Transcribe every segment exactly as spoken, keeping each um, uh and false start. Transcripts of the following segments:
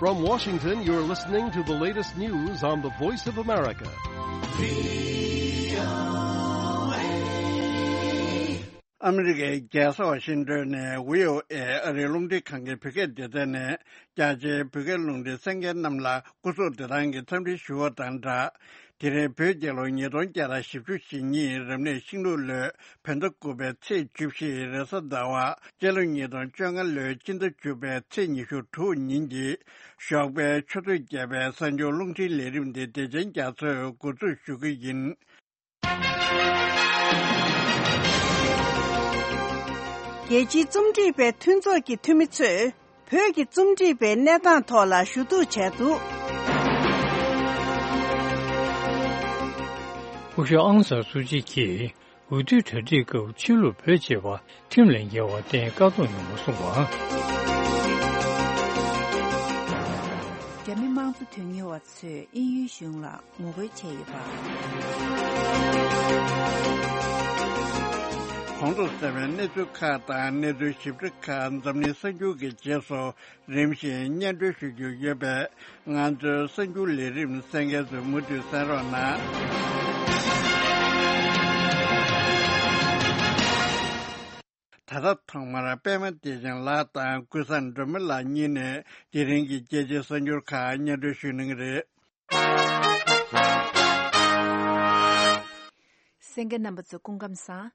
From Washington, you're listening to the latest news on the Voice of America. ཨ་མི་རི་ཀའི་རྒྱལ་ས་ཝ་ཤིང་ཏོན་ནས་ཝི་ཨོ་ཨེ་ཨ་རིའི་རླུང་འཕྲིན་ཁང་གི་བོད་སྐད་སྡེ་ཚན་ནས་རྒྱ་ཆེའི་བོད་སྐད་རླུང་འཕྲིན་གསན་མཁན་རྣམས་ལ་སྐུ་གཟུགས་བདེ་ཐང་གི་འཚམས་འདྲི་ཞུ་བ་དང་སྦྲགས། དེ་རིང་བོད་རྒྱལ་ལོ་ཉིས་སྟོང་བརྒྱ་དང་བཞི་བཅུ་ཞེ་གཉིས་རབ་གནས་ཤིང་ལུག་ལོའི་བོད་ཟླ་དགུ་པའི་ཚེས་བཅུ་བཞི་རེས་གཟའ་ཟླ་བ། སྤྱི་ལོ་ཉིས་སྟོང་བཅོ་ལྔ་ལོའི་སྤྱི་ཟླ་བཅུ་པའི་ཚེས་ཉི་ཤུ་དྲུག་ཉིན་གྱི་ཞོགས་པའི་ཆུ་ཚོད་བརྒྱད་པའི་གསར་འགྱུར་རླུང་འཕྲིན་ལས་རིམ་འདི་བདེ་ཆེན་རྒྱ་མཚོས་འགོ་འཛུགས་ཞུ་གི་ཡིན། རྒྱལ་སྤྱིའི་རྩོམ་སྒྲིག་པའི་མཐུན་ཚོགས་ཀྱི་འཐུས་མི་ཚོས་བོད་ཀྱི་རྩོམ་སྒྲིག་པའི་གནས་སྟངས་ཐོག་ལ་ཞུ་གཏུག་བྱས་འདུག། སྐུ་ཞབས་ཨང་སང་སུའུ་ཅི་གིས་འོས་བསྡུའི་གྲ་སྒྲིག་སྐབས་ཕྱི་ལུགས་བོད་ཅེས་པ་ཁྲིམས་ལས་འགལ་བ་བརྟེན་བཀག་སྡོམ་ཡོང་བ་གསུངས་པ། རྒྱ་མི་དམངས་གཙོ་དོན་གཉེར་བ་ཚོས་དབྱིན་ཡུལ་གཞུང་ལ་ངོ་རྒོལ་བྱས་ཡོད་པ། གོང་དུ་གསལ་བའི་གནས་ཚུལ་ཁག་དང་གནས་ཚུལ་ཞིབ་ཕྲ་ཁག་འཛམ་གླིང་གསར་འགྱུར་གྱི་རྗེས་སུ་རིམ་བཞིན་སྙན་སྒྲོན་ཞུ་རྒྱུ་ཡོད་པས། ང་ཚོའི་གསར་འགྱུར་ལས་རིམ་གསན་མཁན་ཚོས་མུ་མཐུད་གསན་རོགས་གནང་། ད་ལྟ་ཐོག་མར་པད་མ་བདེ་ཆེན་ལགས་དང་ཀུན་བཟང་སྒྲོལ་མ་ལགས་གཉིས་ནས་དེ་རིང་གི་རྒྱལ་སྤྱིའི་གསར་འགྱུར་ཁག་སྙན་སྒྲོན་ཞུ་གནང་གི་རེད། གསན་མཁན་རྣམ་པ་ཚོ་སྐུ་ཁམས་བཟང་།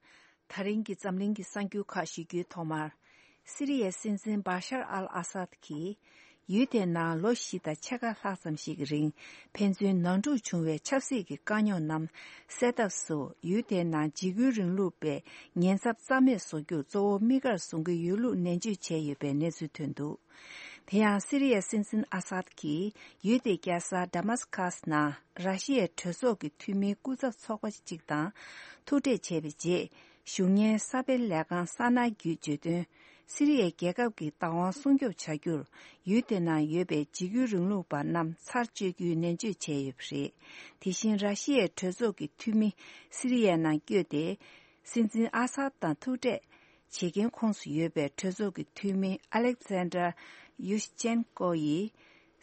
ད་རིང་གི་འཛམ་གླིང་གི་གསར་འགྱུར་ཁག་ཞུ་རྒྱུའི་ཐོག་མར། སི་རི་ཡའི་སྲིད་འཛིན་བཱ་ཤར་ཨལ་ཨ་སཱད་ཀྱིས། ཡུལ་དེའི་ནང་ལོ་བཞི་དང་ཕྱེད་ཀ་ལྷག་ཙམ་ཞིག་གི་རིང་ཕན་ཚུན་ནང་འཁྲུག་བྱུང་བའི་ཆབ་སྲིད་ཀྱི་དཀའ་རྙོག་རྣམས་སེལ་ཐབས་སུ་ཡུལ་དེའི་ནང་འཇིགས་སྐུལ་རིང་ལུགས་པའི་ཉེན་ཚབས་རྩ་མེད་བཟོ་རྒྱུར་གཙོ་བོ་དམིགས་བཀར་བཟུང་གི་ཡོད་ལུགས་ནན་བརྗོད་བྱས་ཡོད་པའི་གནས་ཚུལ་ཐོན་འདུག། དེ་ཡང་སི་རི་ཡའི་སྲིད་འཛིན་ཨ་སཱད་ཀྱིས་ཡུལ་དེའི་རྒྱལ་ས་ཌ་མཱ་སི་ཁཱས་ནང་ར་ཤི་ཡའི་གྲོས་ཚོགས་ཀྱི་འཐུས་མིའི་སྐུ་ཚབ་ཚོགས་པ་གཅིག་དང་ཐུག་འཕྲད་བྱས་པའི་རྗེས། བཞུགས་གཉེར་གསར་སྤེལ་ལས་ཁང་གསར་ནང་བརྒྱུད་བརྗོད་དོན། སི་རི་ཡའི་རྒྱལ་ཁབ་ཀྱི་བདག་དབང་སྲུང་སྐྱོབ་བྱ་རྒྱུར་ཡུལ་དེ་ནང་ཡོད་པའི་འཇིགས་སྐུལ་རིང་ལུགས་པ་རྣམས་ཚར་གཅོད་རྒྱུའི་ནན་བརྗོད་བྱས་ཡོད་པ་རེད། དེ་བཞིན་ར་ཤི་ཡའི་གྲོས་ཚོགས་ཀྱི་འཐུས་མི་སི་རི་ཡའི་ནང་བསྐྱོད་དེ། སྲིད་འཛིན་ཨ་སཱད་དང་ཐུག་འཕྲད་བྱེད་མཁན་ཁོངས་སུ་ཡོད་པའི་གྲོས་ཚོགས་ཀྱི་འཐུས་མི་ཨ་ལེག་ཛན་ཌར་ཡུ་ཤི་ཆན་ཀོ་ཡིས།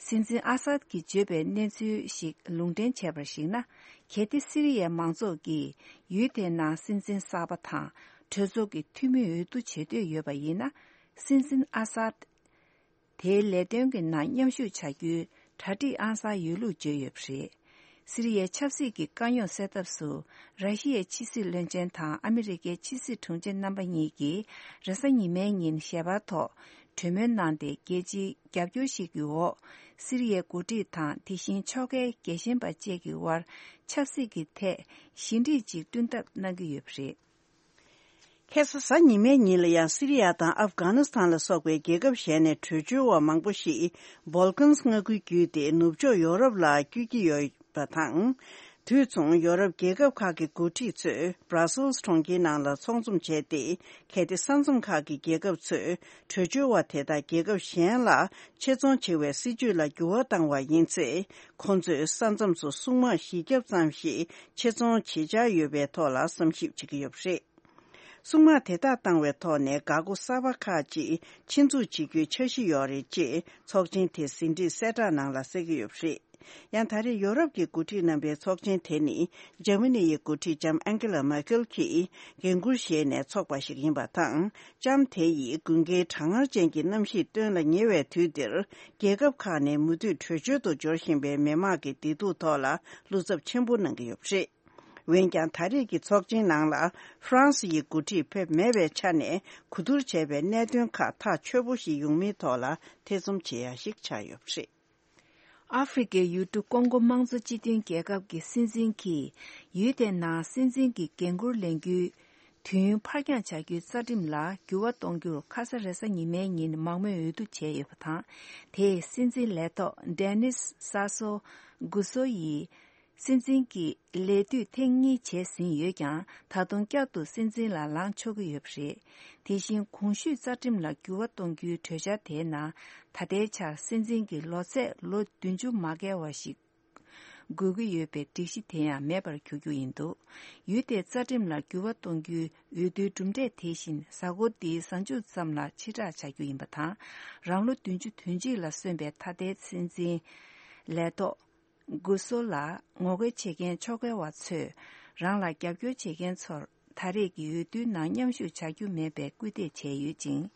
སྲིད་འཛིན་ཨ་སཱད་ཀྱིས་བརྗོད་པའི་གནས་ཚུལ་ཞིག་ལུང་འདྲེན་བྱས་པར་གཞིགས་ན། གལ་ཏེ་སི་རི་ཡའི་མང་ཚོགས་ཀྱིས་ཡུལ་དེའི་ནང་སྲིད་འཛིན་གསར་པ་དང་གྲོས་ཚོགས་ཀྱི་འཐུས་མི་འོས་བསྡུ་བྱེད་འདོད་ཡོད་པ་ཡིན་ན། སྲིད་འཛིན་ཨ་སཱད་དེའི་ལས་དོན་གྱི་ནང་མཉམ་ཞུགས་བྱ་རྒྱུའི་གྲ་སྒྲིག་ཨང་གསར་ཡོད་ལུགས་བརྗོད་ཡོད་པ་རེད། སི་རི་ཡའི་ཆབ་སྲིད་ཀྱི་དཀའ་རྙོག་སེལ་ཐབས་སུ། ར་ཤི་ཡའི་ཕྱི་སྲིད་བློན་ཆེན་དང་ཨ་མི་རི་ཀའི་ཕྱི་སྲིད་དྲུང་ཆེ་རྣམ་པ་གཉིས་ཀྱིས་རེས་གཟའ་ཉི་མའི་ཉིན་ཞལ་པར་ཐོག་གྲོས་མོལ་གནང་སྟེ། རྒྱལ་སྤྱིའི་རྒྱབ་སྐྱོར་ཞིག་གི་འོག་སི་རི་ཡའི་འགོ་ཁྲིད་དང་དེ་བཞིན་ཕྱོགས་འགལ་རྒྱལ་ཞེན་པ་བཅས་ཀྱི་དབར་ཆབ་སྲིད་ཀྱི་ཐད་ཞི་འགྲིག་ཅིག་བསྐྲུན་ཐབས་གནང་གི་ཡོད་པ་རེད། ཁ་སང་གཟའ་ཉི་མའི་ཉིན་ལ་ཡང་སི་རི་ཡ་དང་ཨབ་གྷ་ནི་སི་ཐན་ལ་སོགས་པའི་རྒྱལ་ཁབ་གཞན་ནས་བྲོས་བྱོལ་བ་མང་པོ་ཞིག་སྦོལ་ཀན་མངའ་ཁུལ་བརྒྱུད་དེ་ནུབ་ཕྱོགས་ཡོ་རོབ་ལ་བསྐྱོད་ཀྱི་ཡོད་པ་དང་། དུས་མཚུངས་ཡོ་རོབ་རྒྱལ་ཁབ་ཁག་གི་འགོ་ཁྲིད་ཚོས་བྷ་ར་སེལ་སི་གྲོང་ཁྱེར་ནང་ལ་ཚོགས་འཛོམས་བྱས་ཏེ། གལ་ཏེ་ས་མཚམས་ཁག་གི་རྒྱལ་ཁབ་ཚོས་བྲོས་བྱོལ་བ་དེ་དག་རྒྱལ་ཁབ་གཞན་ལ་ཆེད་རྫོང་བྱེད་པའི་སྲིད་ཇུས་ལ་འགྱུར་བ་བཏང་བ་ཡིན་ཚེ། ཁོང་ཚོས་ས་མཚམས་སུ་སྲུང་དམག་བཞི་བརྒྱ་ཙམ་ཞིག་ཆེད་རྫོང་བྱེད་འཆར་ཡོད་པའི་ཐོག་ལ་བསམ་ཞིབ་བྱེད་ཀྱི་ཡོད་པ་རེད། སྲུང་དམག་དེ་དག་བཏང་བའི་ཐོག་ནས་འགག་སྒོ་གསར་པ་ཁག་ཅིག་ཆེད་འཛུགས་བྱེད་རྒྱུའི་འཆར་གཞི་ཡོད་རེད་ཅེས་ཚོགས་ཆེན་དེའི་ཟིན་བྲིས་གསལ་བསྒྲགས་ནང་ལ་གསལ་གྱི་ཡོད་པ་རེད། ཡང་ད་རེས་ཡོ་རོབ་ཀྱི་འགོ་ཁྲིད་རྣམ་པའི་ཚོགས་ཆེན་དེ་ནི་འཇར་མ་ནི་ཡི་འགོ་ཁྲིད་ལྕམ་ཨན་ཀེ་ལ་མར་ཀེལ་གྱིས་འགན་འཁུར་བཞེས་ནས་འཚོགས་པ་ཞིག་ཡིན་པ་དང་། ལྕམ་དེ་ཡིས་དགུན་ཁའི་གྲང་ངར་ཅན་གྱི་གནམ་གཤིས་སྟོན་ལ་ཉེ་བའི་དུས་འདིར། རྒྱལ་ཁབ་ཁག་ནས་མུ་མཐུད་བྲོས་བྱོལ་དུ་འབྱོར་བཞིན་པའི་མི་མང་གི་བདེ་སྡུག་ཐོག་ལ་བློ་འཚབ་ཆེན་པོ་གནང་གི་ཡོད་པ་རེད། འོན་ཀྱང་། ད་རེས་ཀྱི་ཚོགས་ཆེན་ནང་ལ་ཧྥ་རན་སི་ཡི་འགོ་ཁྲིད་ཕེབས་མེད་པའི་ཆ་ནས་གོ་བསྡུར་བྱས་པའི་གནད་དོན་ཁག་ཐག་ཆོད་པོ་ཞིག་ཡོང་མིན་ཐོག་ལ་ཐེ་ཚོམ་བྱེད་ཡ་ཞིག་ཆགས་ཡོད་པ་རེད། ཨ་ཧྥེ་རི་ཁའི་ཡུལ་གྲུ་ཀོང་གོ་དམངས་གཙོ་སྤྱི་མཐུན་རྒྱལ་ཁབ་ཀྱི་སྲིད་འཛིན་གྱིས་ཡུལ་དེའི་ནང་སྲིད་འཛིན་གྱི་འགན་འཁུར་ལེན་རྒྱུའི་དུས་ཡུན་ཕར་འགྱངས་བྱ་རྒྱུའི་རྩ་ཁྲིམས་ལ་འགྱུར་བ་གཏོང་རྒྱུར་ཁ་ས་རེས་གཟའ་ཉི་མའི་ཉིན་མང་མོས་འོས་བསྡུ་བྱས་ཡོད་པ་དང་། དེས་སྲིད་འཛིན་ལས་ཐོག་ཌེ་ནིས་ས་སོ་གུ་སོ་ཡིས། སྲིད་འཛིན་གྱི་ལས་དུས་ཐེངས་གཉིས་བྱས་ཟིན་ཡོད་ཀྱང་། ད་དུང་བསྐྱར་དུ་སྲིད་འཛིན་ལ་ལངས་ཆོག་གི་ཡོད་པ་རེད། དེ་བཞིན་གོང་ཞུས་རྩ་ཁྲིམས་ལ་འགྱུར་བ་གཏོང་རྒྱུའི་གྲོས་འཆར་དེའི་ནང་། ད་ལྟའི་ཆར་སྲིད་འཛིན་གྱི་ལོ་ཚད་ལོ་བདུན་ཅུ་མ་བརྒལ་བ་ཞིག་ དགོས་ཀྱི་ཡོད་པའི་སྒྲིག་གཞི་དེ་ཡང་མེད་པར་གྱུར་རྒྱུ་ཡིན་འདུག་ཡུལ་དེའི་རྩ་ཁྲིམས་ལ་འགྱུར་བ་གཏོང་རྒྱུའི་འོས་བསྡུའི་གྲུབ་འབྲས་དེ་བཞིན་གཟའ་འཁོར་འདིའི་གཟའ་མཇུག་ཙམ་ལ་ཕྱིར་བསྒྲགས་བྱ་རྒྱུ་ཡིན་པ་དང་། རང་ལོ་བདུན་ཅུ་དོན་གཅིག་ལ་སོན་པའི་ད་ལྟའི་སྲིད་འཛིན་ལས་ཐོག་གུ་སོ་ལ་ངོ་རྒོལ་བྱེད་མཁན་ཕྱོགས་འགལ་བ་ཚོས་རང་ལ་རྒྱབ་སྐྱོར་བྱེད་མཁན་ཚོར་ད་རེས་ཀྱི་འོས་བསྡུའི་ནང་མཉམ་ཞུགས་བྱ་རྒྱུ་མེད་པའི་སྐུལ་འདེད་བྱས་ཡོད་ཅིང་།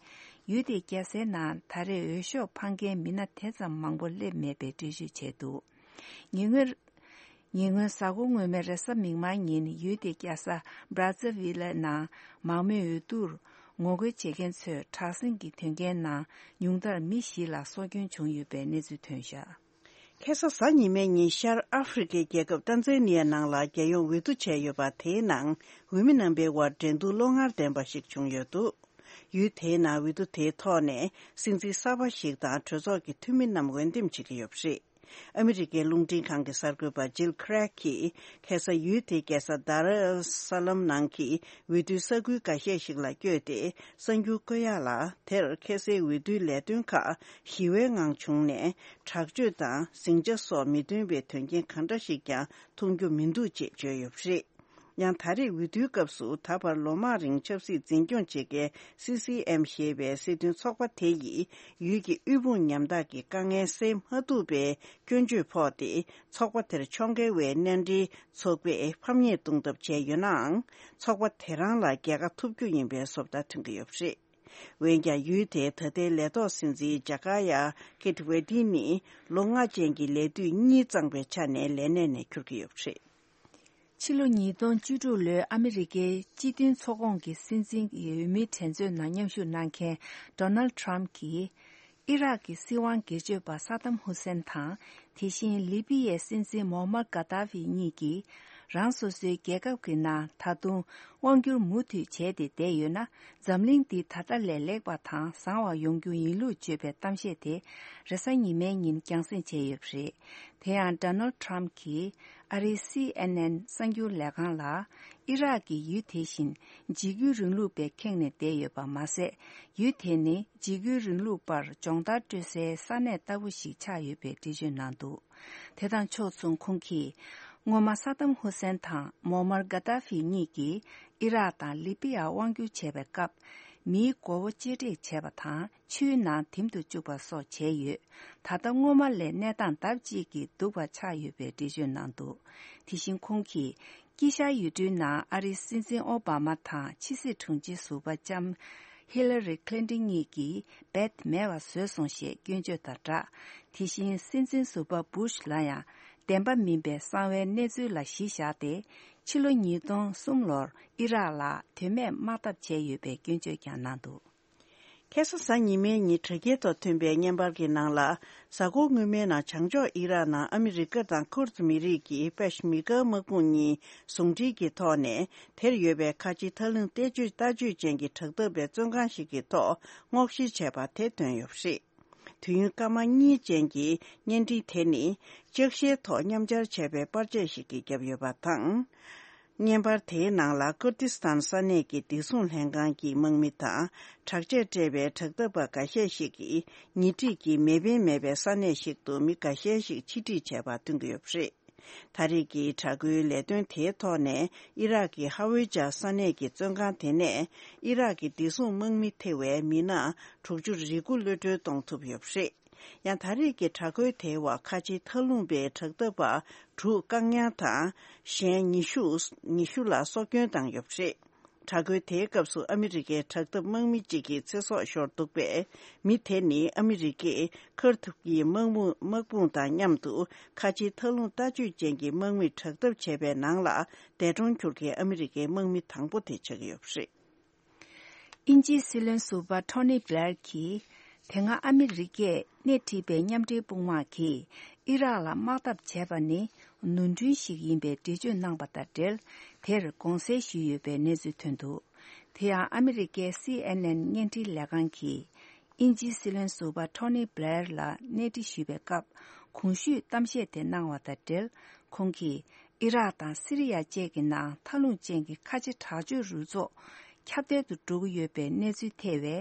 ཡུལ་དེའི་རྒྱལ་སའི་ནང་ད་རེས་འོས་ཤོག་འཕང་མཁན་མི་སྣ་དེ་ཙམ་མང་པོ་སླེབས་མེད་པའི་འགྲེལ་བརྗོད་བྱས་འདུག་ཉེ་སྔོན། ཉེ་སྔོན་གཟའ་འཁོར་སྔོན་མའི་རེས་གཟའ་མིག་དམར་ཉིན་ཡུལ་དེའི་རྒྱལ་ས་Brazzaville་ནང་མང་མོས་འོས་བསྡུར་ངོ་རྒོལ་བྱེད་མཁན་ཚོས་དྲག་ཟིང་གི་དོན་རྐྱེན་ནང་ཉུང་མཐར་མི་བཞི་ལ་སྲོག་སྐྱོན་བྱུང་ཡོད་པའི་གནས་ཚུལ་ཐོན་བཞག་ཁ་སང་གཟའ་ཉི་མའི་ཉིན་ཤར་ཨ་ཧྥེ་རི་ཁའི་རྒྱལ་ཁབ་ཏན་ཛ་ནི་ཡ་ནང་ལ་རྒྱལ་ཡོངས་འོས་བསྡུ་བྱས་ཡོད་པ་དེའི་ནང་འོས་མི་རྣམ་པའི་དབར་འགྲན་བསྡུར་བློ་ངར་ལྡན་པ་ཞིག་བྱུང་ཡོད་འདུག་ཡུལ་དེའི་ནང་འོས་བསྡུ་དེའི་ཐོག་ནས་སྲིད་འཛིན་གསར་པ་ཞིག་དང་གྲོས་ཚོགས་ཀྱི་འཐུས་མི་རྣམས་འོས་འདེམས་བྱེད་ཀྱི་ཡོད་པ་རེད། ཨ་མི་རི་ཀའི་རླུང་འཕྲིན་ཁང་གི་གསར་འགོད་པ་ཇིལ་ཁི་རེག་གིས་ཁ་སང་ཡུལ་དེའི་རྒྱལ་ས་དར་ཨལ་ས་ལམ་ནང་གི་འོས་བསྡུའི་ས་ཁུལ་འགའ་ཤས་ཤིག་ལ་བསྐྱོད་དེ་གསར་འགྱུར་བཀོད་ཡག་ལ། དེར་ཁ་སའི་འོས་བསྡུའི་ལས་དོན་ཁག་ཞི་བའི་ངང་བྱུང་ནས། དྲག་སྤྱོད་དང་ཟིང་ཆ་སོགས་མི་མཐུན་པའི་དོན་རྐྱེན་གང་འདྲ་ཞིག་ཀྱང་མཐོང་རྒྱུ་མི་འདུག་ཅེས་བརྗོད་ཡོད་པ་རེད། ཡང་ད་རེས་འོས་བསྡུའི་སྐབས་སུ་ད་བར་ལོ་མང་རིང་ཆབ་སྲིད་འཛིན་སྐྱོང་བྱེད་མཁན་སི་སི་ཨེམ་ཞེས་པའི་སྲིད་དོན་ཚོགས་པ་དེ་ཡིས་ཡུལ་གྱི་དབུལ་ཕོངས་ཉམ་ཐག་གི་དཀའ་ངལ་སེལ་མ་ཐུབ་པའི་སྐྱོན་བརྗོད་ཕོག་སྟེ། ཚོགས་པ་དེར་ཕྱོགས་འགལ་བའི་མནའ་འབྲེལ་ཚོགས་པས་ཕམ་ཉེས་གཏོང་ཐབས་བྱས་ཡོད་ནའང་། ཚོགས་པ་དེ་རང་ལ་རྒྱལ་ཁ་ཐོབ་རྒྱུ་ཡིན་པའི་བཟོ་ལྟ་ཐོན་གྱི་ཡོད་པ་རེད། འོན་ཀྱང་ཡུལ་དེའི་ད་ལྟའི་ལས་ཐོག་སྲིད་འཛིན་ཇ་ཀ་ཡ་ཀེ་ཏི་ཝེ་ཏི་ནི་ལོ་ལྔ་ཅན་གྱི་ལས་དུས་གཉིས་གཙང་པའི་ཆ་ནས་ལས་གནས་ནས་འཁྱུར་གྱི་ཡོད་པ་རེད། ཕྱི་ལོ་ཉིས་སྟོང་བཅུ་དྲུག་ལོའི་ཨ་མི་རི་ཀའི་སྤྱི་མཐུན་ཚོགས་ཁོངས་ཀྱི་སྲིད་འཛིན་གྱི་འོས་མིའི་འགྲན་རྩོད་ནང་མཉམ་ཞུགས་གནང་མཁན་Donald Trump་གྱིས། ཨི་རག་གི་སྲིད་དབང་སྒེར་གཅོད་པ་ས་དམ་ཧུ་སེན་དང་། དེ་བཞིན་ལི་པི་ཡའི་སྲིད་འཛིན་མོ་མར་གྷ་ཏཱ་ཧྥི་གཉིས་ཀྱིས། རང་སོ་སོའི་རྒྱལ་ཁབ་ཀྱི་ནང་ད་དུང་དབང་བསྒྱུར་མུ་མཐུད་བྱས་ཏེ་བསྡད་ཡོད་ན། འཛམ་གླིང་འདི་ད་ལྟ་ལས་ལེགས་པ་དང་བཟང་བ་ཡོང་རྒྱུ་ཡིན་ལུགས་བརྗོད་པའི་གཏམ་བཤད་དེ་རེས་གཟའ་ཉི་མའི་ཉིན་རྒྱང་སྲིང་བྱས་ཡོད་པ་རེད། དེ་ཡང་Donald Trump་གྱིས་ཨ་རིའི་སི་ཨེན་ཨེན་གསར་འགྱུར་ལས་ཁང་ལ། ཨི་རག་གིས་ཡུལ་དེ་བཞིན་འཇིགས་སྐུལ་རིང་ལུགས་པས་ཁེངས་ནས་བསྡད་ཡོད་པ་མ་ཟད། ཡུལ་དེ་ནི་འཇིགས་སྐུལ་རིང་ལུགས་པར་སྦྱོང་བརྡར་སྤྲོད་སའི་ས་གནས་ལྟ་བུ་ཞིག་ཆགས་ཡོད་པའི་འགྲེལ་བརྗོད་གནང་འདུག་དེ་དང་ཕྱོགས་མཚུངས་ཁོང་གིས། སྔོན་མ་ས་དམ་ཧུ་སེན་དང་མོ་མར་གྷ་ཏཱ་ཧྥི་གཉིས་ཀྱིས་ཨི་རག་དང་ལི་པི་ཡར་དབང་བསྒྱུར་བྱས་པའི་སྐབས། མིའི་མགོ་བོ་གཅེས་སྤྲས་བྱས་པ་དང་། ཆུའི་ནང་འཐིམ་དུ་བཅུག་པ་སོགས་བྱས་ཡོད། ད་ལྟ་སྔོན་མ་ལས་གནས་སྟངས་ལྡབ་གཅིག་གིས་སྡུག་པ་ཆགས་ཡོད་པའི་འགྲེལ་བརྗོད་གནང་འདུག་དེ་བཞིན་ཁོང་གིས། དཀྱིལ་ཤར་ཡུལ་གྲུའི་ནང་ཨ་རིའི་སྲིད་འཛིན་ཨོ་བྷ་མ་དང་ཕྱི་སྲིད་དྲུང་ཆེ་ཟུར་པ་ལྕམ་ཧི་ལ་རི་ཁི་ལིན་ཏིན་གཉིས་ཀྱིས་རྦད་མེད་པ་བཟོས་སོང་ཞེས་སྐྱོན་བརྗོད་དང་སྦྲགས། དེ་བཞིན་སྲིད་འཛིན་ཟུར་པ་བུ་ཤ་ལ་ཡང་བདེན་པ་མིན་པའི་གསང་བའི་གནས་ཚུལ་ལ་གཞི་བཞག་སྟེ། ཕྱི་ལོ་ཉིས་སྟོང་གསུམ་ལོར་ཨི་རག་ལ་དོན་མེད་དམག་འཐབ་བྱས་ཡོད་པའི་སྐྱོན་བརྗོད་ཀྱང་གནང་འདུག་ཁ་སང་གཟའ་ཉི་མའི་ཉིན་དྲ་རྒྱའི་ཐོག་ཐོན་པའི་བརྙན་པར་གྱི་ནང་ལ། གཟའ་འཁོར་སྔོན་མའི་ནང་བྱང་ཕྱོགས་ཨི་རག་ནང་ཨ་མི་རི་ཀ་དང་ཁུར་ཛ་མི་རིགས་ཀྱི་པེ་ཤ་མེར་གྷི་དམག་དཔུང་གཉིས་ཟུང་འབྲེལ་གྱི་ཐོག་ནས། དེར་ཡོད་པའི་ཁ་ཆེའི་ཐག་རླུང་བརྟན་བཅོས་ལྟ་སྤྱོད་ཅན་གྱི་དྲག་འཐབ་པའི་བཙོན་ཁང་ཞིག་གི་ཐོག་སྔོག་བཤེར་བྱས་པ་དེ་ཐོན་ཡོད་པ་རེད། དུས་ཡུན་སྐར་མ་གཉིས་ཅན་གྱི་བརྙན་འཕྲིན་དེ་ནི། ལྕགས་ཤེལ་ཐོག་མཉམ་སྦྱར་བྱས་པའི་པར་ཆས་ཤིག་གིས་བརྒྱབ་ཡོད་པ་དང་། བརྙན་པར་དེའི་ནང་ལ་ཀུར་ཏི་སི་ཐན་ས་གནས་ཀྱི་བདེ་སྲུང་ལྷན་ཁང་གི་དམག་མི་དང་། དྲག་ཆས་སྤྲས་པའི་དྲག་འཐབ་པ་འགའ་ཤས་ཤིག་གིས། ཉེ་འཁྲིས་ཀྱི་མེ་འཕེན་མེད་པའི་ས་གནས་ཤིག་ཏུ་མི་འགའ་ཤས་ཤིག་ཕྱིར་ཁྲིད་བྱས་པ་སྟོན་གྱི་ཡོད་པ་རེད། ད་རེས་ཀྱི་དྲག་རྒོལ་ལས་དོན་དེའི་ཐོག་ནས། ཨི་རག་གི་ཧ་ཝེ་ཇཱ་ས་གནས་ཀྱི་བཙོན་ཁང་དེ་ནས། ཨི་རག་གི་བདེ་སྲུང་དམག་མི་ཐེ་བའི་མི་སྣ་དྲུག་ཅུ་རེ་དགུ་གློད་གྲོལ་གཏོང་ཐུབ་ཡོད་པ་རེད། ཡང་ད་རེས་ཀྱི་དྲག་རྒོལ་དེའི་འོག་ཁ་ཆེའི་མཐའ་ལྷུང་པའི་དྲག་འཐབ་པ་དྲུག་བཀག་ཉར་དང་། གཞན་ཉི་ཤུ། ཉི་ཤུ་ལ་སྲོག་སྐྱོན་བཏང་ཡོད་པ་རེད། དྲག་རྒོལ་དེའི་སྐབས་སུ་ཨ་མི་རི་ཀའི་དྲག་འཐབ་དམག་མི་གཅིག་གི་ཚེ་སྲོག་ཤོར་འདུག་པས། མི་དེ་ནི་ཨ་མི་རི་ཀས་ཁུར་ཐུབ་ཀྱི་དམག་དམག་དཔུང་དང་མཉམ་དུ་ཁ་ཆེའི་མཐའ་ལྷུང་ལྟ་སྤྱོད་ཅན་གྱི་དམག་མིས་དྲག་འཐབ་བྱས་པའི་ནང་ལ། འདས་གྲོངས་གྱུར་མཁན་ཨ་མི་རི་ཀའི་དམག་མི་དང་པོ་དེ་ཆགས་ཀྱི་ཡོད་པ་རེད། དབྱིན་ཇིའི་སྲིད་བློན་ཟུར་པ་ཐོ་ནི་བྷི་ལེར་གྱིས། དེ་སྔ་ཨ་མི་རི་ཀས་སྣེ་ཁྲིད་པའི་མཉམ་འབྲེལ་དཔུང་དམག་གིས་ཨི་རག་ལ་དམག་འཐབ་བྱས་པ་ནི་ནོར་འཁྲུལ་ཞིག་ཡིན་པའི་འགྲེལ་བརྗོད་གནང་པ་དང་འབྲེལ། དེར་དགོངས་སེལ་ཞུས་ཡོད་པའི་གནས་ཚུལ་ཐོན་འདུག་དེ་ཡང་ཨ་མི་རི་ཀའི་སི་ཨེན་ཨེན་བརྙན་འཕྲིན་ལས་ཁང་གིས། དབྱིན་ཇིའི་སྲིད་བློན་ཟུར་པ་ཐོ་ནི་བྷི་ལེར་ལ་གནས་འདྲི་ཞུས་པའི་སྐབས། གོང་ཞུས་གཏམ་བཤད་དེ་གནང་བ་དང་འབྲེལ། ཁོང་གིས། ཨི་རག་དང་སི་རི་ཡ་བཅས་ཀྱི་ནང་མཐའ་ལྷུང་ཅན་གྱི་ཁ་ཆེ་དྲག་སྤྱོད་རུ་ཚོགས་ཁྱབ་གདལ་དུ་འགྲོ་གི་ཡོད་པའི་གནས་ཚུལ་ཐེ་བའི་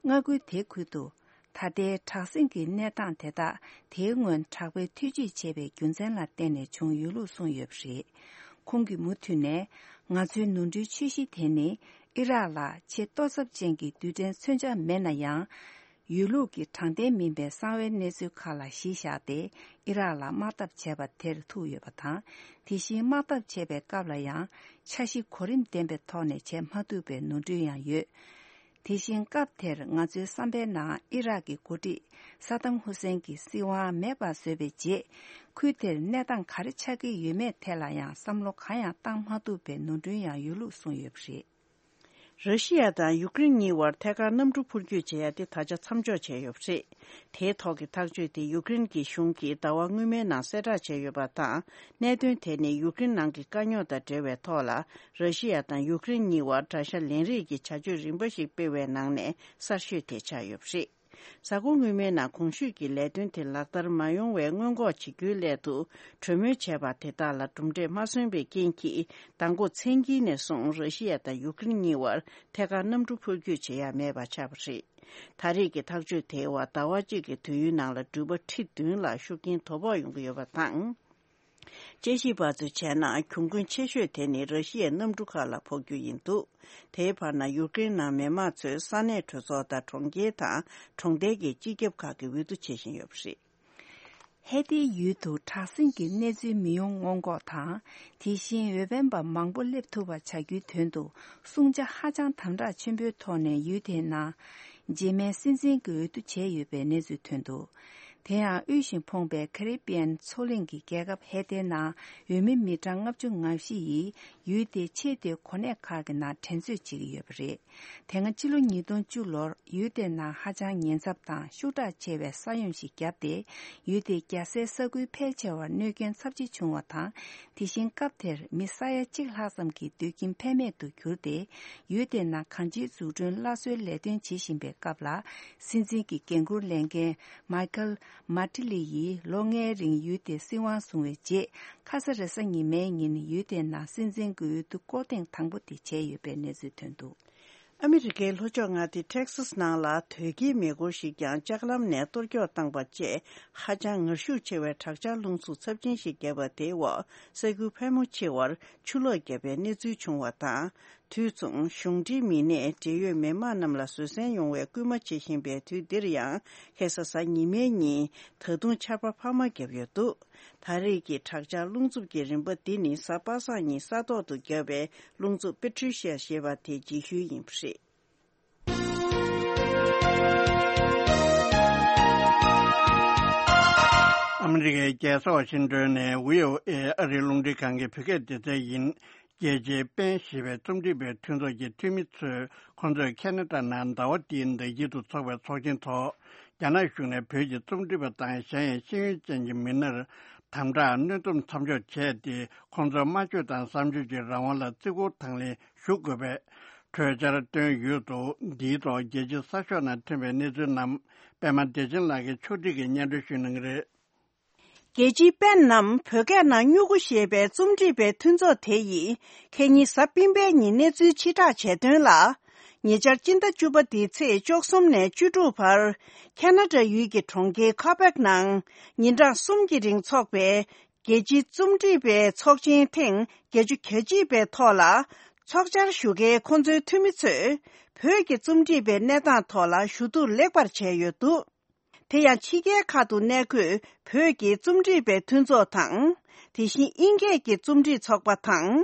མངའ་ཁུལ་དེ་ཁུལ་དུ་ ད་ལྟའི་དྲག་ཟིང་གི་གནས་སྟངས་དེ་དག་དེའི་སྔོན་དྲག་པོའི་ཐེ་ཇུས་བྱས་པའི་རྒྱུ་མཚན་ལ་བརྟེན་ནས་བྱུང་ཡོད་ལུགས་གསུངས་ཡོད་པ་རེད། ཁོང་གིས་མུ་མཐུད་ནས། ང་ཚོའི་ནོར་འཁྲུལ་ཆེ་ཤོས་དེ་ནི། ཨི་རག་ལ་ཆེས་ལྟོ་ཚབས་ཅན་གྱི་རྡུལ་ཕྲན་མཚོན་ཆ་མེད་ན་ཡང་། ཡོད་ལུགས་ཀྱི་དྲང་བདེན་མིན་པའི་གསང་བའི་གནས་ཚུལ་ཁག་ལ་གཞི་བཞག་སྟེ། ཨི་རག་ལ་དམག་འཐབ་བྱས་པ་དེར་ཐུག་ཡོད་པ་དང་། དེ་བཞིན་དམག་འཐབ་བྱས་པའི་སྐབས་ལ་ཡང་། འཆར་གཞི་གོ་རིམ་ལྡན་པའི་ཐོག་ནས་བྱེད་མ་ཐུབ་པའི་ནོར་འཁྲུལ་ཡང་ཡོད། དེ་བཞིན་སྐབས་དེར་ང་ཚོའི་བསམ་པའི་ནང་ཨི་རག་གི་འགོ་ཁྲིད་ས་དམ་ཧུ་སེན་གྱི་སྲིད་དབང་མེད་པར་བཟོས་པའི་རྗེས། ཁུལ་དེར་གནས་སྟངས་ག་རེ་ཆགས་ཀྱི་ཡོད་མེད་ཐད་ལ་ཡང་བསམ་བློ་གང་ཡང་བཏང་མ་ཐུབ་པའི་ནོར་འཁྲུལ་ཡང་ཡོད་ལུགས་གསུངས་ཡོད་པ་རེད། ར་ཤི་ཡ་དང་ཡུཀ་རེན་གཉིས་བར་ཐད་ཀར་གནམ་གྲུ་འཕུར་སྐྱོད་བྱེད་ཡ་དེ་ད་ཆ་མཚམས་འཇོག་བྱས་ཡོད་པ་རེད། དེའི་ཐོག་གི་ཐག་གཅོད་དེ་ཡུཀ་རེན་གྱི་གཞུང་གིས་ཟླ་བ་སྔོན་མའི་ནང་གསལ་བསྒྲགས་བྱས་ཡོད་པ་དང་། གནད་དོན་དེ་ནི་ཡུཀ་རེན་ནང་གི་དཀའ་རྙོག་དང་འབྲེལ་བའི་ཐོག་ལ། ར་ཤི་ཡ་དང་ཡུཀ་རེན་གཉིས་བར་དགྲ་ཤ་ལེན་རེས་ཀྱི་བྱ་སྤྱོད་རིམ་པ་ཞིག་སྤེལ་བའི་ནང་ནས་གསར་ཤོས་དེ་ཆགས་ཡོད་པ་རེད། གཟའ་འཁོར་སྔོན་མའི་ནང་གོང་ཞུས་ཀྱི་ལས་དོན་དེ་ལག་བསྟར་མ་ཡོང་བའི་སྔོན་འགོག་བྱེད་རྒྱུའི་སླད་དུ། གྲོས་མོལ་བྱས་པ་དེ་དག་ལ་གྲུབ་འབྲས་མ་སོན་པའི་རྐྱེན་གྱིས། མདང་དགོང་མཚན་དཀྱིལ་ནས་བཟུང་ར་ཤི་ཡ་དང་ཡུཀ་རེན་གཉིས་བར་ཐད་ཀར་གནམ་གྲུ་འཕུར་སྐྱོད་བྱེད་ཡ་མེད་པ་ཆགས་པ་རེད། ད་རེས་ཀྱི་ཐག་གཅོད་དེའི་འོག་ཟླ་བ་གཅིག་གི་དུས་ཡུན་ནང་ལ་འགྲུལ་པ་ཁྲི་བདུན་ལ་ཤུགས་རྐྱེན་དོ་ཕོག་ཡོང་གི་ཡོད་པ་དང་། དཔྱད་ཞིབ་པ་ཚོས་བྱས་ན། གྱོང་གུན་ཆེ་ཤོས་དེ་ནི་ར་ཤི་ཡའི་གནམ་གྲུ་ཁག་ལ་ཕོག་རྒྱུ་ཡིན་འདུག་དེའི་བར་ན་ཡུཀ་རེན་ནང་མི་མང་ཚོས་ས་གནས་གྲོས་ཚོགས་དང་གྲོང་ཁྱེར་དང་གྲོང་རྡལ་གྱི་སྤྱི་ཁྱབ་ཁག་གི་འོས་བསྡུ་བྱེད་བཞིན་ཡོད་པ་རེད། ཧེ་ཏིའི་ཡུལ་དུ་དྲག་ཟིང་གི་གནས་ཚུལ་མི་ཡོང་སྔོན་འགོག་དང་། དེ་བཞིན་འོས་འཕེན་པ་མང་པོ་སླེབས་ཐུབ་པ་བྱ་རྒྱུའི་དོན་དུ། སྲུང་བྱ་ཧ་ཅང་དམ་དྲག་ཆེན་པོའི་ཐོག་ནས་ཡུལ་དེའི་ནང་རྗེས་མའི་སྲིད་འཛིན་གྱི་འོས་བསྡུ་བྱས་ཡོད་པའི་གནས་ཚུལ་ཐོན་འདུག་དེ་ཡང་དབུལ་ཞིང་ཕོངས་པའི་ཁ་རི་བི་ཡན་མཚོ་གླིང་གི་རྒྱལ་ཁབ་ཧེ་ཏེའི་ནང་འོས་མི་མི་གྲངས་ལྔ་བཅུ་ང་བཞི་ཡིས་ཡུལ་དེའི་ཆེས་མཐོའི་གོ་གནས་ཁག་གི་ནང་འགྲན་རྩོད་བྱེད་ཀྱི་ཡོད་པ་རེད། དེ་སྔ་ཕྱི་ལོ་ཉིས་སྟོང་བཅུ་ལོར་ཡུལ་དེའི་ནང་ཧ་ཅང་ཉེན་ཚབས་དང་ཤུགས་དྲག་ཆེ་བའི་ས་ཡོམ་ཞིག་བརྒྱབ་སྟེ། ཡུལ་དེའི་རྒྱལ་སའི་ས་ཁུལ་ཕལ་ཆེ་བར་གནོད་སྐྱོན་ཚབས་ཆེ་བྱུང་བ་དང་། དེ་བཞིན་སྐབས་དེར་མི་ས་ཡ་གཅིག་ལྷག་ཙམ་གྱི་སྡོད་ཁྱིམ་ཕན་མེད་དུ་གྱུར་ཏེ། ཡུལ་དེའི་ནང་གང་ཅིའི་འཛུགས་སྐྲུན་སླར་གསོའི་ལས་དོན་བྱེད་བཞིན་པའི་སྐབས་ལ། སྲིད་འཛིན་གྱི་འགན་འཁུར་ལེན་མཁན་མཱི་ཁལ་མཱ་ཏི་ལི་ཡིས་ལོ་ལྔའི་རིང་ཡུལ་དེའི་སྲིད་དབང་བཟུང་བའི་རྗེས། ཁ་ས་རེས་གཟའ་ཉི་མའི་ཉིན་ཡུལ་དེའི་ནང་སྲིད་འཛིན་གྱི་འོས་བསྡུ་སྐོར་ཐེངས་དང་པོ་དེ་བྱས་ཡོད་པའི་གནས་ཚུལ་ཐོན་འདུག་ཨ་མི་རི་ཀའི་ལྷོ་ཕྱོགས་མངའ་སྡེ་ཊེག་སཱས་ནང་ལ་དོས་སྐྱེལ་མེ་འཁོར་ཞིག་ཀྱང་ལྕགས་ལམ་ནས་གཏོར་སྐྱོན་བཏང་པ་བཅས། ཧ་ཅང་ངར་ཤུགས་ཆེ་བའི་དྲག་ཆར་རླུང་འཚུབ་ཚབས་ཆེན་ཞིག་བརྒྱབ་པ་དེའི་འོག་ས་ཁུལ་ཕལ་མོ་ཆེ་བར་ཆུ་ལོག་བརྒྱབ་པའི་གནས་ཚུལ་བྱུང་བ་དང་། དུས་མཚུངས་གཞུང་འབྲེལ་མི་སྣས་འབྲེལ་ཡོད་མི་མང་རྣམས་ལ་བཟོད་བསྲན་ཡོང་བའི་སྐུལ་མ་བྱེད་བཞིན་པའི་དུས་འདིར་ཡང་། ཁ་ས་གཟའ་ཉི་མའི་ཉིན་ད་དུང་ཆར་པ་འཕར་མ་བརྒྱབ་ཡོད་འདུག་ད་རེས་ཀྱི་དྲག་ཆར་རླུང་འཚུབ་ཀྱི་རིམ་པ་འདི་ནི་གཟའ་པ་སངས་ཉིན་ས་ཐོག་ཏུ་བརྒྱབ་པའི་རླུང་འཚུབ་པེ་ཊི་རི་ཤི་ཡ་ཞེས་པ་དེའི་རྗེས་ཤུལ་ཡིན་པ་རེད། ཨ་མི་རི་ཀའི་རྒྱལ་ས་ཝ་ཤིང་ཏོན་ནས་བྷི་ཨོ་ཨེ་ཨ་རིའི་རླུང་འཕྲིན་ཁང་གི་བོད་སྐད་སྡེ་ཚན་ཡིན། རྒྱལ་སྤྱིའི་པེན་ཞེས་པའི་རྩོམ་སྒྲིག་པའི་མཐུན་ཚོགས་ཀྱི་འཐུས་མི་ཚོས། ཁོང་ཚོས་ཁེ་ན་ཌ་ནང་ཟླ་བ་འདིའི་ཟླ་དཀྱིལ་དུ་འཚོགས་པའི་ཚོགས་ཆེན་ཐོག་རྒྱ་ནག་གཞུང་ནས་བོད་ཀྱི་རྩོམ་སྒྲིག་པ་དང་གཞན་ཡང་ཤེས་ཡོན་ཅན་གྱི་མི་སྣར་དམ་དྲག་གནོན་སྡོམ་མཚམས་འཇོག་བྱས་ཏེ། ཁོང་ཚོའི་སྨྲ་བརྗོད་དང་བསམ་བརྗོད་ཀྱི་རང་དབང་ལ་བརྩི་བཀུར་དང་ལེན་ཞུ་དགོས་པའི་གྲོས་འཆར་བཏོན་ཡོད་འདུག་འདིའི་ཐོག་རྒྱལ་སྤྱིའི་གསར་ཤོག་ནང་ཐོན་པའི་གནས་ཚུལ་རྣམས་པད་མ་བདེ་ཆེན་ལགས་ཀྱིས་ཕྱོགས་སྒྲིག་གིས་སྙན་སྒྲོན་ཞུ་གནང་གི་རེད། རྒྱལ་སྤྱིའི་པེན་ནམ་བོད་སྐད་ནང་སྨྱུ་གུ་ཞེས་པའི་རྩོམ་སྒྲིག་པའི་མཐུན་ཚོགས་དེ་ཡིས་ཁ་ཉིན་གཟའ་སྤེན་པའི་ཉིན་གནས་ཚུལ་ཕྱིར་བསྒྲགས་བྱས་དོན་ལ། ཉེ་ཆར་སྤྱི་ཟླ་བཅུ་པ་འདིའི་ཚེས་བཅུ་གསུམ་ནས་བཅུ་དྲུག་བར་ཁེ་ན་ཌ་ཡུལ་གྱི་གྲོང་ཁྱེར་ཁ་པེག་ནང་ཉིན་གྲངས་གསུམ་གྱི་རིང་འཚོགས་པའི་རྒྱལ་སྤྱིའི་རྩོམ་སྒྲིག་པའི་ཚོགས་ཆེན་ཐེངས་བརྒྱད་ཅུ་གྱ་གཅིག་པའི་ཐོག་ལ་ཚོགས་བཅར་ཞུ་མཁན་ཁོང་ཚོའི་འཐུས་མི་ཚོས་བོད་ཀྱི་རྩོམ་སྒྲིག་པའི་གནས་སྟངས་ཐོག་ལ་ཞུ་གཏུག་ལེགས་པར་བྱས་ཡོད་འདུག་དེ་ཡང་ཕྱི་རྒྱལ་ཁག་ཏུ་གནས་འཁོད་བོད་ཀྱི་རྩོམ་སྒྲིག་པའི་མཐུན་ཚོགས་དང་། དེ་བཞིན་དབྱིན་སྐད་ཀྱི་རྩོམ་སྒྲིག་ཚོགས་པ་དང་།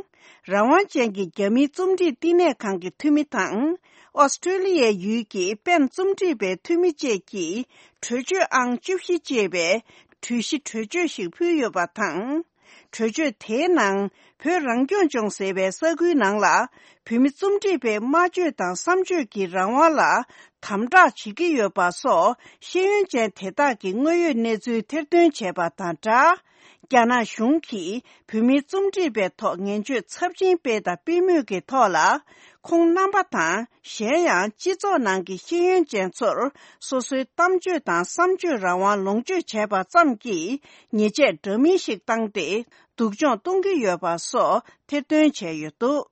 རང་དབང་ཅན་གྱི་རྒྱ་མིའི་རྩོམ་སྒྲིག་བསྟི་གནས་ཁང་གི་འཐུས་མི་དང་། ཨོ་སི་ཀྲོ་ལི་ཡའི་ཡུལ་གྱི་པེན་རྩོམ་སྒྲིག་པའི་འཐུས་མི་བཅས་ཀྱིས་གྲོས་ཆོད་ཨང་བཅུ་བཞི་ཅེས་པའི་གྲོས་གཞི་གྲོས་ཆོད་ཞིག་ཕུལ་ཡོད་པ་དང་། གྲོས་ཆོད་དེའི་ནང་བོད་རང་སྐྱོང་ལྗོངས་ཟེར་བའི་ས་ཁུལ་ནང་ལ་བོད་མི་རྩོམ་སྒྲིག་པའི་སྨྲ་བརྗོད་དང་བསམ་བརྗོད་ཀྱི་རང་དབང་ལ་དམ་དྲག་བྱེད་ཀྱི་ཡོད་པ་སོགས་ཤེས་ཡོན་ཅན་དེ་དག་གི་དངོས་ཡོད་གནས་ཚུལ་ཐེར་འདོན་བྱས་པ་དང་སྦྲགས། རྒྱ་ནག་གཞུང་གིས་བོད་མིའི་རྩོམ་སྒྲིག་པའི་ཐོག་ངན་བྱུས་ཚབས་ཆེན་སྤེལ་དང་སྤེལ་མུས་ཀྱི་ཐོག་ལ་ཁོང་རྣམ་པ་དང་། གཞན་ཡང་སྤྱི་ཚོགས་ནང་གི་ཤེས་ཡོན་ཅན་ཚོར་སོ་སོའི་གཏམ་བརྗོད་དང་བསམ་བརྗོད་རང་དབང་ལོངས་སྤྱོད་བྱས་པ་ཙམ་གྱིས་ཉེས་ཆད་འདྲ་མིན་ཞིག་བཏང་སྟེ་སྡུག་སྦྱོང་གཏོང་གི་ཡོད་པ་སོགས་ཐེར་འདོན་བྱས་ཡོད་འདུག་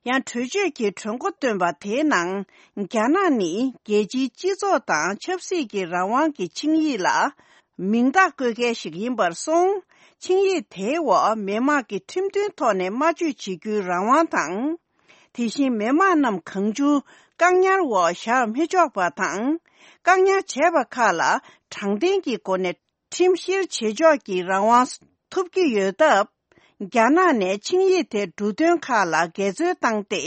ཡང་གྲོས་ཆོད་ཀྱི་གྲོས་འགོ་བཏོན་པ་དེའི་ནང་། རྒྱ་ནག་ནི་རྒྱལ་སྤྱིའི་སྤྱི་ཚོགས་དང་ཆབ་སྲིད་ཀྱི་རང་དབང་གི་ཆིངས་ཡིག་ལ་མིང་རྟགས་བཀོད་མཁན་ཞིག་ཡིན་པར་སོང་། ཆིངས་ཡིག་དེའི་འོག་མི་དམངས་ཀྱི་ཁྲིམས་མཐུན་ཐོག་ནས་སྨྲ་བརྗོད་བྱེད་རྒྱུའི་རང་དབང་དང་། དེ་བཞིན་མི་དམངས་རྣམས་གང་བྱུང་བཀག་ཉར་འོག་བཞག་མི་ཆོག་པ་དང་། བཀག་ཉར་བྱས་པ་ཁག་ལ་དྲང་བདེན་གྱི་སྒོ་ནས་ཁྲིམས་བཤེར་བྱེད་ཕྱོགས་ཀྱི་རང་དབང་ཐོབ་ཀྱི་ཡོད་སྟབས། རྒྱ་ནག་ནས་ཆིངས་ཡིག་དེ་འབྲུ་དོན་ཁག་ལ་འགལ་འཛོལ་བཏང་སྟེ།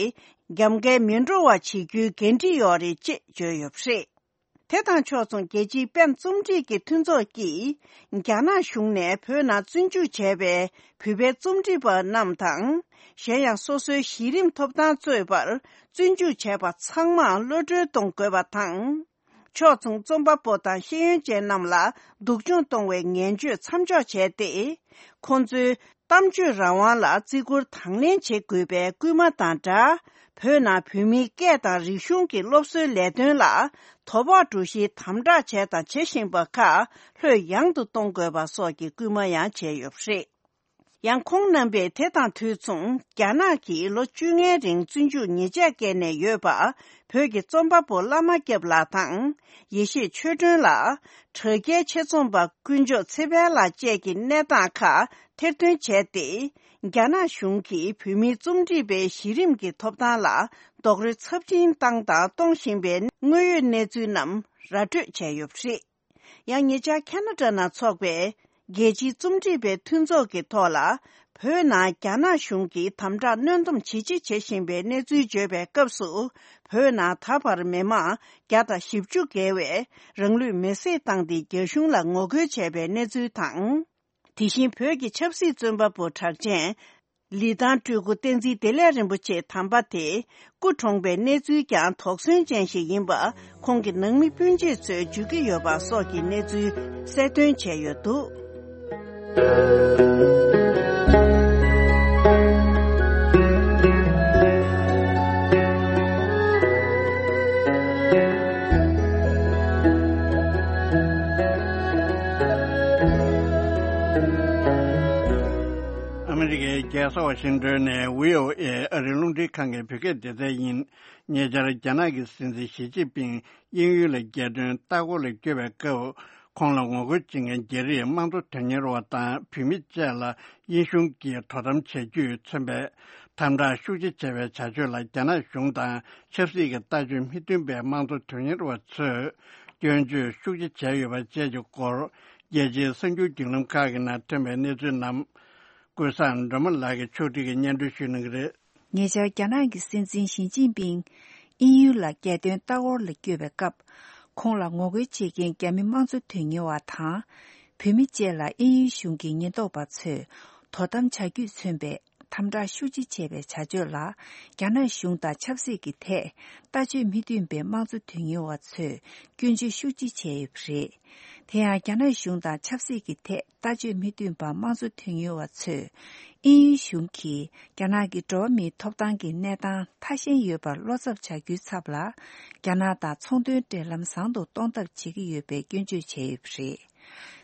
རྒྱབ་འགལ་མི་འགྲོ་བ་བྱེད་རྒྱུའི་འགན་འཁྲི་ཡོད་རེད་ཅེས་བརྗོད་ཡོད་པ་རེད། དེ་དང་ཕྱོགས་མཚུངས་རྒྱལ་སྤྱིའི་པེན་རྩོམ་སྒྲིག་གི་མཐུན་ཚོགས་ཀྱིས། རྒྱ་ནག་གཞུང་ནས་བོད་ནང་བཙོན་འཇུག་བྱས་པའི་བོད་པའི་རྩོམ་སྒྲིག་པ་རྣམས་དང་། གཞན་ཡང་སོ་སོའི་གཞི་རིམ་ཐོབ་ཐང་རྩོད་པར་བཙོན་འཇུག་བྱས་པ་ཚང་མར་གློད་གྲོལ་གཏོང་དགོས་པ་དང་། ཕྱོགས་མཚུངས་རྩོམ་པ་པོ་དང་ཤེས་ཡོན་ཅན་རྣམས་ལ་སྡུག་སྦྱོང་གཏོང་བའི་ངན་བྱུས་མཚམས་འཇོག་བྱས་ཏེ། ཁོང་ཚོའི་གཏམ་བརྗོད་རང་དབང་ལ་བརྩི་བཀུར་དང་ལེན་བྱེད་དགོས་པའི་སྐུལ་མ་དང་སྦྲགས། བོད་ནང་བོད་མིའི་སྐད་དང་རིག་གཞུང་གི་སློབ་གསོའི་ལས་དོན་ལ་དོ་ཕོག་འགྲོ་གཞིའི་དམ་དྲག་བྱས་དང་བྱེད་བཞིན་པ་ཁག་ལྷོད་ཡངས་དུ་གཏོང་དགོས་པ་སོགས་ཀྱི་སྐུལ་མ་ཡང་བྱས་ཡོད་པ་རེད། ཡང་ཁོང་རྣམ་པས་དེ་དང་དུས་མཚུངས། རྒྱ་ནག་གིས་ལོ་བཅོ་ལྔའི་རིང་བཙོན་འཇུག་ཉེས་ཆད་བཀལ་ནས་ཡོད་པ། བོད་ཀྱི་རྩོམ་པ་པོ་བླ་མ་སྐྱབས་ལགས་དང་། ཡེ་ཤེས་ཆོས་སྒྲོན་ལགས། དྲ་རྒྱའི་ཆེད་རྩོམ་པ་དཀོན་མཆོག་ཚེ་འཕེལ་ལགས་བཅས་ཀྱི་གནས་སྟངས་ཁག་ཐེར་འདོན་བྱས་ཏེ། རྒྱ་ནག་གཞུང་གིས་བོད་མིའི་རྩོམ་སྒྲིག་པའི་གཞི་རིམ་གྱི་ཐོབ་ཐང་ལ་རྡོག་རོལ་ཚབས་ཆེན་བཏང་དང་གཏོང་བཞིན་པའི་དངོས་ཡོད་གནས་ཚུལ་རྣམས་ར་སྤྲོད་བྱས་ཡོད་པ་རེད། ཡང་ཉེ་ཆར་ཁ་ན་ཌ་ནང་འཚོགས་པའི་རྒྱལ་སྤྱིའི་རྩོམ་སྒྲིག་པའི་མཐུན་ཚོགས་ཀྱི་ཐོག་ལ། བོད་ནང་རྒྱ་ནག་གཞུང་གིས་དམ་དྲག་གནོན་སྡོམ་ཇེ་ཆེ་བྱེད་བཞིན་པའི་གནས་ཚུལ་བརྗོད་པའི་སྐབས་སུ། བོད་ནང་ད་བར་མི་མང་བརྒྱ་དང་བཞི་བཅུ་བརྒལ་བས་རང་ལུས་མེར་སྲེག་བཏང་སྟེ་རྒྱ་གཞུང་ལ་ངོ་རྒོལ་བྱས་པའི་གནས་ཚུལ་དང་། དེ་བཞིན་བོད་ཀྱི་ཆབ་སྲིད་བཙོན་པ་པོ་གྲགས་ཅན། ལི་ཐང་སྤྲུལ་སྐུ་བསྟན་འཛིན་བདེ་ལེགས་རིན་པོ་ཆེ་དམ་པ་དེ་སྐུ་གྲོངས་པའི་གནས་ཚུལ་ཀྱང་དོགས་ཟོན་ཅན་ཞིག་ཡིན་པ། ཁོང་གི་ནང་མི་སྤུན་མཆེད་ཚོས་བརྗོད་ཀྱི་ཡོད་པ་སོགས་ཀྱི་གནས་ཚུལ་གསལ་སྟོན་བྱས་ཡོད་འདུག། ཨ་མི་རི་ཀའི་རྒྱལ་ས་ཝ་ཤིང་ཏོན་ནས་བྷི་ཨོ་ཨེ་ཨ་རིའི་རླུང་འཕྲིན་ཁང་གི་བོད་སྐད་སྡེ་ཚན་ཡིན། ཉེ་ཆར་རྒྱ་ནག་གི་སྲིད་འཛིན་ཞི་ཅིན་ཕིང་དབྱིན་ཡུལ་ལ་རྒྱལ་དོན་ལྟ་སྐོར་ལ་བསྐྱོད་པའི་སྐབས། ཁོང་ལ་ངོ་རྒོལ་བྱེད་མཁན་རྒྱ་རིགས་དམངས་གཙོ་དོན་གཉེར་བ་དང་བོད་མི་བཅས་ལ་དབྱིན་གཞུང་གིས་དོ་དམ་བྱ་རྒྱུས་མཚོན་པའི་དམ་དྲག་ཤུགས་ཆེ་བྱས་པའི་བྱ་སྤྱོད་ལ། རྒྱ་ནག་གཞུང་དང་ཆབ་སྲིད་ཀྱི་ལྟ་སྤྱོད་མི་མཐུན་པའི་དམངས་གཙོ་དོན་གཉེར་བ་ཚོས་སྐྱོན་བརྗོད་ཤུགས་ཆེ་བྱས་ཡོད་པ་བཅས་ཀྱི་སྐོར། རྒྱལ་སྤྱིའི་གསར་འགྱུར་བརྒྱུད་ལམ་ཁག་གི་ནང་ཐོན་པའི་གནས་ཚུལ་རྣམས། ཀུན་བཟང་སྒྲོལ་མ་ལགས་ཀྱིས་ཕྱོགས་སྒྲིག་གིས་སྙན་སྒྲོན་ཞུ་གནང་གི་རེད། ཉེ་ཆར་རྒྱ་ནག་གི་སྲིད་འཛིན་ཞི་ཅིན་ཕིང་དབྱིན་ཡུལ་ལ་རྒྱལ་དོན་ལྟ་སྐོར་ལ་བསྐྱོད་པའི་སྐབས། ཁོང་ལ་ངོ་རྒོལ་བྱེད་མཁན་རྒྱ་མི་དམངས་གཙོ་དོན་གཉེར་བ་དང་། བོད་མི་བཅས་ལ་དབྱིན་ཡུལ་གཞུང་གི་ཉེན་རྟོག་པ་ཚོས་དོ་དམ་བྱ་རྒྱུས་མཚོན་པའི་དམ་དྲག་ཤུགས་ཆེ་བྱས་པའི་བྱ་སྤྱོད་ལ། རྒྱ་ནག་གཞུང་དང་ཆབ་སྲིད་ཀྱི་ཐད་ལྟ་སྤྱོད་མི་མཐུན་པའི་དམངས་གཙོ་དོན་གཉེར་བ་ཚོས་སྐྱོན་བརྗོད་ཤུགས་ཆེ་བྱས་ཡོད་པ་རེད། དེ་ཡང་རྒྱ་ནག་གཞུང་དང་ཆབ་སྲིད་ཀྱི་ཐད་ལྟ་སྤྱོད་མི་མཐུན་པ་དམངས་གཙོ་དོན་གཉེར་བ་ཚོས། དབྱིན་ཡུལ་གཞུང་གིས་རྒྱ་ནག་གི་འགྲོ་བ་མིའི་ཐོབ་ཐང་གི་གནས་སྟངས་ཐ་ཞན་ཡོད་པར་བློ་འཚབ་བྱ་རྒྱུའི་ཚབ་ལ། རྒྱ་ནག་དང་ཚོང་དོན་འབྲེལ་ལམ་བཟང་དུ་གཏོང་ཐབས་བྱེད་ཀྱི་ཡོད་པའི་སྐྱོན་བརྗོད་བྱས་ཡོད་པ་རེད།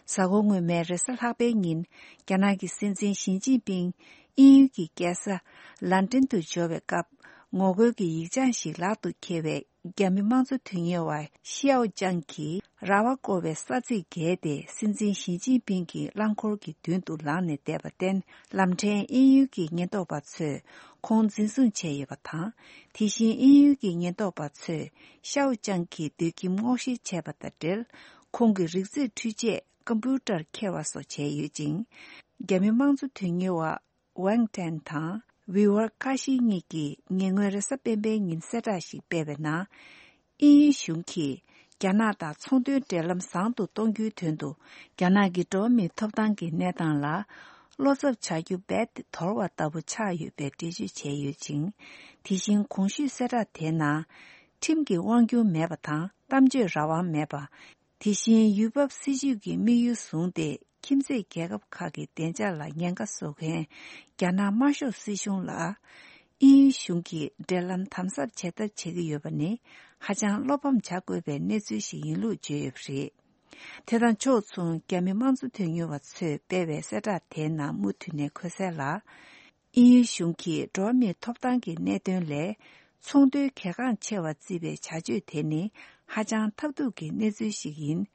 གཟའ་འཁོར་སྔོན་མའི་རེས་གཟའ་ལྷག་པའི་ཉིན། རྒྱ་ནག་གི་སྲིད་འཛིན་ཞི་ཅིན་ཕིང་དབྱིན་ཡུལ་གྱི་རྒྱལ་ས་ལན་ཀྲན་དུ་འབྱོར་བའི་སྐབས། ངོ་རྒོལ་གྱི་ཡིག་བྱང་ཞིག་ལག་ཏུ་འཁྱེར་བའི་རྒྱ་མི་དམངས་གཙོ་དོན་གཉེར་བ་ཤིའོ་ཅང་གིས་ར་བ་བསྐོར་བའི་ས་ཚིགས་བརྒལ་ཏེ། སྲིད་འཛིན་ཞི་ཅིན་ཕིང་གི་རླངས་འཁོར་གྱི་མདུན་དུ་ལངས་ནས་བསྡད་པར་བརྟེན། ལམ་ཕྲན་དབྱིན་ཡུལ་གྱི་ཉེན་རྟོག་པ་ཚོས་ཁོང་འཛིན་བཟུང་བྱས་ཡོད་པ་དང་། དེ་བཞིན་དབྱིན་ཡུལ་གྱི་ཉེན་རྟོག་པ་ཚོས་ཤའོ་ཅང་གི་སྡོད་ཁྱིམ་སྔོག་བཤེར་བྱས་པ་དང་འབྲེལ། ཁོང་གི་རིག་རྩེད་འཕྲུལ་ཆས་ཀམ་པུའུ་ཊར་འཁྱེར་བ་སོགས་བྱས་ཡོད་ཅིང་། རྒྱ་མི་དམངས་གཙོ་དོན་གཉེར་བ་ཝང་ཀྲན་དང་ཝི་ཝར་ཁ་ཤི་གཉིས་ཀྱིས་ཉེ་སྔོན་རེས་གཟའ་སྤེན་པའི་ཉིན་གསལ་བསྒྲགས་ཤིག་སྤེལ་བའི་ནང་། དབྱིན་ཡུལ་གཞུང་གིས་རྒྱ་ནག་དང་ཚོང་དོན་འབྲེལ་ལམ་བཟང་དུ་གཏོང་རྒྱུའི་དོན་དུ། རྒྱ་ནག་གི་འགྲོ་བ་མིའི་ཐོབ་ཐང་གི་གནས་སྟངས་ལ་བློ་འཚབ་བྱ་རྒྱུ་རྦད་དེ་དོར་བ་ལྟ་བུ་ཆགས་ཡོད་པའི་འགྲེལ་བརྗོད་བྱས་ཡོད་ཅིང་། དེ་བཞིན་གོང་ཞུས་གསལ་བསྒྲགས་དེའི་ནང་། ཁྲིམས་ཀྱི་དབང་སྒྱུར་མེད་པ་དང་གཏམ་བརྗོད་རང་དབང་མེད་པ། དེ་བཞིན་ཡུལ་བབ་སྲིད་ཇུས་ཀྱི་དམིགས་ཡུལ་བཟུང་སྟེ། ཁྱིམ་མཚེས་རྒྱལ་ཁབ་ཁག་གི་བདེ་འཇགས་ལ་ཉེན་ཁ་བཟོ་མཁན་རྒྱ་ནག་དམར་ཤོག་སྲིད་གཞུང་ལ། དབྱིན་ཡུལ་གཞུང་གིས་འབྲེལ་ལམ་དམ་ཟབ་བྱེད་ཐབས་བྱེད་ཀྱི་ཡོད་པ་ནི། ཧ་ཅང་བློ་ཕམ་བྱ་དགོས་པའི་གནས་ཚུལ་ཞིག་ཡིན་ལུགས་བརྗོད་ཡོད་པ་རེད། དེ་དང་ཕྱོགས་མཚུངས། རྒྱ་མི་དམངས་གཙོ་དོན་གཉེར་བ་ཚོས་སྤེལ་བའི་གསལ་བསྒྲགས་དེའི་ནང་མུ་མཐུད་ནས་འཁོད་གསལ་ལ། དབྱིན་ཡུལ་གཞུང་གིས་འགྲོ་བ་མིའི་ཐོབ་ཐང་གི་གནད་དོན་ལས་ཚོང་དོན་གལ་འགངས་ཆེ་བར་བརྩིས་པའི་བྱ་སྤྱོད་དེ་ནི་ཧ་ཅང་ཐབས་སྡུག་གི་གནས་ཚུལ་ཞིག་ཡིན།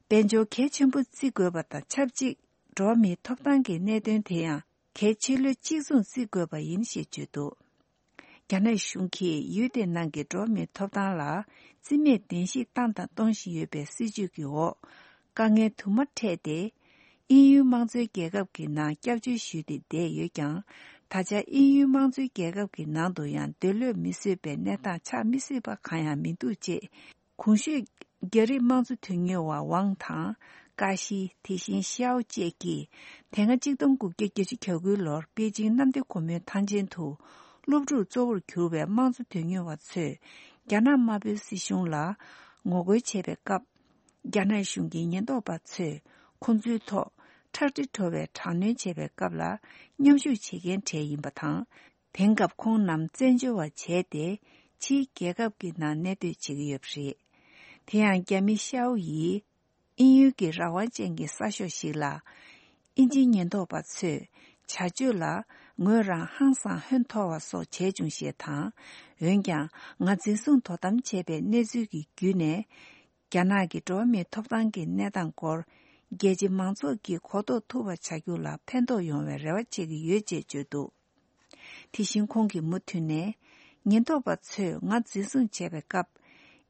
དཔལ་འབྱོར་གལ་ཆེན་པོ་བརྩི་དགོས་པ་དང་ཆབས་ཅིག་འགྲོ་བ་མིའི་ཐོབ་ཐང་གི་གནད་དོན་དེ་ཡང་གལ་ཆེ་ལོས་གཅིག་མཚུངས་བརྩི་དགོས་པ་ཡིན་ཞེས་བརྗོད་འདུག་རྒྱ་ནག་གཞུང་གིས་ཡུལ་དེ་ནང་གི་འགྲོ་བ་མིའི་ཐོབ་ཐང་ལ་རྩིས་མེད་བདེན་བཞི་བཏང་དང་གཏོང་བཞིན་ཡོད་པའི་སྲིད་བྱུས་ཀྱི་འོག་དཀའ་ངལ་དུ་མ་འཕྲད་དེ། དབྱིན་ཡུལ་དམངས་གཙོའི་རྒྱལ་ཁབ་ཀྱི་ནང་སྐྱབས་བཅོལ་ཞུས་ཏེ་བསྡད་ཡོད་ཀྱང་། ད་ཆ་དབྱིན་ཡུལ་དམངས་གཙོའི་རྒྱལ་ཁབ་ཀྱི་ནང་དུ་ཡང་འདོད་བློས་མི་བཟོད་པའི་གནས་སྟངས་ཆགས་མི་སྲིད་པ་གང་ཡང་མི་འདུག་ཅེས། གོང་ཞུས་རྒྱ་རིགས་དམངས་གཙོ་དོན་གཉེར་བ་ཝང་དང་། ཀ་ཤི། དེ་བཞིན་ཤའོ་བཅས་ཀྱིས། དེ་སྔ་གཅིག་སྟོང་དགུ་བརྒྱ་བརྒྱད་ཅུ་གྱ་དགུའི་ལོར་པེ་ཅིང་གནམ་བདེ་སྒོ་མོའི་ཐང་ཆེན་དུ། སློབ་ཕྲུག་གཙོ་བོར་གྱུར་བའི་དམངས་གཙོ་དོན་གཉེར་བ་ཚོས། རྒྱ་ནག་དམར་པོའི་སྲིད་གཞུང་ལ། ངོ་རྒོལ་བྱས་པའི་སྐབས། རྒྱ་ནག་གཞུང་གི་ཉེན་རྟོག་པ་ཚོས། ཁོང་ཚོའི་ཐོག་ཁྲག་དྲི་བྲོ་བའི་དྲག་གནོན་བྱས་པའི་སྐབས་ལ། མཉམ་ཞུགས་བྱེད་མཁན་གྲས་ཡིན་པ་དང་། དེང་སྐབས་ཁོང་རྣམས་བཙན་བྱོལ་བ་བྱས་ཏེ། ཕྱིའི་རྒྱལ་ཁབ་ཀྱི་ནང་གནས་སྡོད་བྱེད་ཀྱི་ཡོད་པ་རེད། དེ་ཡང་རྒྱ་མི་ཤའོ་ཡིས། དབྱིན་ཡུལ་གྱི་རང་དབང་ཅན་གྱི་གསར་ཤོག་ཞིག་ལ། དབྱིན་ཇིའི་ཉེན་རྟོག་པ་ཚོས་བྱ་སྤྱོད་ལ་ངོས་རང་ཧང་སང་ཧོན་འཐོར་བ་སོགས་བྱས་བྱུང་ཞེས་དང་། འོན་ཀྱང་ང་འཛིན་བཟུང་དོ་དམ་བྱས་པའི་གནས་ཚུལ་གྱི་བརྒྱུད་ནས། རྒྱ་ནག་གི་འགྲོ་བ་མིའི་ཐོབ་ཐང་གི་གནས་སྟངས་སྐོར་རྒྱལ་སྤྱི་མང་ཚོགས་ཀྱིས་གོ་རྟོགས་ཐུབ་པ་བྱ་རྒྱུ་ལ་ཕན་ཐོགས་ཡོང་བའི་རེ་བ་བྱེད་ཀྱི་ཡོད་ཅེས་བརྗོད་འདུག་དེ་བཞིན་ཁོང་གིས་མུ་མཐུད་ནས། ཉེན་རྟོག་པ་ཚོས་ང་འཛིན་བཟུང་བྱས་པའི་སྐབས།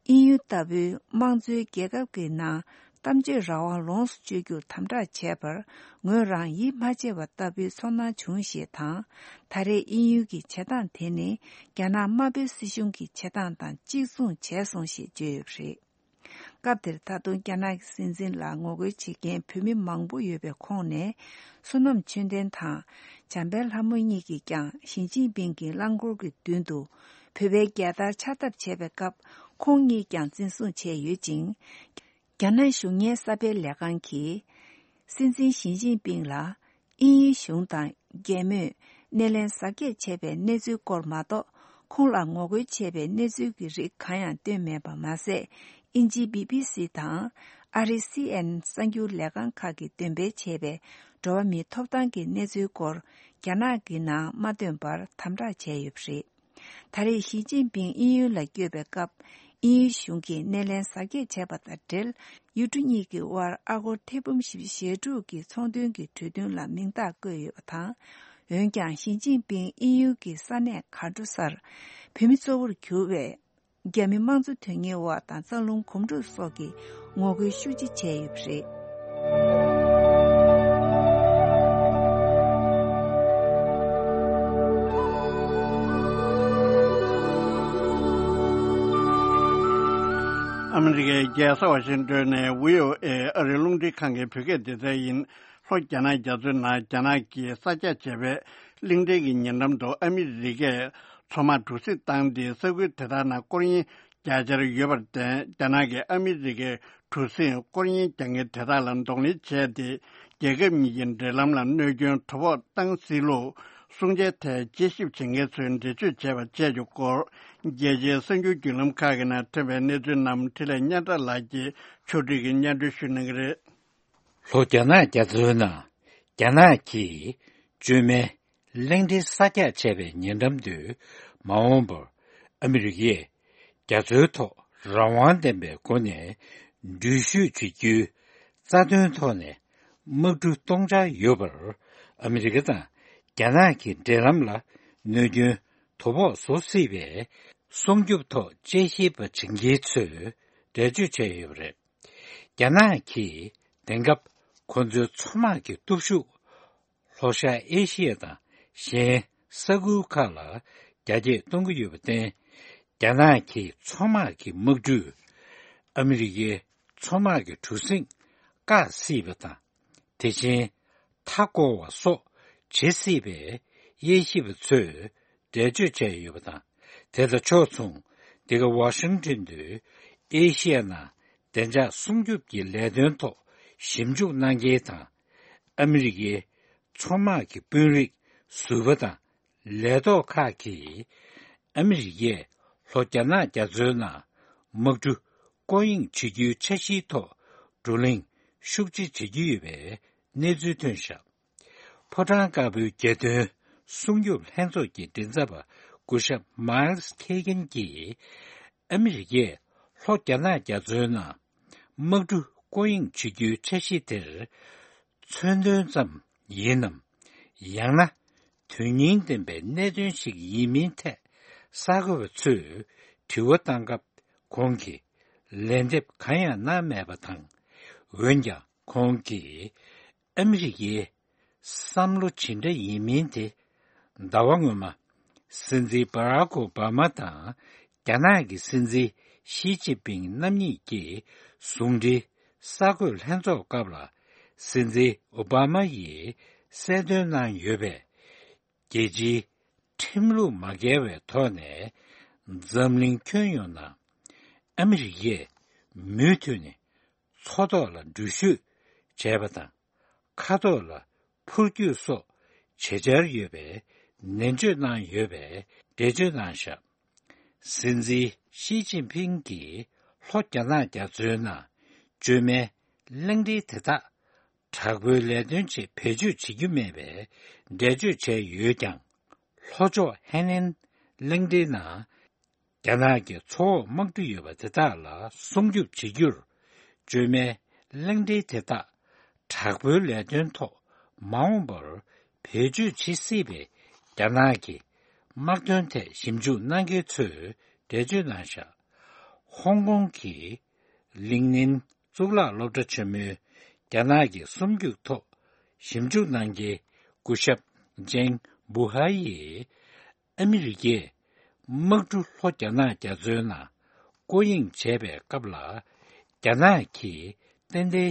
དབྱིན་ཡུལ་ལྟ་བུའི་དམངས་གཙོའི་རྒྱལ་ཁབ་ཀྱི་ནང་གཏམ་བརྗོད་རང་དབང་ལོངས་སུ་སྤྱོད་རྒྱུར་དམ་དྲག་བྱས་པར་ངོས་རང་ཡིད་མ་ཆེས་པ་ལྟ་བུའི་ཚོར་སྣང་བྱུང་ཞེས་དང་། ད་རེས་དབྱིན་ཡུལ་གྱི་བྱེད་སྟངས་དེ་ནི་རྒྱ་ནག་དམར་པོའི་སྲིད་གཞུང་གི་བྱེད་སྟངས་དང་གཅིག་མཚུངས་བྱས་སོང་ཞེས་བརྗོད་ཡོད་པ་རེད། སྐབས་དེར་ད་དུང་རྒྱ་ནག་གི་སྲིད་འཛིན་ལ་ངོ་རྒོལ་བྱེད་མཁན་བོད་མི་མང་པོ་ཡོད་པའི་ཁོངས་ནས། བསོད་ནམས་ཆོས་ལྡན་དང་། འཇམ་དཔལ་ལྷ་མོ་གཉིས་ཀྱིས་ཀྱང་ཞི་ཅིན་ཕིང་གི་རླངས་འཁོར་གྱི་མདུན་དུ། བོད་པའི་རྒྱལ་དར་འཕྱར་ཐབས་བྱས་པའི་སྐབས། ཁོང་གཉིས་ཀྱང་འཛིན་བཟུང་བྱས་ཡོད་ཅིང་། རྒྱ་ནག་གཞུང་གཉེར་གསར་སྤེལ་ལས་ཁང་གིས། སྲིད་འཛིན་ཞི་ཅིན་ཕིང་ལ། དབྱིན་ཡུལ་གཞུང་དང་རྒྱལ་མོས་སྣེ་ལེན་གཟབ་རྒྱས་བྱས་པའི་གནས་ཚུལ་སྐོར་མ་གཏོགས། ཁོང་ལ་ངོ་རྒོལ་བྱས་པའི་གནས་ཚུལ་གྱི་རིགས་གང་ཡང་བཏོན་མེད་པ་མ་ཟད། དབྱིན་ཇིའི་བི་བི་སི་དང་། ཨ་རིའི་སི་ཨེན་ཨེན་གསར་འགྱུར་ལས་ཁང་ཁག་གིས་འདོན་སྤེལ་བྱས་པའི་འགྲོ་བ་མིའི་ཐོབ་ཐང་གི་གནས་ཚུལ་སྐོར། རྒྱ་ནག་གི་ནང་མ་བཏོན་པར་དམ་དྲག་བྱས་ཡོད་པ་རེད། ད་རེས་ཞི་ཅིན་ཕིང་དབྱིན་ཡུལ་ལ་བསྐྱོད་པའི་སྐབས། དབྱིན་ཡུལ་གཞུང་གིས་སྣེ་ལེན་གཟབ་རྒྱས་བྱས་པ་དང་འབྲེལ། ཡུལ་གྲུ་གཉིས་ཀྱི་དབར་ཨ་སྒོར་ཐེར་འབུམ་བཞི་བཅུ་ཞེ་དྲུག་གི་ཚོང་དོན་གྱི་གྲོས་མཐུན་ལ་མིང་རྟགས་བཀོད་ཡོད་པ་དང་། འོན་ཀྱང་། ཞི་ཅིན་ཕིང་དབྱིན་ཡུལ་གྱི་ས་གནས་གར་འགྲོ་སར། བོད་མི་གཙོ་བོར་གྱུར་བའི་རྒྱ་མི་དམངས་གཙོ་དོན་གཉེར་བ་དང་། རྩ་རླུང་གོམ་བགྲོད་སོགས་ཀྱིས་ངོ་རྒོལ་ཤུགས་ཆེ་བྱས་ཡོད་པ་རེད། ཨ་མི་རི་ཀའི་རྒྱལ་ས་ཝ་ཤིང་ཏོན་ནས་བྷི་ཨོ་ཨེ་ཨ་རིའི་རླུང་འཕྲིན་ཁང་གི་བོད་སྐད་སྡེ་ཚན་ཡིན། ལྷོ་རྒྱ་ནག་རྒྱ་མཚོའི་ནང་རྒྱ་ནག་གིས་གསར་རྒྱག་བྱས་པའི་གླིང་ཕྲན་གྱི་ཉེ་འགྲམ་དུ་ཨ་མི་རི་ཀས་མཚོ་དམག་གྲུ་གཟིངས་བཏང་སྟེ། ས་ཁུལ་དེ་དག་ནང་སྐོར་གཡེང་རྒྱག་འཆར་ཡོད་པར་བརྟེན། རྒྱ་ནག་གིས་ཨ་མི་རི་ཀའི་གྲུ་གཟིངས་སྐོར་གཡེང་རྒྱག་མཁན་དེ་དག་ལ་གདོང་ལེན་བྱས་ཏེ། རྒྱལ་ཁབ་གཉིས་ཀྱི་འབྲེལ་ལམ་ལ་གནོད་སྐྱོན་དོ་ཕོག་བཏང་སྲིད་ལུགས་གསུང་བྱའི་ཐད་དཔྱད་ཞིབ་བྱེད་མཁན་ཚོས་འགྲེལ་བརྗོད་བྱས་པ་བཅས་ཀྱི་སྐོར། རྒྱལ་སྤྱིའི་གསར་འགྱུར་བརྒྱུད་ལམ་ཁག་གི་ནང་ཐོན་པའི་གནས་ཚུལ་རྣམས་འཕྲིན་ལས་སྙན་གྲགས་ལགས་ཀྱིས་ཕྱོགས་སྒྲིག་གིས་སྙན་སྒྲོན་ཞུ་གནང་གི་རེད། ལྷོ་རྒྱ་ནག་རྒྱ་མཚོའི་ནང་རྒྱ་ནག་གིས་བཅོས་མའི་གླིང་ཕྲན་གསར་རྒྱག་བྱས་པའི་ཉེ་འགྲམ་དུ། མ་འོངས་པར་ཨ་མི་རི་ཀས་རྒྱ་མཚོའི་ཐོག་རང་དབང་ལྡན་པའི་སྒོ་ནས་འགྲུལ་བཞུད་བྱེད་རྒྱུའི་རྩ་དོན་ཐོག་ནས་དམག་གྲུ་གཏོང་འཆར་ཡོད་པར། ཨ་མི་རི་ཀ་དང་རྒྱ་ནག་གི་འབྲེལ་ལམ་ལ་གནོད་སྐྱོན་དོ་ཕོག་བཟོ་སྲིད་པའི་སྲུང་སྐྱོབ་ཐོག་དཔྱད་ཞིབ་པ་བྱེད་མཁན་ཚོས་འགྲེལ་བརྗོད་བྱས་ཡོད་པ་རེད། རྒྱ་ནག་གིས་དེང་སྐབས་ཁོ་ཚོའི་མཚོ་དམག་གི་སྟོབས་ཤུགས་ལྷོ་ཤར་ཨེ་ཤི་ཡ་དང་གཞན་ས་ཁུལ་ཁག་ལ་རྒྱ་སྐྱེད་གཏོང་གི་ཡོད་པར་བརྟེན། རྒྱ་ནག་གིས་མཚོ་དམག་གི་དམག་གྲུས་ཨ་མི་རི་ཀའི་མཚོ་དམག་གི་གྲུ་གཟིངས་བཀག་སྲིད་པ་དང་། དེ་བཞིན་མཐའ་བསྐོར་བ་སོགས་བྱེད་སྲིད་པའི་དབྱེ་ཞིབ་པ་ཚོས་འགྲེལ་བརྗོད་བྱས་ཡོད་པ་དང་། དེ་དང་ཕྱོགས་མཚུངས། འདི་ག་ཝ་ཤིང་ཊོན་དུ་ཨེ་ཤི་ཡ་ནང་བདེ་འཇགས་སྲུང་སྐྱོབ་ཀྱི་ལས་དོན་ཐོག་ཞིབ་འཇུག་གནང་མཁན་དང་། ཨ་མི་རི་ཀའི་མཚོ་དམག་གི་དཔོན་རིགས་ཟུར་པ་དང་། ལས་ཐོག་ཁག་གིས་ཨ་མི་རི་ཀས་ལྷོ་རྒྱ་ནག་རྒྱ་མཚོའི་ནང་དམག་གྲུ་སྐོར་གཡེང་བྱེད་རྒྱུའི་འཆར་གཞིའི་ཐོག་བགྲོ་གླེང་ཤུགས་ཆེ་བྱེད་ཀྱི་ཡོད་པའི་གནས་ཚུལ་ཐོན་བཞག་ཕོ་བྲང་དཀར་པོའི་རྒྱལ་དོན་ སྲུང་སྐྱོབ་ལྷན་ཚོགས་ཀྱི་མགྲིན་ཚབ་པ་སྐུ་ཞབས་མཱལ་སི་ཁེ་གྷན་གྱིས། ཨ་མི་རི་ཀས་ལྷོ་རྒྱ་ནག་རྒྱ་མཚོའི་ནང་དམག་གྲུ་སྐོར་གཡེང་བྱེད་རྒྱུའི་འཆར་གཞི་དེར། མཚོན་དོན་ཙམ་ཡིན་ནམ། ཡང་ན། དོན་སྙིང་ལྡན་པའི་གནད་དོན་ཞིག་ཡིན་མིན་ཐད། གསར་འགོད་པ་ཚོས་དྲི་བ་བཏང་སྐབས། ཁོང་གིས་ལན་འདེབས་གང་ཡང་གནང་མེད་པ་དང་། འོན་ཀྱང་། ཁོང་གིས་ཨ་མི་རི་ཀའི་བསམ་བློ་ཇི་འདྲ་ཡིན་མིན་དེ། ཟླ་བ་སྔོན་མ། སྲིད་འཛིན་བྷ་རག་ཨོ་བྷ་མ་དང་རྒྱ་ནག་གི་སྲིད་འཛིན་ཞི་ཅིན་ཕིང་རྣམ་གཉིས་ཀྱིས་ཟུང་འབྲེལ་གསར་འགོད་ལྷན་ཚོགས་སྐབས་ལ། སྲིད་འཛིན་ཨོ་བྷ་མ་ཡིས་གསལ་སྟོན་གནང་ཡོད་པའི། རྒྱལ་སྤྱིའི་ཁྲིམས་ལུགས་མ་འགལ་བའི་ཐོག་ནས། འཛམ་གླིང་ཁྱོན་ཡོངས་ནང་ཨ་མི་རི་ཀས་མུ་མཐུད་ནས་མཚོ་ཐོག་ལ་འགྲུལ་བཞུད་བྱས་པ་དང་། མཁའ་ཐོག་ལ་འཕུར་སྐྱོད་སོགས་བྱེད་འཆར་ཡོད་པའི་ནན་བརྗོད་གནང་ཡོད་པའི་འགྲེལ་བརྗོད་གནང་བཞག་སྲིད་འཛིན་ཞི་ཅིན་ཕིང་གིས་ལྷོ་རྒྱ་ནག་རྒྱ་མཚོའི་ནང་བཅོས་མའི་གླིང་ཕྲན་དེ་དག་དྲག་པོའི་ལས་དོན་ཆེད་བེད་སྤྱོད་བྱེད་རྒྱུ་མེད་པའི་འགྲེལ་བརྗོད་བྱས་ཡོད་ཀྱང་། ལྷོ་ཕྱོགས་ཧེ་ནན་གླིང་ཕྲན་ནང་རྒྱ་ནག་གི་མཚོ་འོག་དམག་གྲུ་ཡོད་པ་དེ་དག་ལ་སྲུང་སྐྱོབ་བྱེད་རྒྱུར། བཅོས་མའི་གླིང་ཕྲན་དེ་དག་དྲག་པོའི་ལས་དོན་ཐོག་མ་འོངས་པར་བེད་སྤྱོད་བྱེད་སྲིད་པའི་རྒྱ་ནག་གི་དམག་དོན་ཐད་ཞིབ་འཇུག་གནང་མཁན་ཚོས་འགྲེལ་བརྗོད་གནང་བཞག་ཧོང་ཀོང་གི་ལིང་ནིན་གཙུག་ལག་སློབ་གྲྭ་ཆེན་མོའི་རྒྱ་ནག་གི་སྲུང་སྐྱོབ་ཐོག་ཞིབ་འཇུག་གནང་མཁན་སྐུ་ཞབས་ཇེང་བུ་ཧ་ཡིས། ཨ་མི་རི་ཀས་དམག་གྲུ་ལྷོ་རྒྱ་ནག་རྒྱ་མཚོའི་ནང་སྐོར་གཡེང་བྱས་པའི་སྐབས་ལ། རྒྱ་ནག་གིས་ཏན་ཏན་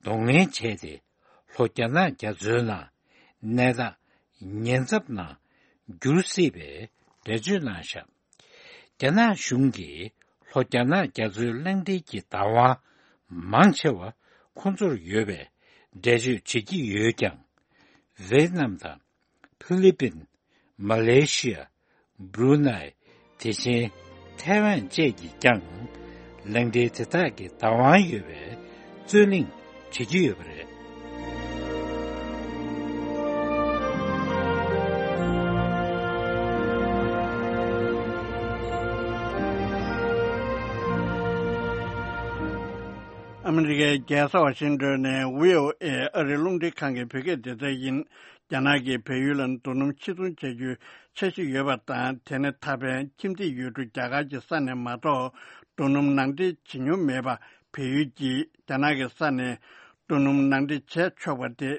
གདོང་ལེན་བྱས་ཏེ། ལྷོ་རྒྱ་ནག་རྒྱ་མཚོའི་ནང་གནས་སྟངས་ཉེན་ཚབས་ནང་འགྱུར་སྲིད་པའི་འགྲེལ་བརྗོད་གནང་བཞག་རྒྱ་ནག་གཞུང་གིས་ལྷོ་རྒྱ་ནག་རྒྱ་མཚོའི་གླིང་ཕྲན་གྱི་བདག་དབང་མང་ཆེ་བ་ཁོང་ཚོར་ཡོད་པའི་འགྲེལ་བརྗོད་བྱེད་ཀྱི་ཡོད་ཀྱང་། ཝེ་ཏི་ནམ་དང་། ཕི་ལི་པིན། མ་ལེ་ཤི་ཡ། བྷ་རུ་ནའི། དེ་བཞིན་ཐའེ་ཝན་བཅས་ཀྱིས་ཀྱང་། གླིང་ཕྲན་དེ་དག་གི་བདག་དབང་ཡོད་པའི་རྩོད་གླེང་བྱེད་ཀྱི་ཡོད་པ་རེད། ཨ་མི་རི་ཀའི་རྒྱལ་ས་ཝ་ཤིང་ཏོན་ནས་ཝི་ཨོ་ཨེ་ཨ་རིའི་རླུང་འཕྲིན་ཁང་གི་བོད་སྐད་སྡེ་ཚན་ཡིན། རྒྱ་ནག་གིས་བལ་ཡུལ་ལ་རྡོ་སྣུམ་ཕྱིར་ཚོང་བྱ་རྒྱུའི་འཆར་གཞི་ཡོད་པ་དང་། དེ་ནི་ད་ཕན་ཁྱིམ་མཚེས་ཡུལ་གྲུ་རྒྱ་གར་གྱི་ས་ནས་མ་གཏོགས་རྡོ་སྣུམ་ནང་འདྲེན་བྱེད་མྱོང་མེད་པ། བལ་ཡུལ་གྱིས་རྒྱ་ནག་གི་ས་ནས་རྡོ་སྣུམ་ནང་འདྲེན་བྱས་ཆོག་པ་དེ་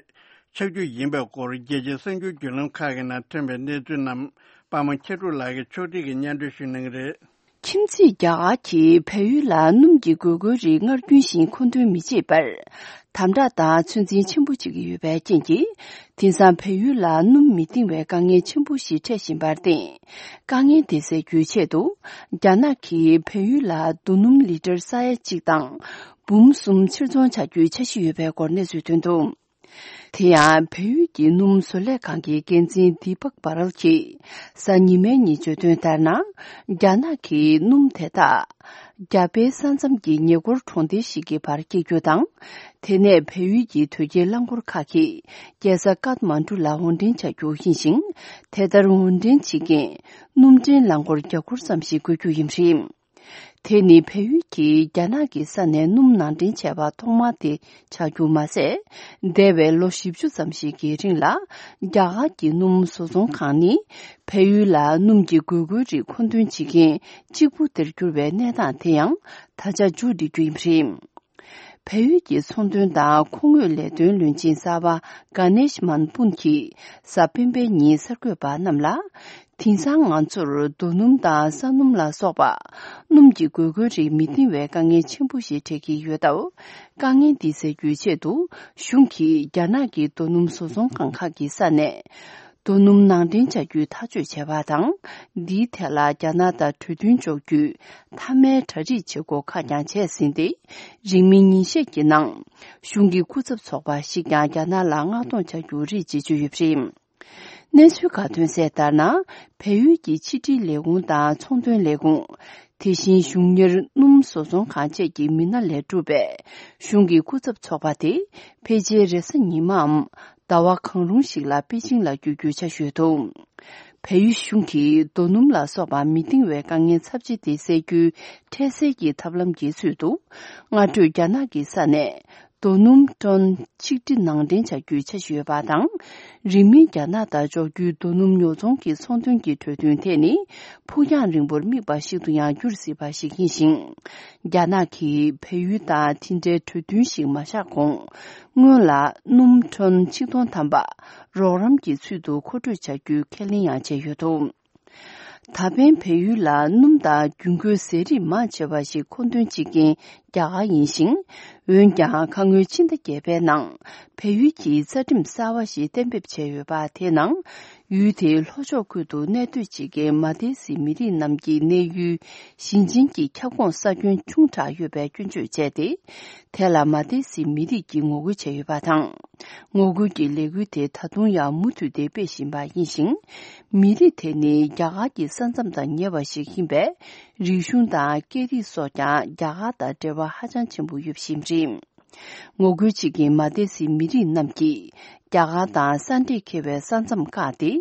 ཆགས་རྒྱུ་ཡིན་པའི་སྐོར་རྒྱལ་སྤྱིའི་གསར་འགྱུར་བརྒྱུད་ལམ་ཁག་གི་ནང་ཐོན་པའི་གནས་ཚུལ་རྣམས་པདྨ་མཁྱེན་གྲུབ་ལགས་ཀྱིས་ཕྱོགས་སྒྲིག་གིས་སྙན་སྒྲོན་ཞུ་གནང་གི་རེད། ཁྱིམ་མཚེས་རྒྱ་གར་གྱིས་བལ་ཡུལ་ལ་སྣུམ་གྱི་དགོས་མཁོའི་རིགས་སྔར་རྒྱུན་བཞིན་མཁོ་འདོན་མི་བྱེད་པར། དམ་དྲག་དང་ཚོད་འཛིན་ཆེན་པོ་བྱེད་ཀྱི་ཡོད་པའི་རྐྱེན་གྱིས། དེང་སང་བལ་ཡུལ་ལ་སྣུམ་མི་འདིང་བའི་དཀའ་ངལ་ཆེན་པོ་ཞིག་འཕྲད་བཞིན་པར་བརྟེན། དཀའ་ངལ་འདི་སེལ་རྒྱུའི་ཆེད་དུ། རྒྱ་ནག་གིས་བལ་ཡུལ་ལ་རྡོ་སྣུམ་ལི་ཊར་ས་ཡ་གཅིག་དང་འབུམ་གསུམ་ཕྱིར་ཚོང་བྱ་རྒྱུའི་འཆར་གཞི་ཡོད་པའི་སྐོར་གནས་ཚུལ་ཐོན་འདུག་དེ་ཡང་བལ་ཡུལ་གྱི་སྣུམ་བཟོ་ལས་ཁང་གི་འགན་འཛིན་དི་པག་བྷ་རལ་གྱིས་གཟའ་ཉི་མའི་ཉིན་བརྗོད་དོན་ལྟར་ན། རྒྱ་ནག་གིས་སྣུམ་དེ་དག་རྒྱ་བལ་ས་མཚམས་ཀྱི་ཉེ་འཁོར་གྲོང་སྡེ་ཞིག་གི་བར་སྐྱེལ་རྒྱུ་དང་། དེ་ནས་བལ་ཡུལ་གྱི་དོས་སྐྱེལ་རླངས་འཁོར་ཁག་གིས་རྒྱལ་ས་ཀཏ་མན་གྲུ་ལ་འོར་འདྲེན་བྱ་རྒྱུ་ཡིན་ཞིང་། དེ་ལྟར་འོར་འདྲེན་བྱེད་མཁན་སྣུམ་འདྲེན་རླངས་འཁོར་བརྒྱ་སྐོར་ཙམ་ཞིག་དགོས་རྒྱུ་ཡིན་པ་རེད། དེ་ནི་བལ་ཡུལ་གྱིས་རྒྱ་ནག་གི་ས་ནས་སྣུམ་ནང་འདྲེན་བྱས་པ་ཐོག་མ་དེ་ཆགས་རྒྱུ་མ་ཟད། འདས་པའི་ལོ་བཞི་བཅུ་ཙམ་ཞིག་གི་རིང་ལ། རྒྱ་གར་གྱི་སྣུམ་བཟོ་ཚོང་ཁང་ནི། བལ་ཡུལ་ལ་སྣུམ་གྱི་དགོས་མཁོའི་རིགས་མཁོ་འདོན་བྱེད་མཁན་གཅིག་པུ་དེར་གྱུར་བའི་གནས་སྟངས་དེ་ཡང་ད་ཆ་མཇུག་སྒྲིལ་རྒྱུ་ཡིན་པ་རེད། བལ་ཡུལ་གྱི་ཚོང་དོན་དང་མཁོ་དངོས་ལས་དོན་བློན་ཆེན་གསར་པ་ག་ནེཤ་མན་པུན་གྱིས་གཟའ་སྤེན་པའི་ཉིན་གསར་འགོད་པ་རྣམས་ལ། དེང་སང་ང་ཚོར་རྡོ་སྣུམ་དང་ས་སྣུམ་ལ་སོགས་པ་སྣུམ་གྱི་དགོས་མཁོའི་རིགས་མི་འདིང་བའི་དཀའ་ངལ་ཆེན་པོ་ཞིག་འཕྲད་ཀྱི་ཡོད་སྟབས། དཀའ་ངལ་འདི་སེལ་རྒྱུའི་ཆེད་དུ་གཞུང་གིས་རྒྱ་ནག་གི་རྡོ་སྣུམ་བཟོ་ཚོང་ཁང་ཁག་གི་ས་ནས། རྡོ་སྣུམ་ནང་འདྲེན་བྱ་རྒྱུའི་ཐག་གཅོད་བྱས་པ་དང་། འདིའི་ཐད་ལ་རྒྱ་ནག་དང་གྲོས་མཐུན་འཇོག་རྒྱུའི་མཐའ་མའི་གྲ་སྒྲིག་བྱེད་སྒོ་ཁག་ཀྱང་བྱས་ཟིན་ཏེ། རིང་མིན་ཉིན་ཤས་ཀྱི་ནང་གཞུང་གི་སྐུ་ཚབ་ཚོགས་པ་ཞིག་ཀྱང་རྒྱ་ནག་ལ་མངགས་གཏོང་བྱ་རྒྱུ་རེད་ཅེས་བརྗོད་ཡོད་པ་རེད། གནས་ཚུལ་ཁག་ཐོན་གསལ་ལྟར་ན། བལ་ཡུལ་གྱི་ཕྱི་འབྲེལ་ལས་ཁུངས་དང་ཚོང་དོན་ལས་ཁུངས། དེ་བཞིན་གཞུང་གཉེར་སྣུམ་བཟོ་ཚོང་ཁང་བཅས་ཀྱི་མི་སྣ་ལས་གྲུབ་པའི་གཞུང་གི་སྐུ་ཚབ་ཚོགས་པ་དེ། ཕལ་ཆེར་རེས་གཟའ་ཉི་མའམ་ ཟླ་བ་གང་རུང་ཞིག་ལ་པེ་ཅིང་ལ་བསྐྱོད་རྒྱུའི་འཆར་གཞི་ཡོད་འདུག་བལ་ཡུལ་གཞུང་གིས་རྡོ་སྣུམ་ལ་སོགས་པ་མི་འདང་བའི་དཀའ་ངལ་ཚབས་ཆེ་དེ་སེལ་རྒྱུའི་འཕྲལ་སེལ་གྱི་ཐབས་ལམ་གྱི་ཚུལ་དུ། སྔ་དྲོས་རྒྱ་ནག་གི་ས་ནས་རྡོ་སྣུམ་ཊོན་ཆིག་ཁྲི་ནང་འདྲེན་བྱ་རྒྱུའི་འཆར་གཞི་ཡོད་པ་དང་། རིང་མིན་རྒྱ་ནག་དང་འཇོག་རྒྱུའི་རྡོ་སྣུམ་ཉོ་ཚོང་གི་ཚོང་དོན་གྱི་གྲོས་མཐུན་དེ་ནི་ཕུགས་རྒྱང་རིང་པོར་དམིགས་པ་ཞིག་ཏུ་ཡང་འགྱུར་སྲིད་པ་ཞིག་ཡིན་ཞིང་། རྒྱ་ནག་གིས་བལ་ཡུལ་དང་དེ་འབྲེལ་གྲོས་མཐུན་ཞིག་མ་བཞག་གོང་། སྔོན་ལ་སྣུམ་ཊོན་ཆིག་སྟོང་ཐམ་པ་རོགས་རམ་གྱི་ཚུལ་དུ་མཁོ་སྤྲོད་བྱ་རྒྱུའི་ཁས་ལེན་ཡང་བྱས་ཡོད་འདུག་ད་ཕན་བལ་ཡུལ་ལ་སྣུམ་དང་རྒྱུན་མཁོའི་ཟས་རིགས་མང་ཆེ་བ་ཞིག་མཁོ་འདོན་བྱེད་མཁན་རྒྱ་གར་ཡིན་ཞིང་། འོན་ཀྱང་ཁ་སྔོན་ཕྱི་ཟླ་བརྒྱད་པའི་ནང་བལ་ཡུལ་གྱིས་རྩ་ཁྲིམས་གསར་བ་ཞིག་གཏན་འབེབས་བྱས་ཡོད་པ། དེའི་ནང་ཡུལ་དེའི་ལྷོ་ཕྱོགས་ཁུལ་དུ་གནས་སྡོད་བྱེད་མཁན་མ་ཏི་སི་མི་རིགས་རྣམས་ཀྱི་གནས་ཡུལ་ཞིང་ཆེན་གྱི་ཁྱབ་ཁོངས་ས་ཁྱོན་ཆུང་དྲགས་ཡོད་པའི་སྐྱོན་བརྗོད་བྱས་ཏེ། དེ་ལ་མ་ཏི་སི་མི་རིགས་ཀྱིས་ངོ་རྒོལ་བྱས་ཡོད་པ་དང་། ངོ་རྒོལ་གྱི་ལས་འགུལ་དེ་ད་དུང་ཡང་མུ་མཐུད་དེ་སྤེལ་བཞིན་པ་ཡིན་ཞིང་། མི་རིགས་དེ་ནི་རྒྱ་གར་གྱི་ས་མཚམས་དང་ཉེ་བ་ཞིག་ཡིན་པས། རིག་གཞུང་དང་སྐད་རིགས་སོགས་ཀྱང་རྒྱ་གར་དང་འབྲེལ་བ་ཧ་ཅང་ཆེན་པོ་ཡོད་པ་ཞིག་རེད། ངོ་རྒོལ་བྱེད་མཁན་མ་ཏི་སི་མི་རིགས་རྣམས་ཀྱིས་རྒྱ་གར་དང་ས་འབྲེལ་འཁེལ་བའི་ས་མཚམས་བཀག་སྟེ།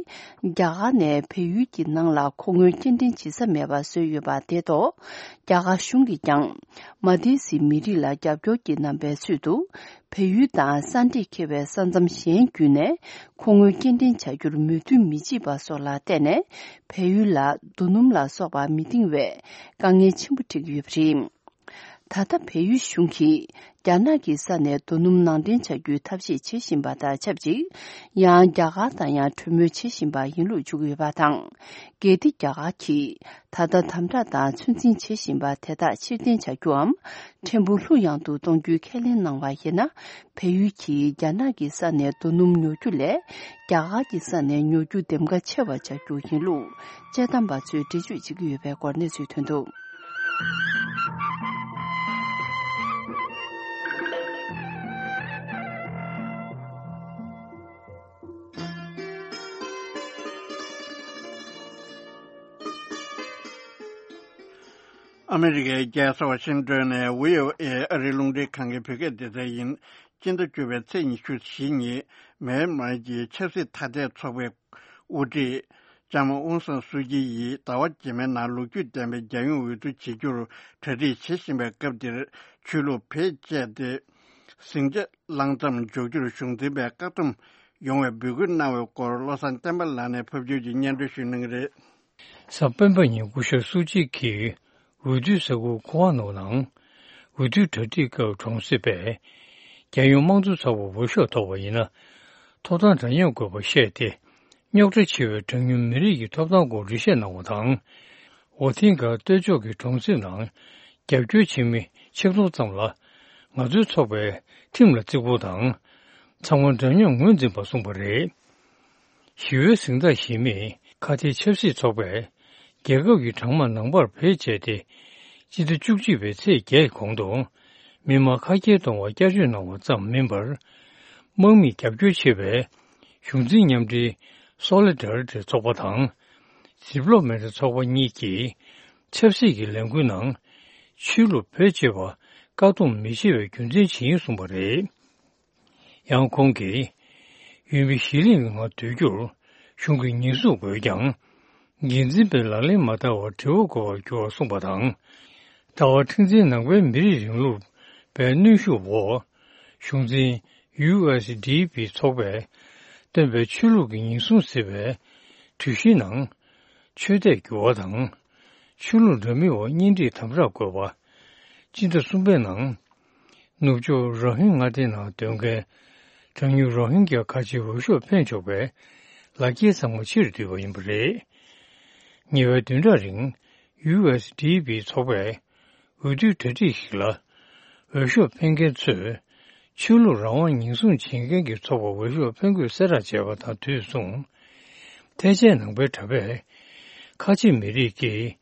རྒྱ་གར་ནས་བལ་ཡུལ་གྱི་ནང་ལ་མཁོ་དངུལ་སྐྱེལ་འདྲེན་བྱེད་ས་མེད་པ་བཟོས་ཡོད་པ་དེ་ཐོག་རྒྱ་གར་གཞུང་གིས་ཀྱང་མ་ཏི་སི་མི་རིགས་ལ་རྒྱབ་སྐྱོར་གྱི་རྣམ་པའི་ཚུལ་དུ། བལ་ཡུལ་དང་ས་འབྲེལ་འཁེལ་བའི་ས་མཚམས་གཞན་བརྒྱུད་ནས་མཁོ་དངུལ་སྐྱེལ་འདྲེན་བྱ་རྒྱུར་མོས་མཐུན་མི་བྱེད་པ་སོགས་ལ་བརྟེན་ནས། བལ་ཡུལ་ལ་རྡོ་སྣུམ་ལ་སོགས་པ་མི་འདང་བའི་དཀའ་ངལ་ཆེན་པོ་འཕྲད་ཀྱི་ཡོད་པ་རེད། ད་ལྟ་བལ་ཡུལ་གཞུང་གིས་རྒྱ་ནག་གི་ས་ནས་རྡོ་སྣུམ་ནང་འདྲེན་བྱ་རྒྱུའི་ཐབས་ཤེས་བྱེད་བཞིན་པ་དང་ཆབས་ཅིག་ཡང་རྒྱ་གར་དང་ཡང་གྲོས་མོལ་བྱེད་བཞིན་པ་ཡིན་ལུགས་བརྗོད་ཀྱི་ཡོད་པ་དང་། གལ་ཏེ་རྒྱ་གར་གྱིས་ད་ལྟ་དམ་དྲག་དང་ཚོད་འཛིན་བྱེད་བཞིན་པ་དེ་དག་ཕྱིར་འཐེན་བྱ་རྒྱུའམ། ཕྲན་བུ་ལྷུག་ཡངས་དུ་གཏོང་རྒྱུའི་ཁས་ལེན་གནང་བ་ཡིན་ན། བལ་ཡུལ་གྱིས་རྒྱ་ནག་གི་ས་ནས་རྡོ་སྣུམ་ཉོ་རྒྱུ་ལས། རྒྱ་གར་གྱི་ས་ནས་ཉོ་རྒྱུ་འདེམས་ཀ་ཆེ་བ་བྱ་རྒྱུ་ཡིན་ལུགས་དཔྱད་གཏམ་པ་ཚོས་འགྲེལ་བརྗོད་བྱེད་ཀྱི་ཡོད་པའི་སྐོར་གནས་ཚུལ་ཐོན་འདུག་ཨ་མི་རི་ཀའི་རྒྱལ་ས་ཝ་ཤིང་ཏོན་ནས་བྷི་ཨོ་ཨེ་ཨ་རིའི་རླུང་འཕྲིན་ཁང་གི་བོད་སྐད་སྡེ་ཚན་ཡིན། སྤྱི་ཟླ་བཅུ་པའི་ཚེས་ཉི་ཤུ་ཞེ་གཉིས་མེན་མར་གྱི་ཆབ་སྲིད་ཐ་དད་ཚོགས་པའི་དབུ་ཁྲིད་ལྕམ་ཨུན་སན་སུའུ་ཅི་ཡིས་ཟླ་བ་རྗེས་མའི་ནང་ལོ་རྒྱུས་ལྡན་པའི་རྒྱལ་ཡོངས་འོས་བསྡུ་བྱེད་རྒྱུར་གྲ་སྒྲིག་བྱེད་བཞིན་པའི་སྐབས་འདིར་ཆོས་ལུགས་བེད་སྤྱད་དེ་ཟིང་ཆ་བསླང་མཚམས་འཇོག་རྒྱུར་གཞུང་འཛིན་པས་བཀག་སྡོམ་ཡོང་བའི་འབོད་སྐུལ་གནང་བའི་སྐོར་བློ་བཟང་བསྟན་པ་ལགས་ནས་ཕབ་སྒྱུར་གྱིས་སྙན་སྒྲོན་ཞུ་གནང་གི་རེད། གཟའ་སྤེན་པ་ཉིན་སྐུ་ཞབས་སུའུ་ཅི་གིས་འོས་བསྡུའི་ས་ཁུལ་ཁོ་ཝ་ནོ་ནང་འོས་བསྡུའི་གྲ་སྒྲིག་སྐབས་གྲོང་གསེབ་པས་རྒྱལ་ཡོངས་དམངས་གཙོ་ཚོགས་པར་འོས་ཤོག་ཐོབ་པ་ཡིན་ན། ཐོབ་ཐང་འདྲ་མཉམ་དགོས་པ་བཤད་དེ། རྙོག་དྲ་ཆེ་བའི་གྲངས་ཉུང་མི་རིགས་ཀྱི་ཐོབ་ཐང་སྐོར་འགྲེལ་བཤད་གནང་བ་དང་། ཝོ་ཐིང་ག་སྟོད་ཕྱོགས་ཀྱི་གྲོང་གསེབ་ནང་རྒྱབ་སྐྱོར་བྱེད་མི་ཆིག་སྟོང་ཙམ་ལ་ང་ཚོའི་ཚོགས་པས་ཁྲིམས་ལ་བརྩི་བཀུར་དང་། ཚང་མ་འདྲ་མཉམ་ངོས་འཛིན་པ་གསུངས་པ་རེད། ཞི་བའི་གཟེངས་རྟགས་བཞེས་མི་ཁ་གཏད་ཆབ་སྲིད་ཚོགས་པས་རྒྱལ་ཁབ་ཀྱི་གྲངས་མང་ནང་པར་བེད་སྤྱད་དེ། སྤྱི་ཟླ་བཅུ་གཅིག་པའི་ཚེས་བརྒྱད་གོང་དུ་མི་མང་ཁ་གྱེས་གཏོང་བར་བསྐྱར་བཅོས་གནང་བ་ཙམ་མིན་པར། དམག་མིས་རྒྱབ་སྐྱོར་བྱེད་པའི་གཞུང་འཛིན་མཉམ་འབྲེལ་སོ་ལི་ཌར་ཊི་ཚོགས་པ་དང་། ཌི་པི་ལོ་མེ་ཊི་ཚོགས་པ་གཉིས་ཀྱིས་ཆབ་སྲིད་ཀྱི་ལས་འགུལ་ནང་ཆོས་ལུགས་བེད་སྤྱོད་པ་བཀག་སྡོམ་མི་བྱེད་པའི་རྒྱུ་མཚན་ཇི་ཡིན་གསུངས་པ་རེད། ཡང་ཁོང་གིས་འོས་མི་གཞི་གླིང་གི་ངང་སྡོད་རྒྱུར་གཞུང་གི་ཉེས་འཛུགས་དགོས་ཀྱང་། འགན་འཛིན་པས་ལག་ལེན་མ་བསྟར་བར་དྲི་བ་འགོད་པར་འགྱུར་བར་གསུངས་པ་དང་། ཟླ་བ་ཁྲི་འཛིན་ནང་པའི་མི་རིགས་རིང་ལུགས་པའི་གནོན་ཤུགས་འོག་གཞུང་འཛིན་ཡུ་ཨེས་ཌི་པི་ཚོགས་པས་བཏོན་པའི་ཆོས་ལུགས་ཀྱི་ཉེན་སྲུང་ཟེར་བའི་གྲོས་གཞིའི་ནང་ཆོས་དད་འགྱུར་བ་དང་། ཆོས་ལུགས་འདྲ་མིན་འོག་གཉེན་སྒྲིག་དམ་དྲག་དགོས་པ། སྤྱི་ཟླ་གསུམ་པའི་ནང་ནུབ་ཕྱོགས་རོ་ཧིན་མངའ་སྡེ་ནང་སྡོད་མཁན་གྲངས་ཉུང་རོ་ཧིན་གྱི་ཁ་ཆེའི་འོས་ཤོག་འཕེན་ཆོག་པའི་ལག་འཁྱེར་ཚང་མ་ཕྱིར་བསྡུས་པ་ཡིན་པ་རེད། ཉེ་བའི་བདུན་ཕྲག་རིང་ཡུ་ཨེས་ཌི་པི་ཚོགས་པས་འོས་བསྡུའི་གྲ་སྒྲིག་ཞིག་ལ། འོས་ཤོག་འཕེན་མཁན་ཚོས་ཆོས་ལུགས་རང་དབང་ཉེན་སྲུང་བྱེད་མཁན་གྱི་ཚོགས་པར་འོས་ཤོག་འཕེན་དགོས་གསལ་བསྒྲགས་བྱས་པ་དང་དུས་མཚུངས། ཐེ་ཆེན་ནང་པའི་གྲྭ་པས་ཁ་ཆེ་མི་རིགས་ཀྱིས་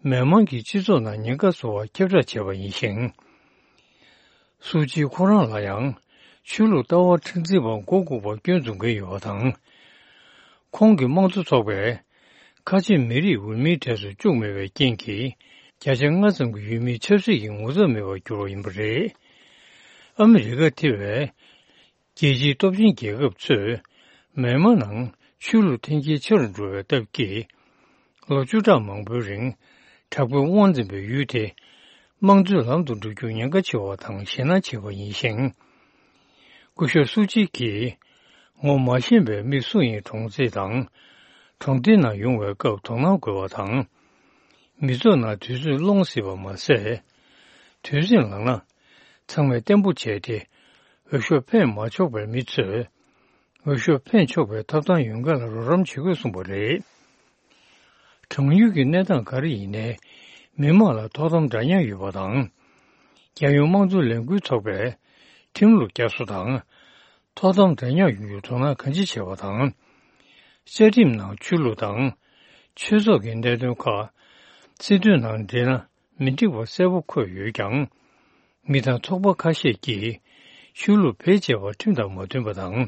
མི་མང་གི་སྤྱི་ཚོགས་ནང་ཉེན་ཁ་བཟོ་བར་ཁྱབ་བསྒྲགས་བྱས་པ་ཡིན་ཞིང་། སུའུ་ཅི་ཁོ་རང་ལ་ཡང་ཆོས་ལུགས་ལྟ་བ་མཁྲེགས་འཛིན་པ་མགོ་འགུག་པར་སྐྱོན་འཛུགས་མཁན་ཡོད་པ་དང་། ཁོང་གི་དམངས་གཙོ་ཚོགས་པས་ཁ་ཆེ་མི་རིགས་འོས་མིའི་གྲས་སུ་བཅུག་མེད་པའི་རྐྱེན་གྱིས། བརྒྱ་ཆ་ལྔ་ཙམ་གྱི་འོས་མིས་ཆབ་སྲིད་ཀྱི་ངོ་ཚབ་མེད་པར་གྱུར་བ་ཡིན་པ་རེད། ཨ་མི་རི་ཀ་དེ་བས་ རྒྱལ་སྤྱིའི་སྟོབས་ཆེན་རྒྱལ་ཁབ་ཚོས་མེན་མ་ནང་ཆོས་ལུགས་འཐེན་འཁྱེར་ཆེ་རུ་འགྲོ་བའི་སྟབས་ཀྱིས། ལོ་བཅུ་ཕྲག་མང་པོའི་རིང་དྲག་པོའི་དབང་འཛིན་པའི་ཡུལ་དེ་དམངས་གཙོའི་ལམ་དུ་འགྲོ་རྒྱུ་ཉེན་ཁ་ཆེ་བ་དང་ཞེད་སྣང་ཆེ་བ་ཡིན་ཞིང་། སྐུ་ཞབས་སུ་ཅི་གིས་ངོ་མ་ཤེས་པའི་མི་སུ་ཡིན་གྲོངས་རྩིས་དང་། གྲོང་སྡེའི་ནང་ཡོང་བའི་སྐབས་དོ་སྣང་དགོས་པ་དང་། མི་ཚོགས་ནང་དུས་ཚོད་སློང་སྲིད་པ་མ་ཟད། དུས་ཟིང་ལངས་ན་ཚང་མས་བརྟན་པོ་བྱས་ཏེ་འོས་ཤོག་འཕེན་མ་ཆོག་པར། མི་ཚོས་འོས་ཤོག་འཕེན་ཆོག་པའི་ཐོབ་ཐང་ཡོད་མཁན་ལ་རོགས་རམ་བྱེད་དགོས་གསུངས་པ་རེད། གྲོང་ཡུལ་གྱི་གནས་སྟངས་ག་རེ་ཡིན་ནའི་མི་མང་ལ་ཐོག་དམ་འདྲ་མཉམ་ཡོད་པ་དང་། རྒྱལ་ཡོངས་དམངས་གཙོ་ལས་འགུལ་ཚོགས་པས་ཁྲིམས་ལུགས་བསྐྱར་གསོ་དང་། ཐོག་དམ་འདྲ་མཉམ་ཡོང་རྒྱུར་དོ་སྣང་གང་ཅི་བྱས་པ་དང་། བཅའ་ཁྲིམས་ནང་ཆོས་ལུགས་དང་། ཆོས་ཚོགས་ཀྱི་གནད་དོན་ཁག་སྲིད་དོན་ནང་འབྲེལ་ན་མི་འགྲིག་པ་གསལ་པོ་འཁོད་ཡོད་ཀྱང་། མི་དང་ཚོགས་པ་ཁ་ཤས་ཀྱིས་ཆོས་ལུགས་བེད་སྤྱད་པ་ཁྲིམས་དང་མ་མཐུན་པ་དང་།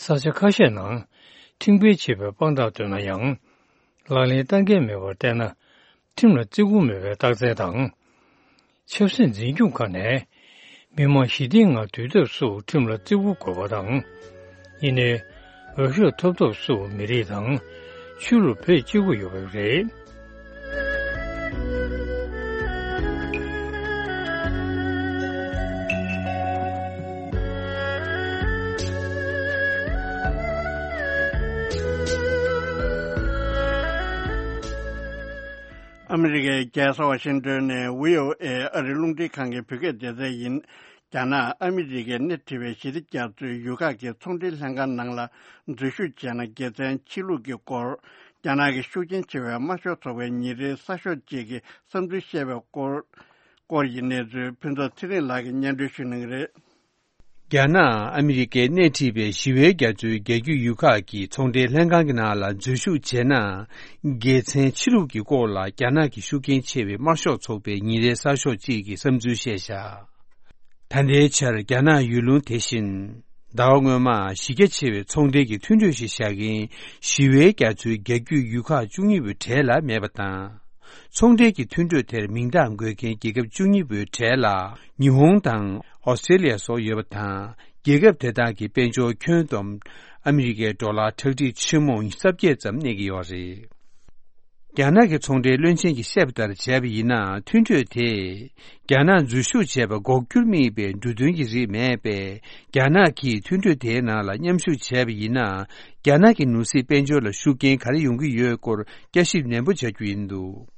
ས་ཆ་ཁ་ཤས་ནང་ཁྲིམས་འགལ་བྱེད་པའི་དཔང་རྟགས་བཏོན་ན་ཡང་། ལག་ལེན་བསྟར་མཁན་མེད་པར་བལྟས་ན། ཁྲིམས་ལ་བརྩི་བཀུར་མེད་པའི་རྟགས་མཚན་དང་། ཆབ་སྲིད་འཛིན་སྐྱོང་ཁག་ནས་མི་མང་ཞི་བདེའི་ངང་སྡོད་ཐབས་སུ་ཁྲིམས་ལ་བརྩི་བཀུར་དགོས་པ་དང་། ཡིན་ནའི་འོས་ཤོག་ཐོབ་ཐབས་སུ་མི་རིགས་དང་ཆོས་ལུགས་བེད་སྤྱོད་ཀྱི་ཡོད་པ་རེད། ཨ་མི་རི་ཀའི་རྒྱལ་ས་ཝ་ཤིང་ཏོན་ནས་ཝི་ཨོ་ཨེ་ཨ་རིའི་རླུང་འཕྲིན་ཁང་གི་བོད་སྐད་སྡེ་ཚན་ཡིན། རྒྱ་ནག་ཨ་མི་རི་ཀས་སྣེ་ཁྲིད་པའི་ཞི་བདེ་རྒྱ་མཚོའི་ཡུལ་ཁག་གི་ཚོང་འབྲེལ་ལྷན་ཁང་ནང་ལ་འཛུལ་ཞུགས་བྱས་ན་དགེ་མཚན་ཆེ་ལུགས་ཀྱི་སྐོར། རྒྱ་ནག་གི་ཤུགས་རྐྱེན་ཆེ་བའི་དམར་ཤོག་ཚོགས་པའི་ཉིན་རེའི་གསར་ཤོག་ཅིག་གིས་བསམ་ཚུལ་བཤད་པའི་སྐོར། སྐོར་གྱི་གནས་ཚུལ་ཕུན་ཚོགས་ཚེ་རིང་ལགས་ཀྱིས་སྙན་སྒྲོན་ཞུ་གནང་གི་རེད། རྒྱ་ནག་ཨ་མི་རི་ཀས་སྣེ་ཁྲིད་པའི་ཞི་བའི་རྒྱ་མཚོའི་རྒྱ་རྒྱུད་ཡུལ་ཁག་གི་ཚོང་འབྲེལ་ལྷན་ཁང་གི་ནང་ལ་འཛུལ་ཞུགས་བྱས་ན། དགེ་མཚན་ཆེ་ལུགས་ཀྱི་སྐོར་ལ་རྒྱ་ནག་གི་ཤུགས་རྐྱེན་ཆེ་བའི་དམར་ཤོག་ཚོགས་པའི་ཉིན་རེའི་གསར་ཤོག་ཅིག་གིས་བསམ་ཚུལ་བཤད་བཞག་ད་ལྟའི་ཆར་རྒྱ་ནག་ཡུལ་ལུང་དེ་བཞིན། ཟླ་བ་སྔོན་མ་གཞི་རྒྱ་ཆེ་བའི་ཚོང་འབྲེལ་གྱི་མཐུན་གྲོས་ཤིག་བཞག་མཁན་ཞི་བའི་རྒྱ་མཚོའི་རྒྱ་རྒྱུད་ཡུལ་ཁག་བཅུ་གཉིས་པོའི་གྲས་ལ་མེད་པ་དང་། ཚོང་འབྲེལ་གྱི་མཐུན་གྲོས་དེར་མིང་རྟགས་འགོད་མཁན་རྒྱལ་ཁབ་བཅུ་གཉིས་པོའི་གྲས་ལ་ཉི་ཧོང་དང་ཨོ་སི་ཀྲེ་ལི་ཡ་སོགས་ཡོད་པ་དང་། རྒྱལ་ཁབ་དེ་དག་གི་དཔལ་འབྱོར་ཁྱོན་བསྡོམས་ཨ་མི་རི་ཀའི་ཌོ་ལར་ཁྲག་ཁྲིག་ཆེན་མོ་ཉི་ཤུ་རྩ་བརྒྱད་ཙམ་གནས་ཀྱི་ཡོད་རེད། རྒྱ་ནག་གི་ཚོང་འབྲེལ་བློན་ཆེན་གྱིས་བཤད་པ་ལྟར་བྱས་པ་ཡིན་ན། མཐུན་གྲོས་དེས་རྒྱ་ནག་འཛུལ་ཞུགས་བྱས་པ་འགོག་རྒྱུར་དམིགས་པའི་འབྲུ་དོན་གྱི་རིགས་མེད་པས། རྒྱ་ནག་གིས་མཐུན་གྲོས་དེའི་ནང་ལ་མཉམ་ཞུགས་བྱས་པ་ཡིན་ན། རྒྱ་ནག་གི་ནོར་སྲིད་དཔལ་འབྱོར་ལ་ཤུགས་རྐྱེན་ག་རེ་ཡོང་གི་ཡོད་སྐོར་བསྐྱར་ཞིབ་ནན་པོ་བྱ་རྒྱུ་ཡིན་འདུག་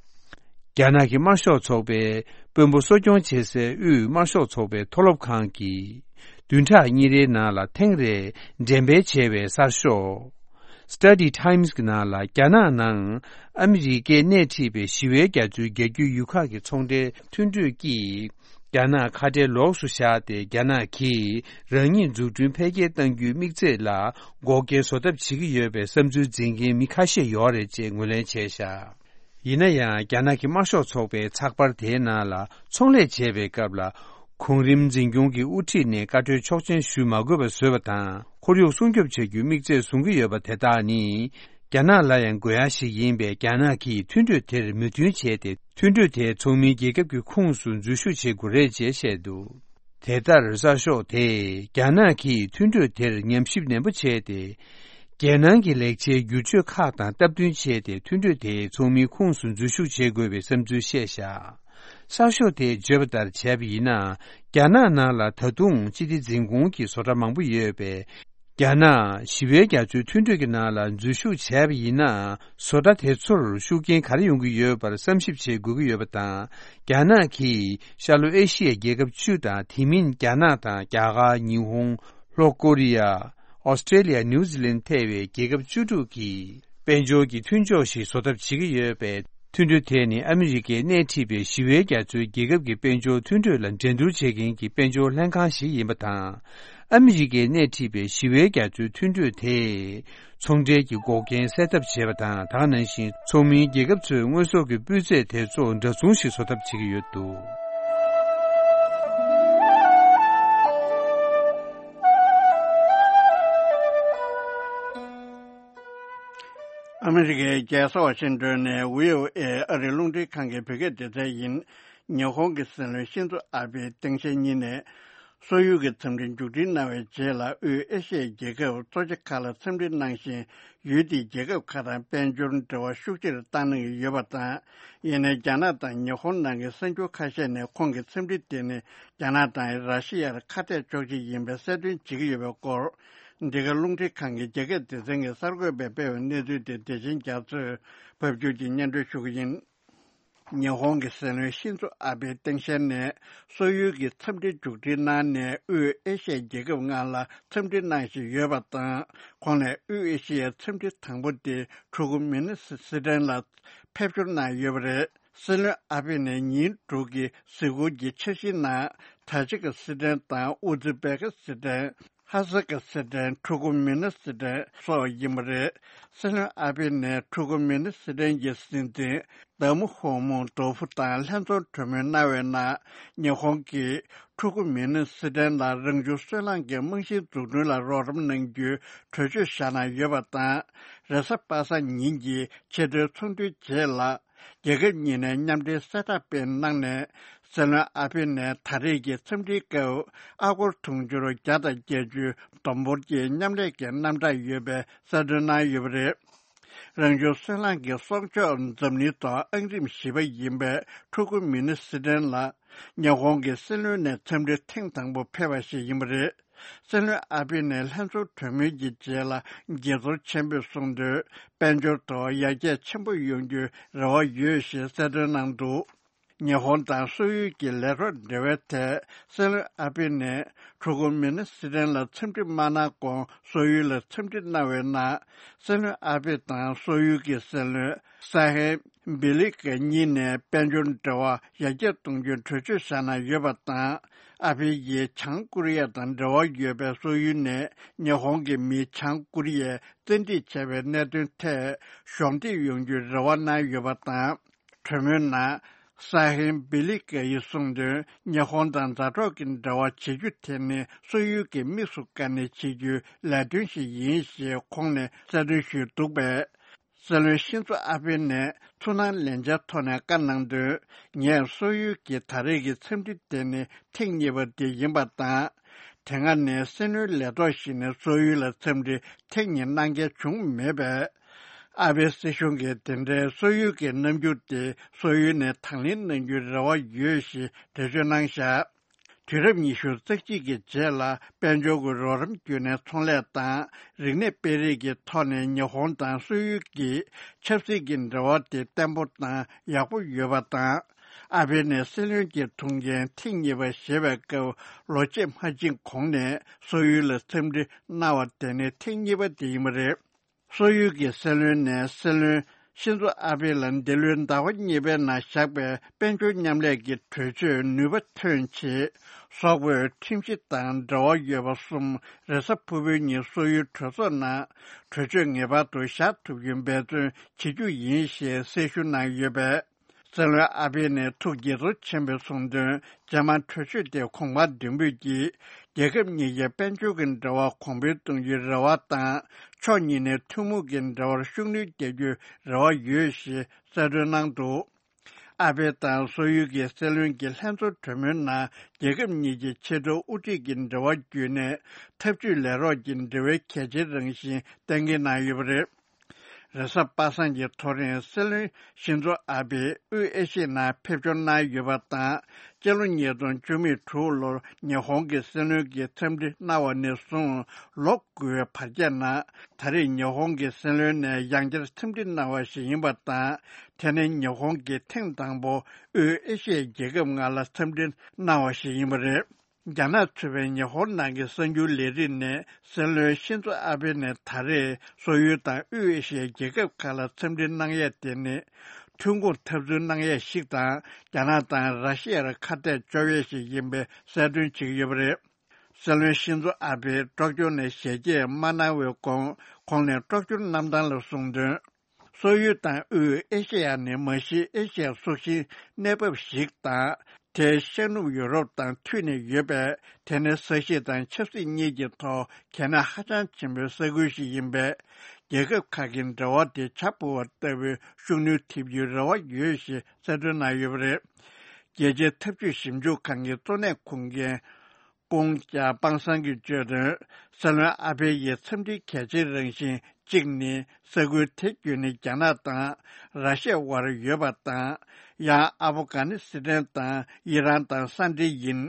རྒྱ་ནག་གི་དམར་ཤོག་ཚོགས་པའི་དཔོན་པོ་གསོ་སྐྱོང་བྱེད་སའི་དབུས་དམར་ཤོག་ཚོགས་པའི་མཐོ་སློབ་ཁང་གིས། བདུན་ཕྲག་གཉིས་རེའི་ནང་ལ་ཐེངས་རེ་འགྲེམས་སྤེལ་བྱས་པའི་གསར་ཤོག Study Times གྱི་ནང་ལ། རྒྱ་ནག་ནང་ཨ་མི་རི་ཀས་སྣེ་ཁྲིད་པའི་ཞི་བའི་རྒྱ་མཚོའི་རྒྱ་རྒྱུད་ཡུལ་ཁག་གི་ཚོང་འབྲེལ་མཐུན་གྲོས་ཀྱིས། རྒྱ་ནག་ཁ་བྲལ་ལོགས་སུ་བཞག་སྟེ། རྒྱ་ནག་གིས་རང་ཉིད་འཛུགས་སྐྲུན་འཕེལ་རྒྱས་གཏང་རྒྱུའི་དམིགས་ཚད་ལ་འགོག་རྐྱེན་བཟོ་ཐབས་བྱེད་ཀྱི་ཡོད་པའི་བསམ་ཚུལ་འཛིན་མཁན་མི་ཁ་ཤས་ཡོད་རེད་ཅེས་ངོས་ལེན་བྱས་བཞག་ཡིན་ན་ཡང་། རྒྱ་ནག་གི་དམར་ཤོག་ཚོགས་པའི་ཚགས་པར་དེའི་ནང་ལ། ཚོང་ལས་བྱེད་པའི་སྐབས་ལ། གོང་རིམ་འཛིན་སྐྱོང་གི་དབུ་ཁྲིད་ནས་བཀའ་འཁྲོལ་ཆོག་མཆན་ཞུ་མ་དགོས་པ་བཟོས་པ་དང་། ཁོར་ཡུག་སྲུང་སྐྱོབ་བྱ་རྒྱུའི་དམིགས་ཚད་བཟུང་གི་ཡོད་པ་དེ་དག་ནི། རྒྱ་ནག་ལ་ཡང་དགོས་ཡ་ཞིག་ཡིན་པས། རྒྱ་ནག་གིས་མཐུན་གྲོས་དེར་མོས་མཐུན་བྱས་ཏེ། མཐུན་གྲོས་དེ་ཚོགས་མིའི་རྒྱལ་ཁབ་ཀྱི་ཁོངས་སུ་འཛུལ་ཞུགས་བྱེད་དགོས་རེད་ཅེས་བཤད་འདུག་དེ་ལྟར། གསར་ཤོག་དེས་རྒྱ་ནག་གིས་མཐུན་གྲོས་དེར་ཉམས་ཞིབ་ནན་པོ་བྱས་ཏེ། རྒྱལ་ནང་གི་ལེགས་ཆའི་བསྒྱུར་བཅོས་ཁག་དང་སྟབས་བསྟུན་བྱས་ཏེ། མཐུན་གྲོས་དེའི་ཚོགས་མིའི་ཁོངས་སུ་འཛུལ་ཞུགས་བྱེད་དགོས་པའི་བསམ་ཚུལ་བཤད་བཞག་གསར་ཤོག་དེས་བརྗོད་པ་ལྟར་བྱས་པ་ཡིན་ན། རྒྱ་ནག་ནང་ལ་ད་དུང་སྤྱི་བདེ་འཛིན་སྐྱོང་གི་བཟོ་གྲྭ་མང་པོ་ཡོད་པས། རྒྱ་ནག་ཞི་བའི་རྒྱ་མཚོའི་མཐུན་གྲོས་ཀྱི་ནང་ལ་འཛུལ་ཞུགས་བྱས་པ་ཡིན་ན། བཟོ་གྲྭ་དེ་ཚོར་ཤུགས་རྐྱེན་ག་རེ་ཡོང་གི་ཡོད་པར་བསམ་ཞིབ་བྱེད་དགོས་ཀྱི་ཡོད་པ་དང་། རྒྱ་ནག་གིས་ཤར་ལྷོ་ཨེ་ཤི་ཡའི་རྒྱལ་ཁབ་བཅུ་དང་། དེ་མིན་རྒྱ་ནག་དང་རྒྱ་གར། ཉི་ཧོང་། ལྷོ་ཀོ་རི་ཡ། ཨོ་སི་ཀྲེ་ལི་ཡ། ནིའུ་ཛི་ལན་ཐེ་བའི་རྒྱལ་ཁབ་བཅུ་དྲུག་གིས་དཔལ་འབྱོར་གྱི་མཐུན་ཕྱོགས་ཤིག་བཟོ་ཐབས་བྱེད་ཀྱི་ཡོད་པས། མཐུན་གྲོས་དེ་ནི་ཨ་མི་རི་ཀས་སྣེ་ཁྲིད་པའི་ཞི་བའི་རྒྱ་མཚོའི་རྒྱལ་ཁབ་ཀྱི་དཔལ་འབྱོར་མཐུན་གྲོས་ལ་འགྲན་བསྡུར་བྱེད་མཁན་གྱི་དཔལ་འབྱོར་ལྷན་ཁང་ཞིག་ཡིན་པ་དང་། ཨ་མི་རི་ཀས་སྣེ་ཁྲིད་པའི་ཞི་བའི་རྒྱ་མཚོའི་མཐུན་གྲོས་དེས། ཚོང་འབྲེལ་གྱི་འགོག་རྐྱེན་སེལ་ཐབས་བྱེད་པ་དང་། དེ་ནང་བཞིན་ཚོགས་མིའི་རྒྱལ་ཁབ་ཚོའི་དངོས་ཟོག་གི་སྤུས་ཚད་དེ་ཚོ་འདྲ་མཚུངས་ཤིག་བཟོ་ཐབས་བྱེད་ཀྱི་ཡོད་འདུག་ཨ་མི་རི་ཀའི་རྒྱལ་ས་ཝ་ཤིང་ཏོན་ནས་ཝི་ཨོ་ཨེ་ཨ་རིའི་རླུང་འཕྲིན་ཁང་གི་བོད་སྐད་སྡེ་ཚན་ཡིན། ཉི་ཧོང་གི་སྲིད་བློན་ཤིན་ཛོ་ཨ་བྷེས་སྟངས་དཔྱལ་གཉིས་ནས། སོག་ཡུལ་གྱི་འཚམས་འདྲི་མཇུག་སྒྲིལ་གནང་བའི་རྗེས་ལ། དབུས་ཨེ་ཤི་ཡའི་རྒྱལ་ཁབ་གཙོ་ཆེ་ཁག་ལ་འཚམས་འདྲི་གནང་བཞིན། ཡུལ་དེའི་རྒྱལ་ཁབ་ཁག་དང་དཔལ་འབྱོར་འབྲེལ་བ་ཤུགས་ཆེར་བཏང་གནང་གི་ཡོད་པ་དང་། ཡིན་ནའི་རྒྱ་ནག་དང་ཉི་ཧོང་ནང་གི་གསར་འགྱུར་ཁ་ཤས་ནས། ཁོང་གི་འཚམས་འདྲི་དེ་ནི་རྒྱ་ནག་དང་ར་ཤི་ཡར་ཁ་གཏད་གཅོག་ཆེད་ཡིན་པའི་གསལ་སྟོན་བྱེད་ཀྱི་ཡོད་པའི་སྐོར། འདི་ག་རླུང་འཕྲིན་ཁང་གི་རྒྱ་སྐད་སྡེ་ཚན་གྱི་གསར་འགོད་པས་སྤེལ་བའི་གནས་ཚུལ་དེ། བདེ་ཆེན་རྒྱ་མཚོས་ཕབ་སྒྱུར་གྱིས་སྙན་སྒྲོན་ཞུ་གི་ཡིན། ཉི་ཧོང་གི་སྲིད་བློན་ཤིན་ཛོ་ཨ་བྷེ་སྟངས་དཔྱལ་ནས། སོག་ཡུལ་གྱི་འཚམས་འདྲིར་མཇུག་སྒྲིལ་གནང་ནས། དབུས་ཨེ་ཤི་ཡའི་རྒྱལ་ཁབ་ལྔ་ལ་འཚམས་འདྲི་གནང་བཞིན་ཡོད་པ་དང་། ཁོང་ནས་དབུས་ཨེ་ཤི་ཡའི་འཚམས་འདྲི་དང་པོ་དེ། ཕྲུ་གུ་མི་ནི་སི་ཊན་ལ་ཕེབས་འབྱོར་གནང་ཡོད་པ་རེད། སྲིད་བློན་ཨ་བྷེ་ནས་ཉིན་དྲུག་གི་གཟིགས་སྐོར་གྱི་འཆར་གཞིའི་ནང་། ཐ་ཇི་ཀི་སི་ཊན་དང་ཨུ་ཛི་བེ་ཀི་སི་ཊན། ཧ་ཟ་ཀི་སི་ཊན། ཕྲུ་གུ་མི་ནི་སི་ཊན་སོགས་ཡིན་པ་རེད། སྲིད་བློན་ཨ་བྷེ་ནས་ཕྲུ་གུ་མི་ནི་སི་ཊན་གྱི་སྲིད་འཛིན་དཱ་མུ་ཧོ་མུ་དོ་ཕུ་དང་ལྷན་འཛོམས་གྲོས་མོལ་གནང་བའི་ནང་། ཉི་ཧོང་གིས་ཕྲུ་གུ་མི་ནི་སི་ཊན་ལ་རང་བྱུང་སོལ་རླངས་ཀྱི་རྨང་གཞིའི་འཛུགས་སྐྲུན་ལ་རོགས་རམ་གནང་རྒྱུའི་གྲོས་ཆོད་བཞག་གནང་ཡོད་པ་དང་། རེས་གཟའ་པ་སངས་ཉིན་གྱི་ཕྱི་དྲོའི་ཚོགས་འདུའི་རྗེས་ལ། རྒྱལ་ཁབ་གཉིས་ནས་མཉམ་འབྲེལ་གསལ་བསྒྲགས་སྤེལ་གནང་ནས། སྲིད་བློན་ཨ་བྷེ་ནས་ད་རེས་ཀྱི་འཚམས་འདྲིའི་སྐབས། ཨ་སྒོར་དུང་ཕྱུར་བརྒྱ་དང་བརྒྱད་ཅུ་བསྡོམས་འབོར་གྱི་མཉམ་ལས་ཀྱི་རྣམ་གྲངས་ཡོད་པའི་གསལ་སྟོན་གནང་ཡོད་པ་རེད། རང་བྱུང་སོལ་རླངས་ཀྱི་གསོག་འཇོག་འཛམ་གླིང་ཐོག་ཨང་རིམ་བཞི་པ་ཡིན་པའི་ཕྲུ་གུ་མི་ནི་སི་ཊན་ལ། ཉི་ཧོང་གི་སྲིད་བློན་ནས་འཚམས་འདྲིར་ཐེངས་དང་པོ་ཕེབས་པ་ཞིག་ཡིན་པ་རེད། སྲིད་བློན་ཨ་བྷེ་ནས་ལྷན་ཚོགས་གྲོས་མོལ་གྱི་རྗེས་ལ། དགྱེས་ཚོར་ཆེན་པོས་གསུངས་དོན། དཔལ་འབྱོར་ཐོག་ཡར་རྒྱས་ཆེན་པོ་ཡོང་རྒྱུའི་རེ་བ་ཡོད་ཞེས་གསལ་སྟོན་གནང་འདུག་ཉི་ཧོང་དང་སོག་ཡུལ་གྱི་ལས་རོགས་འབྲེལ་བའི་ཐད། སྲིད་བློན་ཨ་བྷེ་ནས་ཕྲུ་གུ་མི་ནི་སི་ཊན་ལ་འཚམས་འདྲི་མ་གནང་གོང་། སོག་ཡུལ་ལ་འཚམས་འདྲི་གནང་བའི་ནང་། སྲིད་བློན་ཨ་བྷེ་དང་སོག་ཡུལ་གྱི་སྲིད་བློན་སཱ་ཧེ་བི་ལི་ཀ་གཉིས་ནས་དཔལ་འབྱོར་འབྲེལ་བ་ཡར་རྒྱས་གཏོང་རྒྱུའི་གྲོས་ཆོད་བཞག་གནང་ཡོད་པ་དང་། ཨ་ཕི་ཡིས་བྱང་ཀོ་རི་ཡ་དང་འབྲེལ་བ་ཡོད་པའི་སོག་ཡུལ་ནས་ཉི་ཧོང་གི་མིས་བྱང་ཀོ་རི་ཡའི་བཙན་ཁྲིད་བྱས་པའི་གནད་དོན་ཐད་གཞོགས་འདེགས་ཡོང་རྒྱུའི་རེ་བ་གནང་ཡོད་པ་དང་། གྲོས་མོལ་ནང་། སཱ་ཧེ་བི་ལི་ཀ་ཡིས་གསུངས་དོན། ཉི་ཧོང་དང་མཛའ་གྲོགས་ཀྱི་འབྲེལ་བ་བྱེད་རྒྱུ་དེ་ནི་སོག་ཡུལ་གྱིས་དམིགས་སུ་བཀར་ནས་བྱེད་རྒྱུའི་ལས་དོན་ཞིག་ཡིན་ཞེས་ཁོང་ནས་གསལ་སྟོན་ཞུས་འདུག་པས། སྲིད་བློན་ཤིན་ཛོ་ཨ་བྷེ་ནས་ཚུར་སྣང་ལེན་འཆར་ཐོག་ནས་བཀའ་གནང་དོན། ངས་སོག་ཡུལ་གྱི་ད་རེས་ཀྱི་འཚམས་འདྲི་དེ་ནི་ཐེངས་གཉིས་པ་དེ་ཡིན་པ་དང་། དེ་སྔ་ནས་སྲིད་བློན་ལས་ཐོག་ཞིག་ནས་སོག་ཡུལ་ལ་འཚམས་འདྲི་ཐེངས་གཉིས་གནང་མཁན་བྱུང་མེད་པས། ཨ་བྷེ་སྲིད་གཞུང་གིས་དེ་འདྲའི་སོག་ཡུལ་གྱི་རྣམ་འགྱུར་དེ་སོག་ཡུལ་ནས་དང་ལེན་གནང་རྒྱུའི་རེ་བ་ཡོད་ཞེས་འགྲེལ་བརྗོད་གནང་བཞག་དུས་རབས་ཉི་ཤུ་རྩ་གཅིག་གི་རྗེས་ལ། དཔལ་འབྱོར་གྱི་རོགས་རམ་བརྒྱུད་ནས་ཚོང་ལས་དང་། རིག་གནས་སྤེལ་རེས་ཀྱི་ཐོག་ནས་ཉི་ཧོང་དང་སོག་ཡུལ་གྱི་ཆབ་སྲིད་ཀྱི་འབྲེལ་བ་དེ་བརྟན་པོ་དང་ཡག་པོ་ཡོད་པ་དང་། ཨ་བྷེ་ནས་སྲིད་བློན་གྱི་ཐུགས་འགན་ཐེངས་གཉིས་པ་བཞེས་པའི་སྐབས། ལོ་ཕྱེད་མ་ཕྱིན་གོང་ནས་སོག་ཡུལ་ལ་འཚམས་འདྲི་གནང་བ་དེ་ནི་ཐེངས་གཉིས་པ་དེ་ཡིན་པ་རེད། སོག་ཡུལ་གྱི་སྲིད་བློན་ནས་སྲིད་བློན་ཤིན་ཛོ་ཨ་བྷེ་ལ་འདི་ལོའི་ཟླ་བ་གཉིས་པའི་ནང་བཞག་པའི་དཔལ་འབྱོར་མཉམ་ལས་ཀྱི་གྲོས་ཆོད་ནུས་པ་ཐོན་ཆེད། སོག་པོས་ཁྲིམས་གཞི་དང་འབྲེལ་བ་ཡོད་པ་གསུམ། རེས་གཟའ་ཕུར་བུའི་ཉིན་སོག་ཡུལ་གྲོས་ཚོགས་ནང་གྲོས་ཆོད་ངེས་པར་དུ་བཞག་ཐུབ་རྒྱུའི་འབད་བརྩོན་བྱེད་རྒྱུ་ཡིན་ཞེས་གསལ་ཞུ་གནང་ཡོད་པས། སྲིད་བློན་ཨ་བྷེ་ནས་ཐུགས་དགྱེས་ཚོར་ཆེན་པོས་གསུངས་དོན། རྗེས་མ་གྲོས་ཆོད་དེ་གོང་འཕེལ་ལྡན་པོས་ཀྱིས། རྒྱལ་ཁབ་གཉིས་ཀྱི་དཔལ་འབྱོར་གྱི་འབྲེལ་བ་གོང་འཕེལ་གཏོང་རྒྱུའི་རེ་བ་དང་། ཕྱོགས་གཉིས་ནས་ཐུན་མོང་གི་འབྲེལ་བར་ཤུགས་སྣོན་རྒྱག་རྒྱུའི་རེ་བ་ཡོད་ཞེས་གསལ་སྟོན་གནང་འདུག་ཨ་བྷེ་དང་སོག་ཡུལ་གྱི་སྲིད་བློན་གྱི་ལྷན་ཚོགས་གྲོས་མོལ་ནང་། རྒྱལ་ཁབ་གཉིས་ཀྱི་ཕྱི་དྲོ་དབུ་ཁྲིད་ཀྱི་འབྲེལ་བ་བརྒྱུད་ནས། འཐབ་ཇུས་ལས་རོགས་ཀྱི་འབྲེལ་བའི་གལ་ཆེའི་རང་བཞིན་གཏན་འཁེལ་གནང་ཡོད་པ་རེད། རེས་གཟའ་པ་སངས་ཀྱི་ཐོ་རེངས། སྲིད་བློན་ཤིན་ཛོ་ཨ་བྷེ་དབུས་ཨེ་ཤི་ཡའི་ནང་ཕེབས་འབྱོར་གནང་ཡོད་པ་དང་། སྤྱི་ལོ་ཉིས་སྟོང་བཅུ་མེད་དྲུག་ལོར་ཉི་ཧོང་གི་སྲིད་བློན་གྱིས་འཚམས་འདྲི་གནང་བ་ནས་བཟུང་ལོ་དགུའི་བར་ཁྱད་ནང་། ད་རེས་ཉི་ཧོང་གི་སྲིད་བློན་ནས་ཡང་བསྐྱར་འཚམས་འདྲི་གནང་བ་ཞིག་ཡིན་པ་དང་། དེ་ནི་ཉི་ཧོང་གིས་ཐེངས་དང་པོ་དབུས་ཨེ་ཤི་ཡའི་རྒྱལ་ཁབ་ལྔ་ལ་འཚམས་འདྲི་གནང་བ་ཞིག་ཡིན་པ་རེད། རྒྱ་ནག་གཙོས་པའི་ཉི་ཧོང་ནང་གི་གསར་འགྱུར་ལས་རིགས་ནས། སྲིད་བློན་ཤིན་ཛོ་ཨ་བྷེ་ནས་ད་རེས་སོག་ཡུལ་དང་དབུས་ཨེ་ཤི་ཡའི་རྒྱལ་ཁབ་ཁག་ལ་འཚམས་འདྲི་གནང་ཡས་དེ་ནི། ཐོན་ཁུངས་འཐབ་རྩོད་གནང་ཡས་ཤིག་དང་། རྒྱ་ནག་དང་ར་ཤི་ཡར་ཁ་གཏད་གཅོག་ཡས་ཤིག་ཡིན་པའི་གསལ་སྟོན་བྱེད་ཀྱི་ཡོད་པ་རེད། སྲིད་བློན་ཤིན་ཛོ་ཨ་བྷེ་སྲོག་སྐྱོར་ནས་ཞལ་གྱེས་མ་གནང་བའི་གོང་། ཁོང་ནས་སྲོག་སྐྱོར་གནང་སྟངས་ལ་གསུངས་དོན། སོག་ཡུལ་དང་དབུས་ཨེ་ཤེ་ཡ་ནི་མ་གཞི་ཨེ་ཤེ་ཡ་སྲོག་ཤིང་གནས་བབ་ཞིག་དང་། དེ་ཤར་ནུབ་ཡུ་རོབ་དང་མཐུད་ནས་ཡོད་པས། དེ་ནི་ས་གཞི་དང་ཆབ་སྲིད་གཉིས་ཀྱི་ཐོག་གལ་གནད་ཧ་ཅང་ཆེན་པོའི་ས་ཁུལ་ཞིག་ཡིན་པས། རྒྱལ་ཁབ་ཁག་གི་འབྲེལ་བ་དེ་བྱ་འཕུར་བ་ལྟ་བུའི་ཤུགས་སྣོན་ཐེབས་རྒྱུའི་རེ་བ་ཡོད་ཞེས་གསལ་སྟོན་གནང་ཡོད་པ་རེད། རྒྱལ་སྤྱིའི་འཐབ་ཇུས་ཞིབ་འཇུག་ཁང་གི་གཙོ་གནད་ཁུངས་མཁན། ཀུང་ཀྲུང་སྤང་གསང་གིས་བརྗོད་དོན། སྲིད་བློན་ཨ་ཕེ་ཡི་འཚམས་འདྲིའི་གལ་ཆེའི་རང་བཞིན་གཅིག་ནི། ས་ཁུལ་དེ་བརྒྱུད་ནས་རྒྱ་ནག་དང་ར་ཤི་ཡ་དབར་ཡོད་པ་དང་། ཡང་ཨ་ཕོ་གྷ་ནི་སི་ཐན་དང་ཨི་རན་དང་ས་འབྲེལ་ཡིན།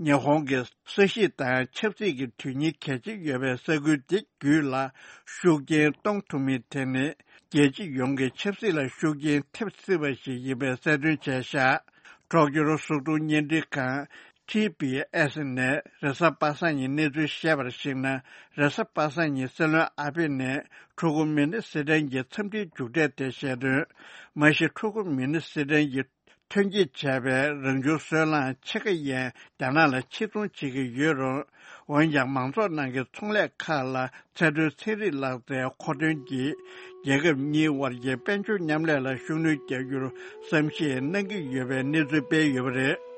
ཉི་ཧོང་གི་ས་གཞི་དང་ཆབ་སྲིད་ཀྱི་དོན་སྙིང་གལ་ཆེ་ཡོད་པའི་ས་ཁུལ་འདི་བརྒྱུད་ལ་ཤུགས་རྐྱེན་གཏོང་ཐུབ་མིན་དེ་ནི་རྒྱལ་སྤྱི་ཡོངས་ཀྱི་ཆབ་སྲིད་ལ་ཤུགས་རྐྱེན་ཐེབས་སྲིད་པ་ཞིག་ཡིན་པའི་གསལ་སྟོན་བྱས་བཞག་གྲོགས་སྐྱོར་སོ་བདུན་བརྙན་འཕྲིན་ཁང་ཊི་བི་ཨེས་ནས་རེས་གཟའ་པ་སངས་ཉིན་གནས་ཚུལ་བཤད་པར་གཞིགས་ན། རེས་གཟའ་པ་སངས་ཉིན་སྲིད་བློན་ཨ་ཕེ་ནས་འཁྲུག་པ་མི་ནི་སི་ཐན་གྱི་འཚམས་འདྲིའི་མཇུག་འབྲས་དེ་བཤད་དོན། མ་གཞི་འཁྲུག་པ་མི་ནི་སི་ཐན་གྱི་ཐོན་སྐྱེད་བྱས་པའི་རང་བྱུང་སོལ་རླངས་ཕྱེད་ཀ་ཡན་རྒྱ་ནག་ལ་ཕྱིར་ཚོང་བྱེད་ཀྱི་ཡོད་རུང་། འོན་ཀྱང་མང་ཚོགས་ནང་གི་ཚོང་ལས་ཁག་ལ་ཚད་མཐོའི་ཚན་རིག་ལག་རྩལ་མཁོ་འདོན་གྱིས་རྒྱལ་ཁབ་གཉིས་དབར་གྱི་དཔལ་འབྱོར་མཉམ་ལས་ལ་ཤུགས་སྣོན་རྒྱག་རྒྱུར་བསམ་ཤེས་གནང་གི་ཡོད་པའི་གནས་ཚུལ་སྤེལ་ཡོད་པ་རེད།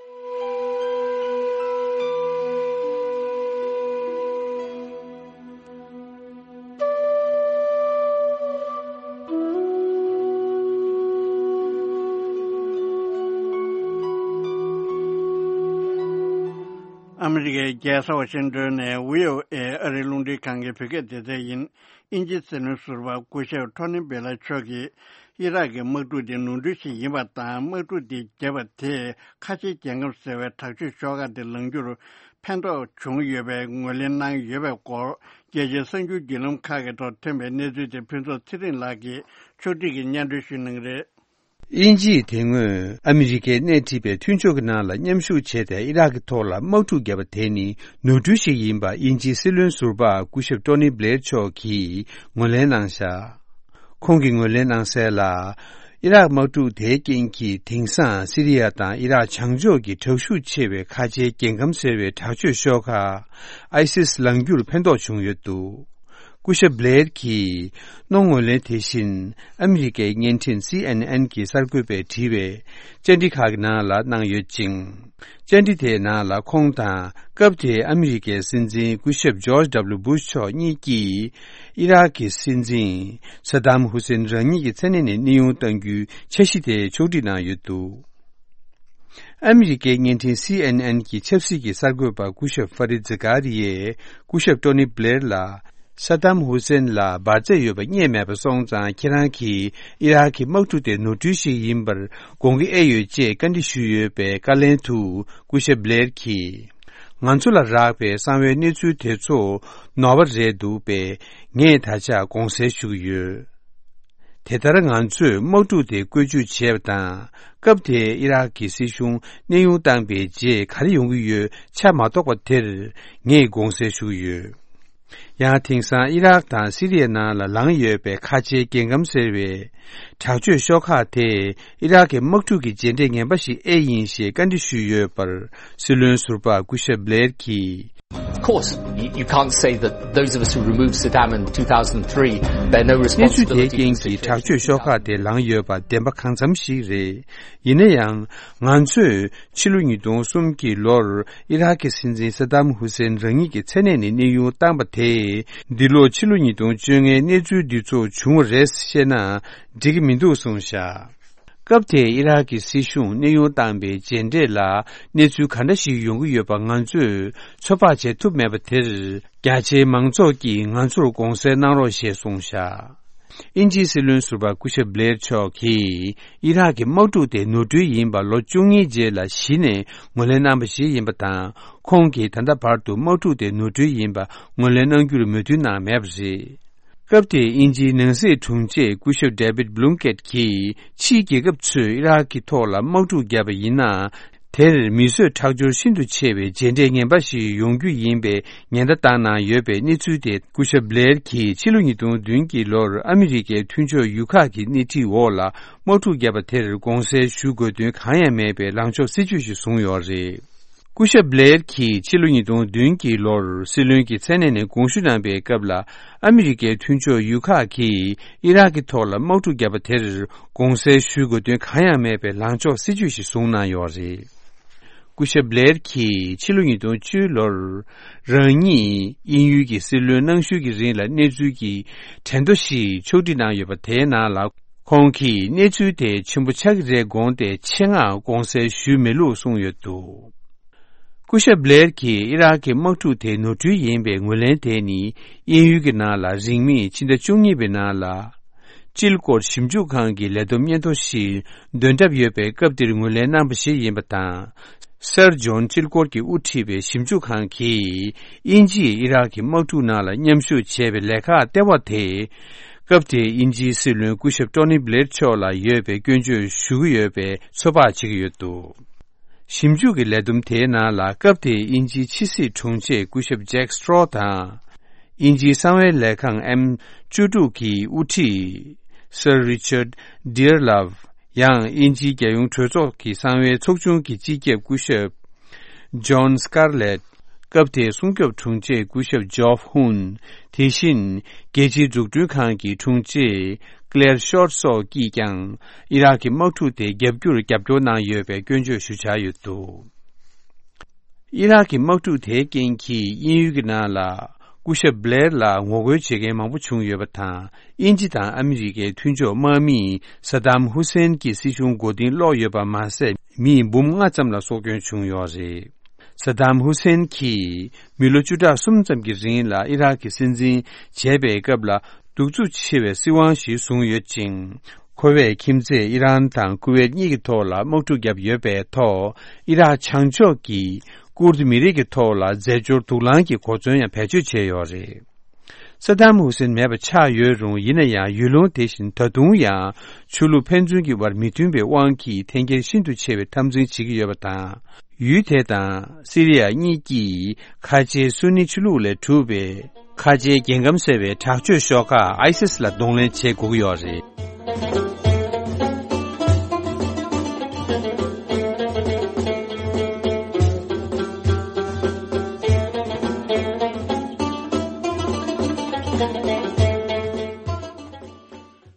ཨ་མི་རི་ཀའི་རྒྱལ་ས་ཝ་ཤིང་ཏོན་ནས་བྷི་ཨོ་ཨེ་ཨ་རིའི་རླུང་འཕྲིན་ཁང་གི་བོད་སྐད་སྡེ་ཚན་ཡིན། དབྱིན་ཇིའི་སྲིད་བློན་ཟུར་པ་སྐུ་ཞབས་ཊོ་ནི་སྦེ་ལ་མཆོག་གིས་ཨི་རག་གི་དམག་འཁྲུག་དེ་ནོར་འཁྲུལ་ཞིག་ཡིན་པ་དང་། དམག་འཁྲུག་དེ་བརྒྱབ་པ་དེས་ཁ་ཆེའི་རྒྱལ་ཁམས་ཟེར་བའི་དྲག་སྤྱོད་ཤོག་ཁག་དེ་ལངས་རྒྱུར་ཕན་ཐོགས་བྱུང་ཡོད་པའི་ངོས་ལེན་གནང་ཡོད་པའི་སྐོར། རྒྱལ་སྤྱིའི་གསར་འགྱུར་བརྒྱུད་ལམ་ཁག་གི་ཐོག་ཐོན་པའི་གནས་ཚུལ་དེ་ཕུན་ཚོགས་ཚེ་རིང་ལགས་ཀྱིས་ཕྱོགས་སྒྲིག་གིས་སྙན་སྒྲོན་ཞུ་གནང་གི་རེད། དབྱིན་ཇིས་དེ་སྔོན་ཨ་མི་རི་ཀས་སྣེ་ཁྲིད་པའི་མཐུན་ཕྱོགས་ཀྱི་ནང་ལ་མཉམ་ཞུགས་བྱས་ཏེ་ཨི་རག་གི་ཐོག་ལ་དམག་འཁྲུག་བརྒྱབ་པ་དེ་ནི་ནོར་འཁྲུལ་ཞིག་ཡིན་པ་དབྱིན་ཇིའི་སྲིད་བློན་ཟུར་པ་སྐུ་ཞབས་ཊོ་ནི་སྦེ་ལ་མཆོག་གིས་ངོས་ལེན་གནང་བཞག་ཁོང་གིས་ངོས་ལེན་གནང་གསལ་ལ། ཨི་རག་དམག་འཁྲུག་དེའི་རྐྱེན་གྱིས་དེང་སང་སི་རི་ཡ་དང་ཨི་རག་བྱང་ཕྱོགས་ཀྱི་དྲག་ཤུགས་ཆེ་བའི་ཁ་ཆེའི་རྒྱལ་ཁམས་ཟེར་བའི་དྲག་སྤྱོད་ཤོག་ཁག་ཨའི་སིས་ལངས་རྒྱུར་ཕན་ཐོགས་བྱུང་ཡོད་འདུག་སྐུ་ཞབས་སྦེ་ལ་མཆོག་གིས་གནང་ངོས་ལེན་དེ་བཞིན་ཨ་མི་རི་ཀའི་བརྙན་འཕྲིན་སི་ཨེན་ཨེན་གྱི་གསར་འགོད་པས་བྲིས་པའི་བཅར་འདྲི་ཁག་གི་ནང་ལ་གནང་ཡོད་ཅིང་། བཅར་འདྲི་དེའི་ནང་ལ་ཁོང་དང་སྐབས་དེའི་ཨ་མི་རི་ཀའི་སྲིད་འཛིན་སྐུ་ཞབས་ཇོརྗ་ཌབ་ལུ་སྦུ་ཤ་མཆོག་གཉིས་ཀྱིས་ཨི་རག་གི་སྲིད་འཛིན་ས་དམ་ཧུ་སེན་རང་ཉིད་ཀྱི་མཚན་གནས་ནས་གནས་དབྱུང་གཏང་རྒྱུའི་འཆར་གཞི་དེ་ཕྱོགས་སྒྲིག་གནང་ཡོད་འདུག་ཨ་མི་རི་ཀའི་བརྙན་འཕྲིན་སི་ཨེན་ཨེན་གྱི་ཆབ་སྲིད་ཀྱི་གསར་འགོད་པ་སྐུ་ཞབས་ཧྥ་རི་ཛི་ཀ་རི་ཡས་སྐུ་ཞབས་ཊོ་ནི་སྦེ་ལ་ལ་ས་དམ་ཧུ་སེན་ལ་འབར་རྫས་ཡོད་པ་རྙེད་མེད་པ་སོང་ཙང་ཁྱེད་རང་གིས་ཨི་རག་གི་དམག་འཁྲུག་དེ་ནོར་འཁྲུལ་ཞིག་ཡིན་པར་དགོངས་ཀྱི་ཨེ་ཡོད་ཅེས་བཀའ་འདྲི་ཞུས་ཡོད་པའི་བཀའ་ལན་དུ་སྐུ་ཞབས་སྦེ་ལ་མཆོག་གིས། ང་ཚོ་ལ་རག་པའི་གསང་བའི་གནས་ཚུལ་དེ་ཚོ་ནོར་བ་རེད་འདུག་པས། ངས་ད་ཆ་དགོངས་སེལ་ཞུ་གི་ཡོད། དེ་ལྟར་ང་ཚོས་དམག་འཁྲུག་དེ་བཀོལ་སྤྱོད་བྱས་པ་དང་། སྐབས་དེའི་ཨི་རག་གི་སྲིད་གཞུང་གནས་དབྱུང་བཏང་པའི་རྗེས་ག་རེ་ཡོང་གི་ཡོད་ཆ་མ་རྟོགས་པ་དེར་ངས་དགོངས་སེལ་ཞུ་གི་ཡོད། ཡང་དེང་སང་ཨི་རག་དང་སི་རི་ཡའི་ནང་ལ་ལངས་ཡོད་པའི་ཁ་ཆེའི་རྒྱལ་ཁམས་ཟེར་བའི་དྲག་སྤྱོད་ཤོག་ཁག་དེས་ཨི་རག་གི་དམག་འཁྲུག་གི་རྗེས་འབྲས་ངན་པ་ཞིག་ཨེ་ཡིན་ཞེས་བཀའ་འདྲི་ཞུས་ཡོད་པར་སྲིད་བློན་ཟུར་པ་སྐུ་ཞབས་སྦེ་ལ་མཆོག་གིས། Of course, you, you can't say that those of us who removed Saddam in two thousand three bear no གནས་ཚུལ་དེའི་responsibility for the རྐྱེན་གྱིས་དྲག་situation in སྤྱོད་ཤོག་two thousand three. ཁག་དེ་ལངས་ཡོད་པ་བདེན་པ་གང་འཚམ་ཞིག་རེད། ཡིན་ན་ཡང་། ང་ཚོས་ཕྱི་ལོ་ཉིས་སྟོང་གསུམ་གྱི་ལོར་ཨི་རག་གི་སྲིད་འཛིན་ས་དམ་ཧུ་སེན་རང་ཉིད་ཀྱི་མཚན་གནས་ནས་གནས་དབྱུང་བཏང་པ་དེས། འདི་ལོ་ཕྱི་ལོ་ཉིས་སྟོང་བཅོ་ལྔའི་གནས་ཚུལ་འདི་ཚོ་བྱུང་བ་རེད་བཤད་ན་འགྲིག་གི་མི་འདུག་གསུངས་བཞག་སྐབས་དེའི་ཨི་རག་གི་སྲིད་གཞུང་གནས་དབྱུང་བཏང་པའི་རྗེས་འབྲས་ལ་གནས་ཚུལ་ག་འདྲ་ཞིག་ཡོང་གི་ཡོད་པ་ང་ཚོས་ཚོད་དཔག་བྱེད་ཐུབ་མེད་པ་དེར། རྒྱ་ཆེའི་མང་ཚོགས་ཀྱིས་ང་ཚོར་དགོངས་སེལ་གནང་རོགས་ཞེས་གསུངས་བཞག་དབྱིན་ཇིའི་སྲིད་བློན་ཟུར་པ་སྐུ་ཞབས་སྦེ་ལ་མཆོག་གིས་ཨི་རག་གི་དམག་འཁྲུག་དེ་ནོར་འཁྲུལ་ཡིན་པ་ལོ་བཅུ་གཉིས་རྗེས་ལ་གཞི་ནས་ངོས་ལེན་གནང་པ་ཞིག་ཡིན་པ་དང་། ཁོང་གིས་ད་ལྟ་བར་དུ་དམག་འཁྲུག་དེ་ནོར་འཁྲུལ་ཡིན་པ་ངོས་ལེན་གནང་རྒྱུར་མོས་མཐུན་གནང་མེད་པ་རེད། སྐབས་དེའི་དབྱིན་ཇིའི་ནང་སྲིད་དྲུང་ཆེ་སྐུ་ཞབས་David Blunkett གྱིས་ཕྱིའི་རྒྱལ་ཁབ་ཚོས་ཨི་རག་གི་ཐོག་ལ་དམག་འཁྲུག་བརྒྱབ་པ་ཡིན་ན། དེར་མི་གསོད་ཁྲག་སྦྱོར་ཤིན་ཏུ་ཆེ་བའི་རྗེས་འབྲས་ངན་པ་ཞིག་ཡོང་རྒྱུ་ཡིན་པའི་ཉེན་བརྡ་བཏང་གནང་ཡོད་པའི་གནས་ཚུལ་དེ་སྐུ་ཞབས་སྦེ་ལ་མཆོག་གིས་ཕྱི་ལོ་ཉིས་སྟོང་བདུན་གྱི་ལོར་ཨ་མི་རི་ཀའི་མཐུན་ཕྱོགས་ཡུལ་ཁག་གི་སྣེ་ཁྲིད་འོག་ལ་དམག་འཁྲུག་བརྒྱབ་པ་དེར་དགོངས་སེལ་ཞུ་དགོས་དོན་གང་ཡང་མེད་པའི་ལངས་ཕྱོགས་སྲིད་ཇུས་ཤིག་བཟུང་ཡོད་རེད། སྐུ་ཞབས་སྦེ་ལ་མཆོག་གིས་ཕྱི་ལོ་ཉིས་སྟོང་བདུན་གྱི་ལོར་སྲིད་བློན་གྱི་མཚན་གནས་ནས་དགོངས་ཞུ་གནང་པའི་སྐབས་ལ། ཨ་མི་རི་ཀའི་མཐུན་ཕྱོགས་ཡུལ་ཁག་གིས་ཨི་རག་གི་ཐོག་ལ་དམག་འཁྲུག་བརྒྱབ་པ་དེར་དགོངས་སེལ་ཞུ་དགོས་དོན་གང་ཡང་མེད་པའི་ལངས་ཕྱོགས་སྲིད་ཇུས་ཤིག་བཟུང་གནང་ཡོད་རེད། སྐུ་ཞབས་སྦེ་ལ་མཆོག་གིས་ཕྱི་ལོ་ཉིས་སྟོང་བཅུ་ལོར་རང་ཉིད་དབྱིན་ཡུལ་གྱི་སྲིད་བློན་གནང་ཤུལ་གྱི་རིང་ལ་གནས་ཚུལ་གྱི་དྲན་ཐོ་ཞིག་ཕྱོགས་སྒྲིག་གནང་ཡོད་པ་དེའི་ནང་ལ། ཁོང་གིས་གནས་ཚུལ་དེ་ཆེན་པོ་ཆགས་ཀྱི་རེད་དགོངས་ཏེ་ཆེད་མངགས་དགོངས་སེལ་ཞུས་མེད་ལུགས་གསུངས་ཡོད་འདུག་སྐུ་ཞབས་སྦླེར་གྱིས་ཨི་རག་གི་དམག་འཁྲུག་དེ་ནོར་འཁྲུལ་ཡིན་པའི་ངོས་ལེན་དེ་ནི། དབྱིན་ཡུལ་གྱི་ནང་ལ་རིང་མིན་ཕྱི་ཟླ་བཅུ་གཉིས་པའི་ནང་ལ། སྤྱི་སྐོར་ཞིབ་འཇུག་ཁང་གི་ལས་བསྡོམས་སྙན་ཐོ་ཞིག་འདོན་གྲབས་ཡོད་པའི་སྐབས་དེར་ངོས་ལེན་གནང་པ་ཞིག་ཡིན་པ་དང་། སར་ཇོན་སྤྱི་སྐོར་གྱིས་དབུ་ཁྲིད་པའི་ཞིབ་འཇུག་ཁང་གིས། དབྱིན་ཇིས་ཨི་རག་གི་དམག་འཁྲུག་ནང་ལ་མཉམ་ཞུགས་བྱས་པའི་ལས་ཁག་ལྟེ་བ་དེ། སྐབས་དེའི་དབྱིན་ཇིའི་སྲིད་བློན་སྐུ་ཞབས་ཊོ་ནི་སྦླེར་མཆོག་ལ་ཡོད་པའི་སྐྱོན་བརྗོད་ཞུ་གི་ཡོད་པའི་ཚོད་དཔག་བྱེད་ཀྱི་ཡོད་འདུག། ཞིབ་འཇུག་གི་ལས་བསྡོམས་དེའི་ནང་ལ། སྐབས་དེའི་དབྱིན་ཇིའི་ཕྱི་སྲིད་དྲུང་ཆེ་སྐུ་ཞབས་ཇེག་སི་ཊོ་རོ་དང་། དབྱིན་ཇིའི་གསང་བའི་ལས་ཁང་ཨེམ་བཅུ་དྲུག་གི་དབུ་ཁྲིད་སར་རི་ཅར་ཌི་ཨར་ལབ། ཡང་དབྱིན་ཇིའི་རྒྱལ་ཡོངས་གྲོས་ཚོགས་ཀྱི་གསང་བའི་ཚོགས་ཆུང་གི་སྤྱི་ཁྱབ་སྐུ་ཞབས་ཇོན་སི་ཀར་ལེད། སྐབས་དེའི་སྲུང་སྐྱོབ་དྲུང་ཆེ་སྐུ་ཞབས་ཇོབ་ཧུན། དེ་བཞིན་རྒྱལ་སྤྱིའི་འཛུགས་སྐྲུན་ཁང་གི་དྲུང་ཆེ་ཀླེར་ཤོར་སོགས་ཀྱིས་ཀྱང་ཨི་རག་གི་དམག་འཁྲུག་དེ་རྒྱབ་སྐྱོར་རྒྱབ་སྐྱོར་གནང་ཡོད་པའི་སྐྱོན་བརྗོད་ཞུ་འཆར་ཡོད་འདུག། ཨི་རག་གི་དམག་འཁྲུག་དེའི་རྐྱེན་གྱིས་དབྱིན་ཡུལ་གྱི་ནང་ལ་སྐུ་ཞབས་སྦླེར་ལ་ངོ་རྒོལ་བྱེད་མཁན་མང་པོ་བྱུང་ཡོད་པ་དང་། དབྱིན་ཇི་དང་ཨ་མི་རི་ཀའི་མཐུན་ཕྱོགས་དམག་མིས་ས་དམ་ཧུ་སེན་གྱི་སྲིད་གཞུང་མགོ་རྟིང་སློག་ཡོད་པ་མ་ཟད། མི་འབུམ་ལྔ་ཙམ་ལ་སྲོག་སྐྱོན་བྱུང་ཡོད་རེད། ས་དམ་ཧུ་སེན་གྱིས་མི་ལོ་བཅུ་ཕྲག་གསུམ་ཙམ་གྱི་རིང་ལ་ཨི་རག་གི་སྲིད་འཛིན་བྱས་པའི་སྐབས་ལ་གདུག་རྩུབ་ཆེ་བའི་སྲིད་དབང་ཞིག་བཟུང་ཡོད་ཅིང་། ཁོ་བས་ཁྱིམ་མཚེས་ཨི་རན་དང་ཀུ་ཝེད་གཉིས་ཀྱི་ཐོག་ལ་དམག་འཁྲུག་བརྒྱབ་ཡོད་པའི་ཐོག་ཨི་རག་བྱང་ཕྱོགས་ཀྱི་ཀུར་ཏི་མི་རིགས་ཀྱི་ཐོག་ལ་རྫས་སྦྱོར་དུག་རླངས་ཀྱི་གོ་མཚོན་ཡང་བེད་སྤྱོད་བྱས་ཡོད་རེད། ས་དམ་ཧུ་སེན་མེད་པ་ཆགས་ཡོད་རུང་། ཡིན་ན་ཡང་ཡུལ་ལུང་དེ་བཞིན་ད་དུང་ཡང་ཆོས་ལུགས་ཕན་ཚུན་གྱི་བར་མི་མཐུན་པའི་དབང་གིས་འཐེན་འཁྱེར་ཤིན་ཏུ་ཆེ་བའི་འཐབ་འཛིང་བྱེད་ཀྱི་ཡོད་པ་དང་། ཡུལ་དེ་དང་སི་རི་ཡ་གཉིས་ཀྱིས་ཁ་ཆེའི་སུ་ནི་ཆོས་ལུགས་ལས་གྲུབ་པའི་ཁ་ཆེའི་རྒྱལ་ཁམས་ཟེར་བའི་དྲག་སྤྱོད་ཤོག་ཁག་ཨའི་སིས་ལ་གདོང་ལེན་བྱེད་དགོས་ཀྱི་ཡོད་རེད།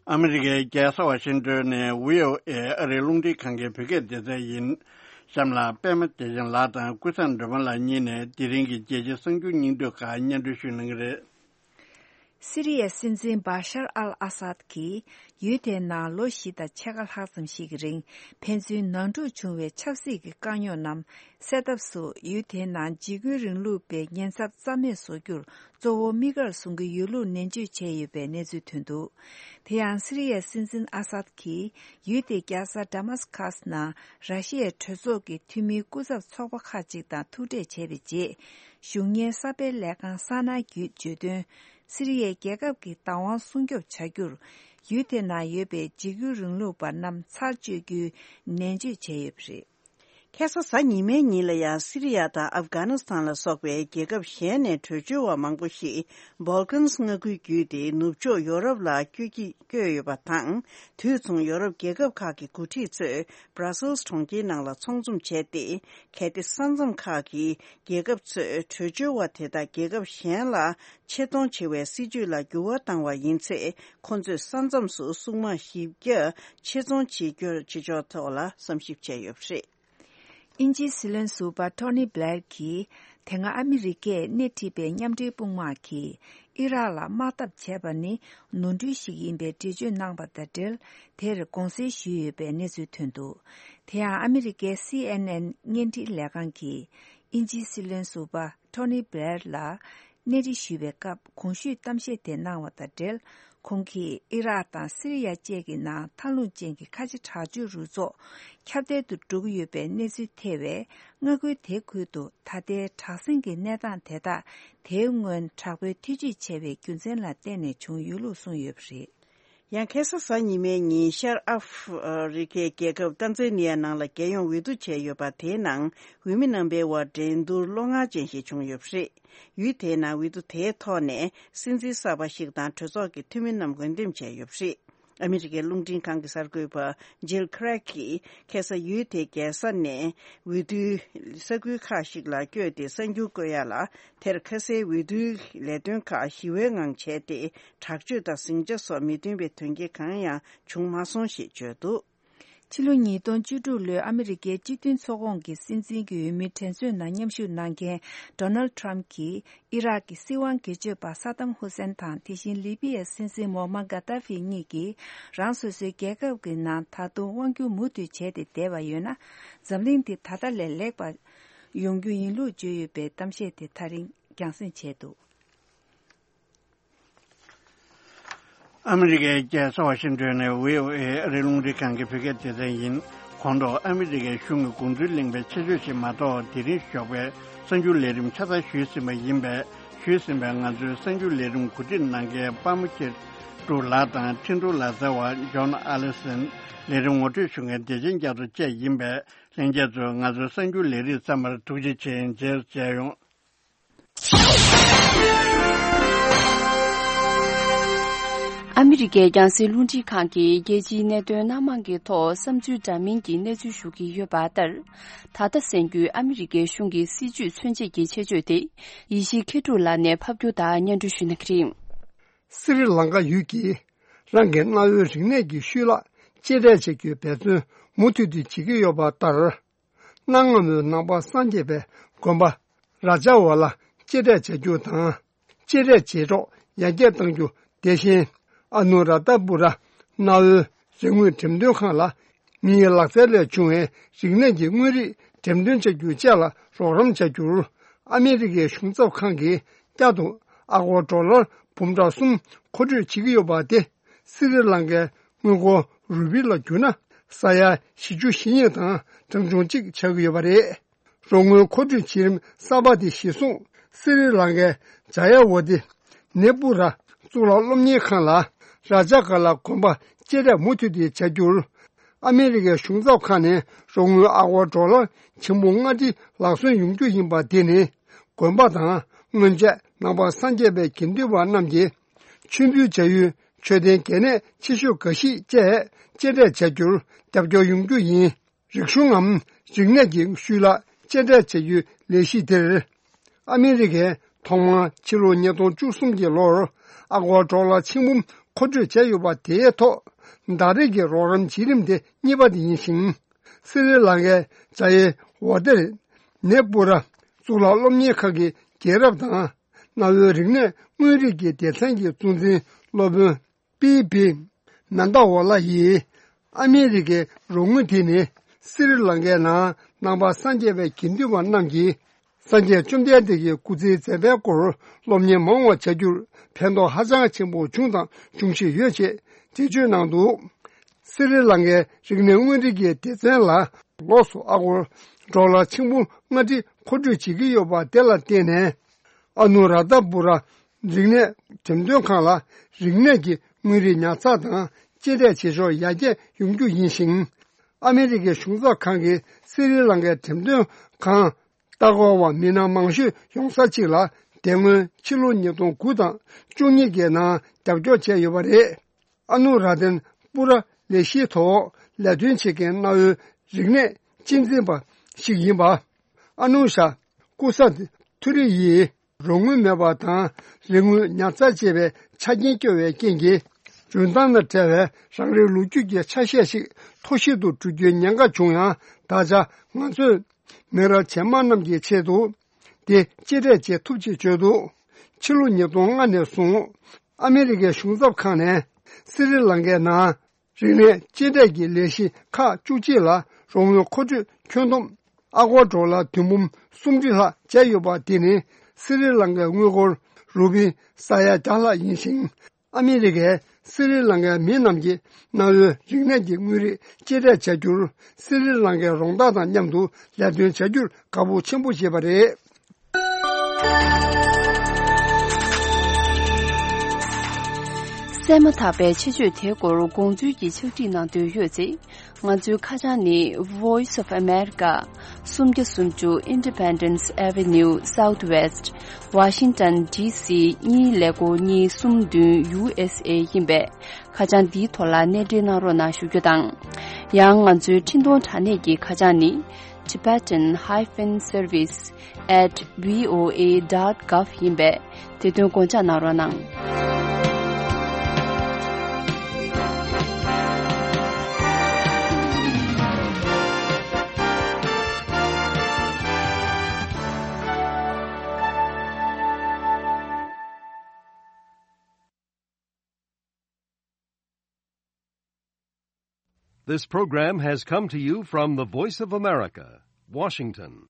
ཨ་མི་རི་ཀའི་རྒྱལ་ས་ཝ་ཤིང་ཏོན་ནས་ཝི་ཨོ་ཨེ་ཨ་རིའི་རླུང་འཕྲིན་ཁང་གི་བོད་སྐད་སྡེ་ཚན་ཡིན། གཤམ་ལ་པད་མ་བདེ་ཆེན་ལགས་དང་ཀུན་བཟང་སྒྲོལ་མ་ལགས་གཉིས་ནས་དེ་རིང་གི་རྒྱལ་སྤྱིའི་གསར་འགྱུར་སྙིང་བསྡུས་ཁག་སྙན་སྒྲོན་ཞུ་གནང་གི་རེད། སི་རི་ཡའི་སྲིད་འཛིན་བྷ་ཤར་ཨལ་ཨ་སཱད་ཀྱིས་ཡུལ་དེའི་ནང་ལོ་བཞི་དང་ཕྱེད་ཀ་ལྷག་ཙམ་ཞིག་གི་རིང་ཕན་ཚུན་ནང་འཁྲུག་བྱུང་བའི་ཆབ་སྲིད་ཀྱི་དཀའ་རྙོག་རྣམས་སེལ་ཐབས་སུ་ཡུལ་དེའི་ནང་འཇིགས་སྐུལ་རིང་ལུགས་པའི་ཉེན་ཚབས་རྩ་མེད་བཟོ་རྒྱུར་གཙོ་བོ་དམིགས་བཀར་བཟུང་གི་ཡོད་ལུགས་ནན་བརྗོད་བྱས་ཡོད་པའི་གནས་ཚུལ་ཐོན་འདུག། དེ་ཡང་སི་རི་ཡའི་སྲིད་འཛིན་ཨ་སཱད་ཀྱིས་ཡུལ་དེའི་རྒྱལ་ས་དཱ་མཱ་སི་ཁཱས་ནང་ར་ཤི་ཡའི་གྲོས་ཚོགས་ཀྱི་འཐུས་མིའི་སྐུ་ཚབ་ཚོགས་པ་ཁག་ཅིག་དང་ཐུག་འཕྲད་བྱས་པའི་རྗེས། གཞུང་གཉེར་གསར་སྤེལ་ལས་ཁང་ས་ན་བརྒྱུད་བརྗོད་དོན། སི་རི་ཡའི་རྒྱལ་ཁབ་ཀྱི་བདག་དབང་སྲུང་སྐྱོབ་བྱ་རྒྱུར། ཡུལ་དེ་ནང་ཡོད་པའི་འཇིགས་སྐུལ་རིང་ལུགས་པ་རྣམས་ཚར་གཅོད་རྒྱུའི་ནན་བརྗོད་བྱས་ཡོད་པ་རེད། ཁ་སང་གཟའ་ཉི་མའི་ཉིན་ལ་ཡང་སི་རི་ཡ་དང་ཨབ་གྷ་ནི་སི་ཐན་ལ་སོགས་པའི་རྒྱལ་ཁབ་གཞན་ནས་བྲོས་བྱོལ་བ་མང་པོ་ཞིག་སྦལ་ཀན་མངའ་ཁུལ་བརྒྱུད་དེ་ནུབ་ཕྱོགས་ཡོ་རོབ་ལ་བསྐྱོད་ཀྱི་བསྐྱོད་ཡོད་པ་དང་། དུས་མཚུངས་ཡོ་རོབ་རྒྱལ་ཁབ་ཁག་གི་འགོ་ཁྲིད་ཚོས་Brussels་གྲོང་ཁྱེར་ནང་ལ་ཚོགས་འཛོམས་བྱས་ཏེ། གལ་ཏེ་ས་མཚམས་ཁག་གི་རྒྱལ་ཁབ་ཚོས་བྲོས་བྱོལ་བ་དེ་དག་རྒྱལ་ཁབ་གཞན་ལ་ཆེད་གཏོང་བྱེད་པའི་སྲིད་ཇུས་ལ་འགྱུར་བ་བཏང་བ་ཡིན་ཚེ། ཁོ་ཚོས་ས་མཚམས་སུ་སྲུང་དམག་བཞི་བརྒྱ་ཆེད་རྫོང་བྱེད་རྒྱུ་བྱེད་ཕྱོགས་ཐོག་ལ་བསམ་ཞིབ་བྱས་ཡོད་པ་རེད། དབྱིན་ཇིའི་སྲིད་བློན་ཟུར་པ་ཐོ་ནི་སྦླེར་གྱིས། དེ་སྔ་ཨ་མི་རི་ཀས་སྣེ་ཁྲིད་པའི་མཉམ་འབྲེལ་དཔུང་དམག་གིས་ཨི་རག་ལ་དམག་འཐབ་བྱས་པ་ནི་ནོར་འཁྲུལ་ཞིག་ཡིན་པའི་འགྲེལ་བརྗོད་གནང་བ་དང་འབྲེལ། དེར་དགོངས་སེལ་ཞུས་ཡོད་པའི་གནས་ཚུལ་ཐོན་འདུག། དེ་ཡང་ཨ་མི་རི་ཀའི་སི་ཨེན་ཨེན་བརྙན་འཕྲིན་ལས་ཁང་གིས་དབྱིན་ཇིའི་སྲིད་བློན་ཟུར་པ་ཐོ་ནི་སྦླེར་ལ། གནས་འདྲི་ཞུས་པའི་སྐབས་གོང་ཞུས་གཏམ་བཤད་དེ་གནང་བ་དང་འབྲེལ། ཁོང་གིས་ཨི་རག་དང་སི་རི་ཡ་བཅས་ཀྱི་ནང་མཐའ་ལྷུང་ཅན་གྱི་ཁ་ཆེ་དྲག་སྤྱོད་རུ་ཚོགས་ཁྱབ་གདལ་དུ་འགྲོ་གི་ཡོད་པའི་གནས་ཚུལ་ཐེ་བའི་མངའ་ཁུལ་དེ་ཁུལ་དུ་ད་ལྟའི་དྲག་ཟིང་གི་གནས་སྟངས་དེ་དག་དེའི་སྔོན་དྲག་པོའི་ཐེ་ཇུས་བྱས་པའི་རྒྱུ་མཚན་ལ་བརྟེན་ནས་བྱུང་ཡོད་ལུགས་གསུངས་ཡོད་པ་རེད། ཡང་ཁ་སང་གཟའ་ཉི་མའི་ཉིན་ཤར་ཨ་ཧྥུ་རི་ཁའི་རྒྱལ་ཁབ་ཏན་ཛ་ནི་ཡ་ནང་ལ་རྒྱལ་ཡོངས་འོས་བསྡུ་བྱས་ཡོད་པ་དེའི་ནང་འོས་མི་རྣམ་པའི་དབར་འགྲན་བསྡུར་བློ་ངར་ཅན་ཞིག་བྱུང་ཡོད་པ་རེད། ཡུལ་དེའི་ནང་འོས་བསྡུ་དེའི་ཐོག་ནས་སྲིད་འཛིན་གསར་པ་ཞིག་དང་གྲོས་ཚོགས་ཀྱི་འཐུས་མི་རྣམས་འོས་འདེམས་བྱས་ཡོད་པ་རེད། ཨ་མི་རི་ཀའི་རླུང་འཕྲིན་ཁང་གི་གསར་འགོད་པ་ཇིལ་ཁི་རེག་གིས་ཁ་སང་ཡུལ་དེའི་རྒྱལ་ས་ནས་འོས་བསྡུའི་ས་ཁུལ་ཁག་ཞིག་ལ་བསྐྱོད་དེ་གསར་འགྱུར་བཀོད་ཡ་ལ། དེར་ཁ་སའི་འོས་བསྡུའི་ལས་དོན་ཁག་ཞི་བའི་ངང་བྱས་ཏེ། དྲག་སྤྱོད་དང་ཟིང་ཆ་སོགས་མི་མཐུན་པའི་དོན་རྐྱེན་གང་ཡང་བྱུང་མ་སོང་ཞེས་བརྗོད་འདུག། ཕྱི་ལོ་ཉིས་སྟོང་བཅུ་དྲུག་ལོའི་ཨ་མི་རི་ཀའི་སྤྱི་མཐུན་ཚོགས་ཁོངས་ཀྱི་སྲིད་འཛིན་གྱི་འོས་མིའི་དྲན་གསོའི་ནང་མཉམ་ཞུགས་གནང་མཁན་ཌོ་ནལ་ཌི་ཊརམ་ཕ་གྱིས་ཨི་རག་གི་སྲིད་དབང་སྒེར་གཅོད་པ་ས་དམ་ཧུ་སེན་དང་དེ་བཞིན་ལི་པི་ཡའི་སྲིད་འཛིན་མོ་མ་གྷ་ཏཱ་ཕི་གཉིས་ཀྱིས་རང་སོ་སོའི་རྒྱལ་ཁབ་ཀྱི་ནང་ད་དུང་དབང་སྒྱུར་མུ་མཐུད་བྱས་ཏེ་བསྡད་པ་ཡོད་ན། འཛམ་གླིང་འདི་ད་ལྟ་ལས་ལེགས་པ་ ཡོང་རྒྱུ་ཡིན་ལུགས་བརྗོད་ཡོད་པའི་གཏམ་བཤད་དེ་ད་རིང་རྒྱང་སྲིང་བྱས་འདུག། ཨ་མི་རི་ཀའི་རྒྱལ་ས་ཝ་ཤིང་ཏོན་ནས་བྷི་ཨོ་ཨེ་ཨ་རིའི་རླུང་འཕྲིན་ཁང་གི་བོད་སྐད་སྡེ་ཚན་ཡིན། གོང་དུ་ཨ་མི་རི་ཀའི་གཞུང་གི་དགོངས་ཚུལ་གླེང་བའི་ཆེད་བརྗོད་ཞིག་མ་གཏོགས། དེ་རིང་ཞོགས་པའི་གསར་འགྱུར་ལས་རིམ་ཆ་ཚང་ཞུས་ཟིན་པ་ཡིན་པས། ཞུས་ཟིན་པའི་ང་ཚོའི་གསར་འགྱུར་ལས་རིམ་གོ་སྒྲིག་གནང་མཁན་དཔའ་མོ་ཆེ་ཀྲུག་ལགས་དང་། ཁྲིན་ཏུའུ་ལ་རྩེ་བ་ཇོན་ཨ་ལི་སན། ལས་རིམ་ངོ་སྤྲོད་ཞུ་མཁན་བདེ་ཆེན་རྒྱ་མཚོ་བཅས་ཡིན་པས། ལྷན་རྒྱས་ཚོས་ང་ཚོའི་གསར་འགྱུར་ལས་རིམ་ཚང་མར་ཐུགས་རྗེ་ཆེ། མཇལ་མཇལ་ཡོང་། ཨ་མི་རི་ཀའི་རྒྱང་སྲིང་རླུང་འཕྲིན་ཁང་གིས་རྒྱལ་སྤྱིའི་གནད་དོན་སྣ་མང་གི་ཐོག་བསམ་ཚུལ་འདྲ་མིན་གྱི་གནས་ཚུལ་ཞུ་གི་ཡོད་པ་ལྟར། ད་ལྟ་གསན་རྒྱུའི་ཨ་མི་རི་ཀའི་གཞུང་གི་སྲིད་བྱུས་མཚོན་བྱེད་ཀྱི་ཆེད་བརྗོད་དེ། ཡེ་ཤེས་མཁས་གྲུབ་ལགས་ནས་ཕབ་སྒྱུར་དང་སྙན་སྒྲོན་ཞུ་གནང་གི་རེད། སི་རི་ལང་ཀ་ཡུལ་གྱིས་རང་གི་གནའ་བོའི་རིག་གནས་ཀྱི་ཤུལ་ལ་གཅེས་སྤྲས་བྱེད་རྒྱུའི་འབད་བརྩོན་མུ་མཐུད་དུ་བྱེད་ཀྱི་ཡོད་པ་ལྟར། གནའ་སྔ་མོའི་ནང་པ་སངས་རྒྱས་པའི་དགོན་པ་ར་ཇ་ཝ་ལ་གཅེས་སྤྲས་བྱ་རྒྱུ་དང་། གཅེས་སྤྲས་བྱེད་སྲོལ་ཡར་རྒྱས་གཏང་རྒྱུ། དེ་བཞིན་ཨ་ནུ་ར་ཏ་པུ་ར་གནའ་བོའི་རིག་དངོས་འགྲེམས་སྟོན་ཁང་ལ་མིའི་ལག་རྩལ་ལས་བྱུང་བའི་རིག་གནས་ཀྱི་དངོས་རིགས་འགྲེམས་སྟོན་བྱ་རྒྱུ་བཅས་ལ་རོགས་རམ་བྱ་རྒྱུར། ཨ་མི་རི་ཀའི་གཞུང་ཚབ་ཁང་གིས་བསྐྱར་དུ་ཨ་སྒོར་ཌོ་ལར་འབུམ་ཕྲག་གསུམ་མཁོ་སྤྲོད་བྱེད་ཀྱི་ཡོད་པ་དེ། སི་རི་ལང་ཀའི་དངུལ་སྒོར་རུ་པི་ལ་བསྒྱུར་ན་ས་ཡ་བཞི་བཅུ་ཞེ་གཉིས་དང་གྲངས་ཆུང་གཅིག་ཆགས་ཀྱི་ཡོད་པ་རེད། རོགས་དངུལ་མཁོ་སྤྲོད་བྱེད་རིམ་གསར་པ་དེ་གཞིར་བཟུང་། སི་རི་ལང་ཀའི་ཇ་ཡ་ཝ་ཏི་ནེ་པུ་ར་གཙུག་ལག་སློབ་གཉེར་ཁང་ལ་ར་ཇ་ག་ལ་དགོན་པ་གཅེས་སྤྲས་མུ་མཐུད་དེ་བྱ་རྒྱུར། ཨ་མི་རི་ཀའི་གཞུང་ཚབ་ཁང་ནས་རོགས་དངུལ་ཨ་སྒོར་ཌོ་ལར་ཆེན་པོ་ལྔ་ཁྲི་ལག་སོན་ཡོང་རྒྱུ་ཡིན་པ་དེ་ནི། དགོན་པ་དང་སྔོན་ཆད་ནང་པ་སངས་རྒྱས་པའི་དགེ་འདུན་པ་རྣམས་ཀྱིས་མཆོད་འབུལ་བྱ་ཡུལ་མཆོད་རྟེན་གལ་གནད་ཆེ་ཤོས་འགའ་ཞིག་བཅས་གཅེས་སྤྲས་བྱ་རྒྱུར་རྒྱབ་སྐྱོར་ཡོང་རྒྱུ་ཡིན། རིག་གཞུང་ངམ་རིག་གནས་ཀྱི་ཤུལ་ལ་གཅེས་སྤྲས་བྱ་རྒྱུའི་ལས་གཞི་དེར། ཨ་མི་རི་ཀས་ཐོག་མར་ཕྱི་ལོ་ཉིས་སྟོང་བཅུ་གསུམ་གྱི་ལོར་ཨ་སྒོར་ཌོ་ལར་ཆིག་འབུམ་མཁོ་སྤྲོད་བྱས་ཡོད་པ་དེའི་ཐོག་ཟླ་རེ་གི་རོགས་རམ་བྱེད་རིམ་དེ་གཉིས་པ་དེ་ཡིན་ཞིང་། སི་རི་ལང་ཀའི་ཇ་ཡེ་ཝ་ཏེར་ནེ་པུ་ར་གཙུག་ལག་སློབ་གཉེར་ཁང་གི་རྒྱལ་རབས་དང་། གནའ་བོའི་རིག་གནས་དངོས་རིགས་ཀྱི་སྡེ་ཚན་གྱི་གཙོ་འཛིན་སློབ་དཔོན་པི་བི་མན་ད་ཝ་ལ་ཡིས། ཨ་མི་རི་ཀའི་རོགས་དངུལ་དེ་ནི་སི་རི་ལང་ཀའི་ནང་ནང་པ་སངས་རྒྱས་པའི་དགེ་འདུན་པ་རྣམས་ཀྱིས་སངས་རྒྱས་བཅོམ་ལྡན་འདས་ཀྱི་སྐུ་ཚེའི་མཛད་པའི་སྐོར་སློབ་གཉེར་མང་བ་བྱ་རྒྱུར་ཕན་ཐོགས་ཧ་ཅང་ཆེན་པོ་བྱུང་དང་འབྱུང་བཞིན་ཡོད་ཅེས་འགྲེལ་བརྗོད་གནང་འདུག། སི་རི་ལང་ཀའི་རིག་གནས་དངོས་རིགས་ཀྱི་སྡེ་ཚན་ལ་ལོགས་སུ་ཨ་སྒོར་ཌོ་ལར་ཆིག་འབུམ་ལྔ་ཁྲི་མཁོ་སྤྲོད་བྱེད་ཀྱི་ཡོད་པ་དེ་ལ་བརྟེན་ནས། ཨ་ནུ་ར་ཏ་པུ་ར་རིག་གནས་འགྲེམས་སྟོན་ཁང་ལ་རིག་གནས་ཀྱི་དངོས་རིགས་ཉར་ཚགས་དང་གཅེས་སྤྲས་བྱེད་ཕྱོགས་ཡར་རྒྱས་ཡོང་རྒྱུ་ཡིན་ཞིང་། ཨ་མི་རི་ཀའི་གཞུང་ཚབ་ཁང་གིས་སི་རི་ལང་ཀའི་འགྲེམས་སྟོན་ཁང་ལྟ་སྐོར་བ་མི་སྣ་མང་ཤོས་ཡོང་ས་གཅིག་ལ་དེ་སྔོན་ཕྱི་ལོ་ཉིས་སྟོང་དགུ་དང་བཅུ་གཉིས་ཀྱི་ནང་རྒྱབ་སྐྱོར་བྱས་ཡོད་པ་རེད། ཨ་ནུ་ར་ཏན་པུ་ར་ལས་གཞིའི་ཐོག་ལས་དོན་བྱེད་མཁན་གནའ་བོའི་རིག་གནས་གཅེས་འཛིན་པ་ཞིག་ཡིན་པ། ཨ་ནུ་ཤ་ཀུ་ས་ཐུ་རི་ཡིས་རོགས་དངུལ་མེད་པ་དང་རིག་དངོས་ཉར་ཚགས་བྱེད་པའི་ཆ་རྐྱེན་སྐྱོ་བའི་རྐྱེན་གྱིས། འཇོན་ཐང་དང་བྲལ་བའི་རང་རེའི་ལོ་རྒྱུས་ཀྱི་ཆ་ཤས་ཤིག་ཐོར་ཞིག་ཏུ་འགྲོ་རྒྱུའི་ཉེན་ཁ་བྱུང་ཡང་། ད་ཆ་ང་ཚོས་མི་རབས་རྗེས་མ་རྣམས་ཀྱི་ཆེད་དུ་དེ་གཅེས་སྤྲས་བྱེད་ཐུབ་ཅེས་བརྗོད་འདུག། ཕྱི་ལོ་ཉིས་སྟོང་ལྔ་ནས་བཟུང་ཨ་མི་རི་ཀའི་གཞུང་ཚབ་ཁང་ནས་སི་རི་ལང་ཀའི་ནང་རིག་གནས་གཅེས་སྤྲས་ཀྱི་ལས་གཞི་ཁག་བཅུ་གཅིག་ལ་རོགས་དངུལ་མཁོ་སྤྲོད་ཁྱོན་བསྡོམས་ཨ་སྒོར་ཌོ་ལར་བདུན་འབུམ་སུམ་ཁྲི་ལྷག་བྱས་ཡོད་པ་དེ་ནི་སི་རི་ལང་ཀའི་དངུལ་སྒོར་རུ་པི་ས་ཡ་བརྒྱ་ལྷག་ཡིན་ཞིང་། ཨ་མི་རི་ཀས་སི་རི་ལང་ཀའི་མི་རྣམས་ཀྱིས་གནའ་བོའི་རིག་གནས་ཀྱི་དངོས་རིགས་གཅེས་སྤྲས་བྱ་རྒྱུར། སི་རི་ལང་ཀའི་རོང་བདག་དང་མཉམ་དུ་ལས་དོན་བྱ་རྒྱུར་དགའ་པོ་ཆེན་པོ་བྱེད་པ་རེད། གསན་མ་ཐག་པའི་ཆེད་བརྗོད་དེའི་སྐོར་དགོངས་ཚུལ་གྱི་ཕྱག་བྲིས་གནང་འདོད་ཡོད་ཚེ། ང་ཚོའི་ཁ་བྱང་ནི། Voice of America། སུམ་བརྒྱ་སུམ་ཅུ་Independence Avenue Southwest། Washington D C གཉིས་ཀླད་ཀོར་གཉིས་གསུམ་བདུན། U S A ཡིན་པས། ཁ་བྱང་འདིའི་ཐོག་ལ་གནས་འབྲེལ་གནང་རོགས་གནང་ཞུ་རྒྱུ་དང་། ཡང་ང་ཚོའི་འཕྲིན་གཏོང་དྲ་གནས་ཀྱི་ཁ་བྱང་ནི། Tibetan hyphen service at V O A dot gov ཡིན་པས། དེ་དོན་དགོངས་འཇགས་གནང་རོགས་གནང་། This program has come to you from the Voice of America, Washington.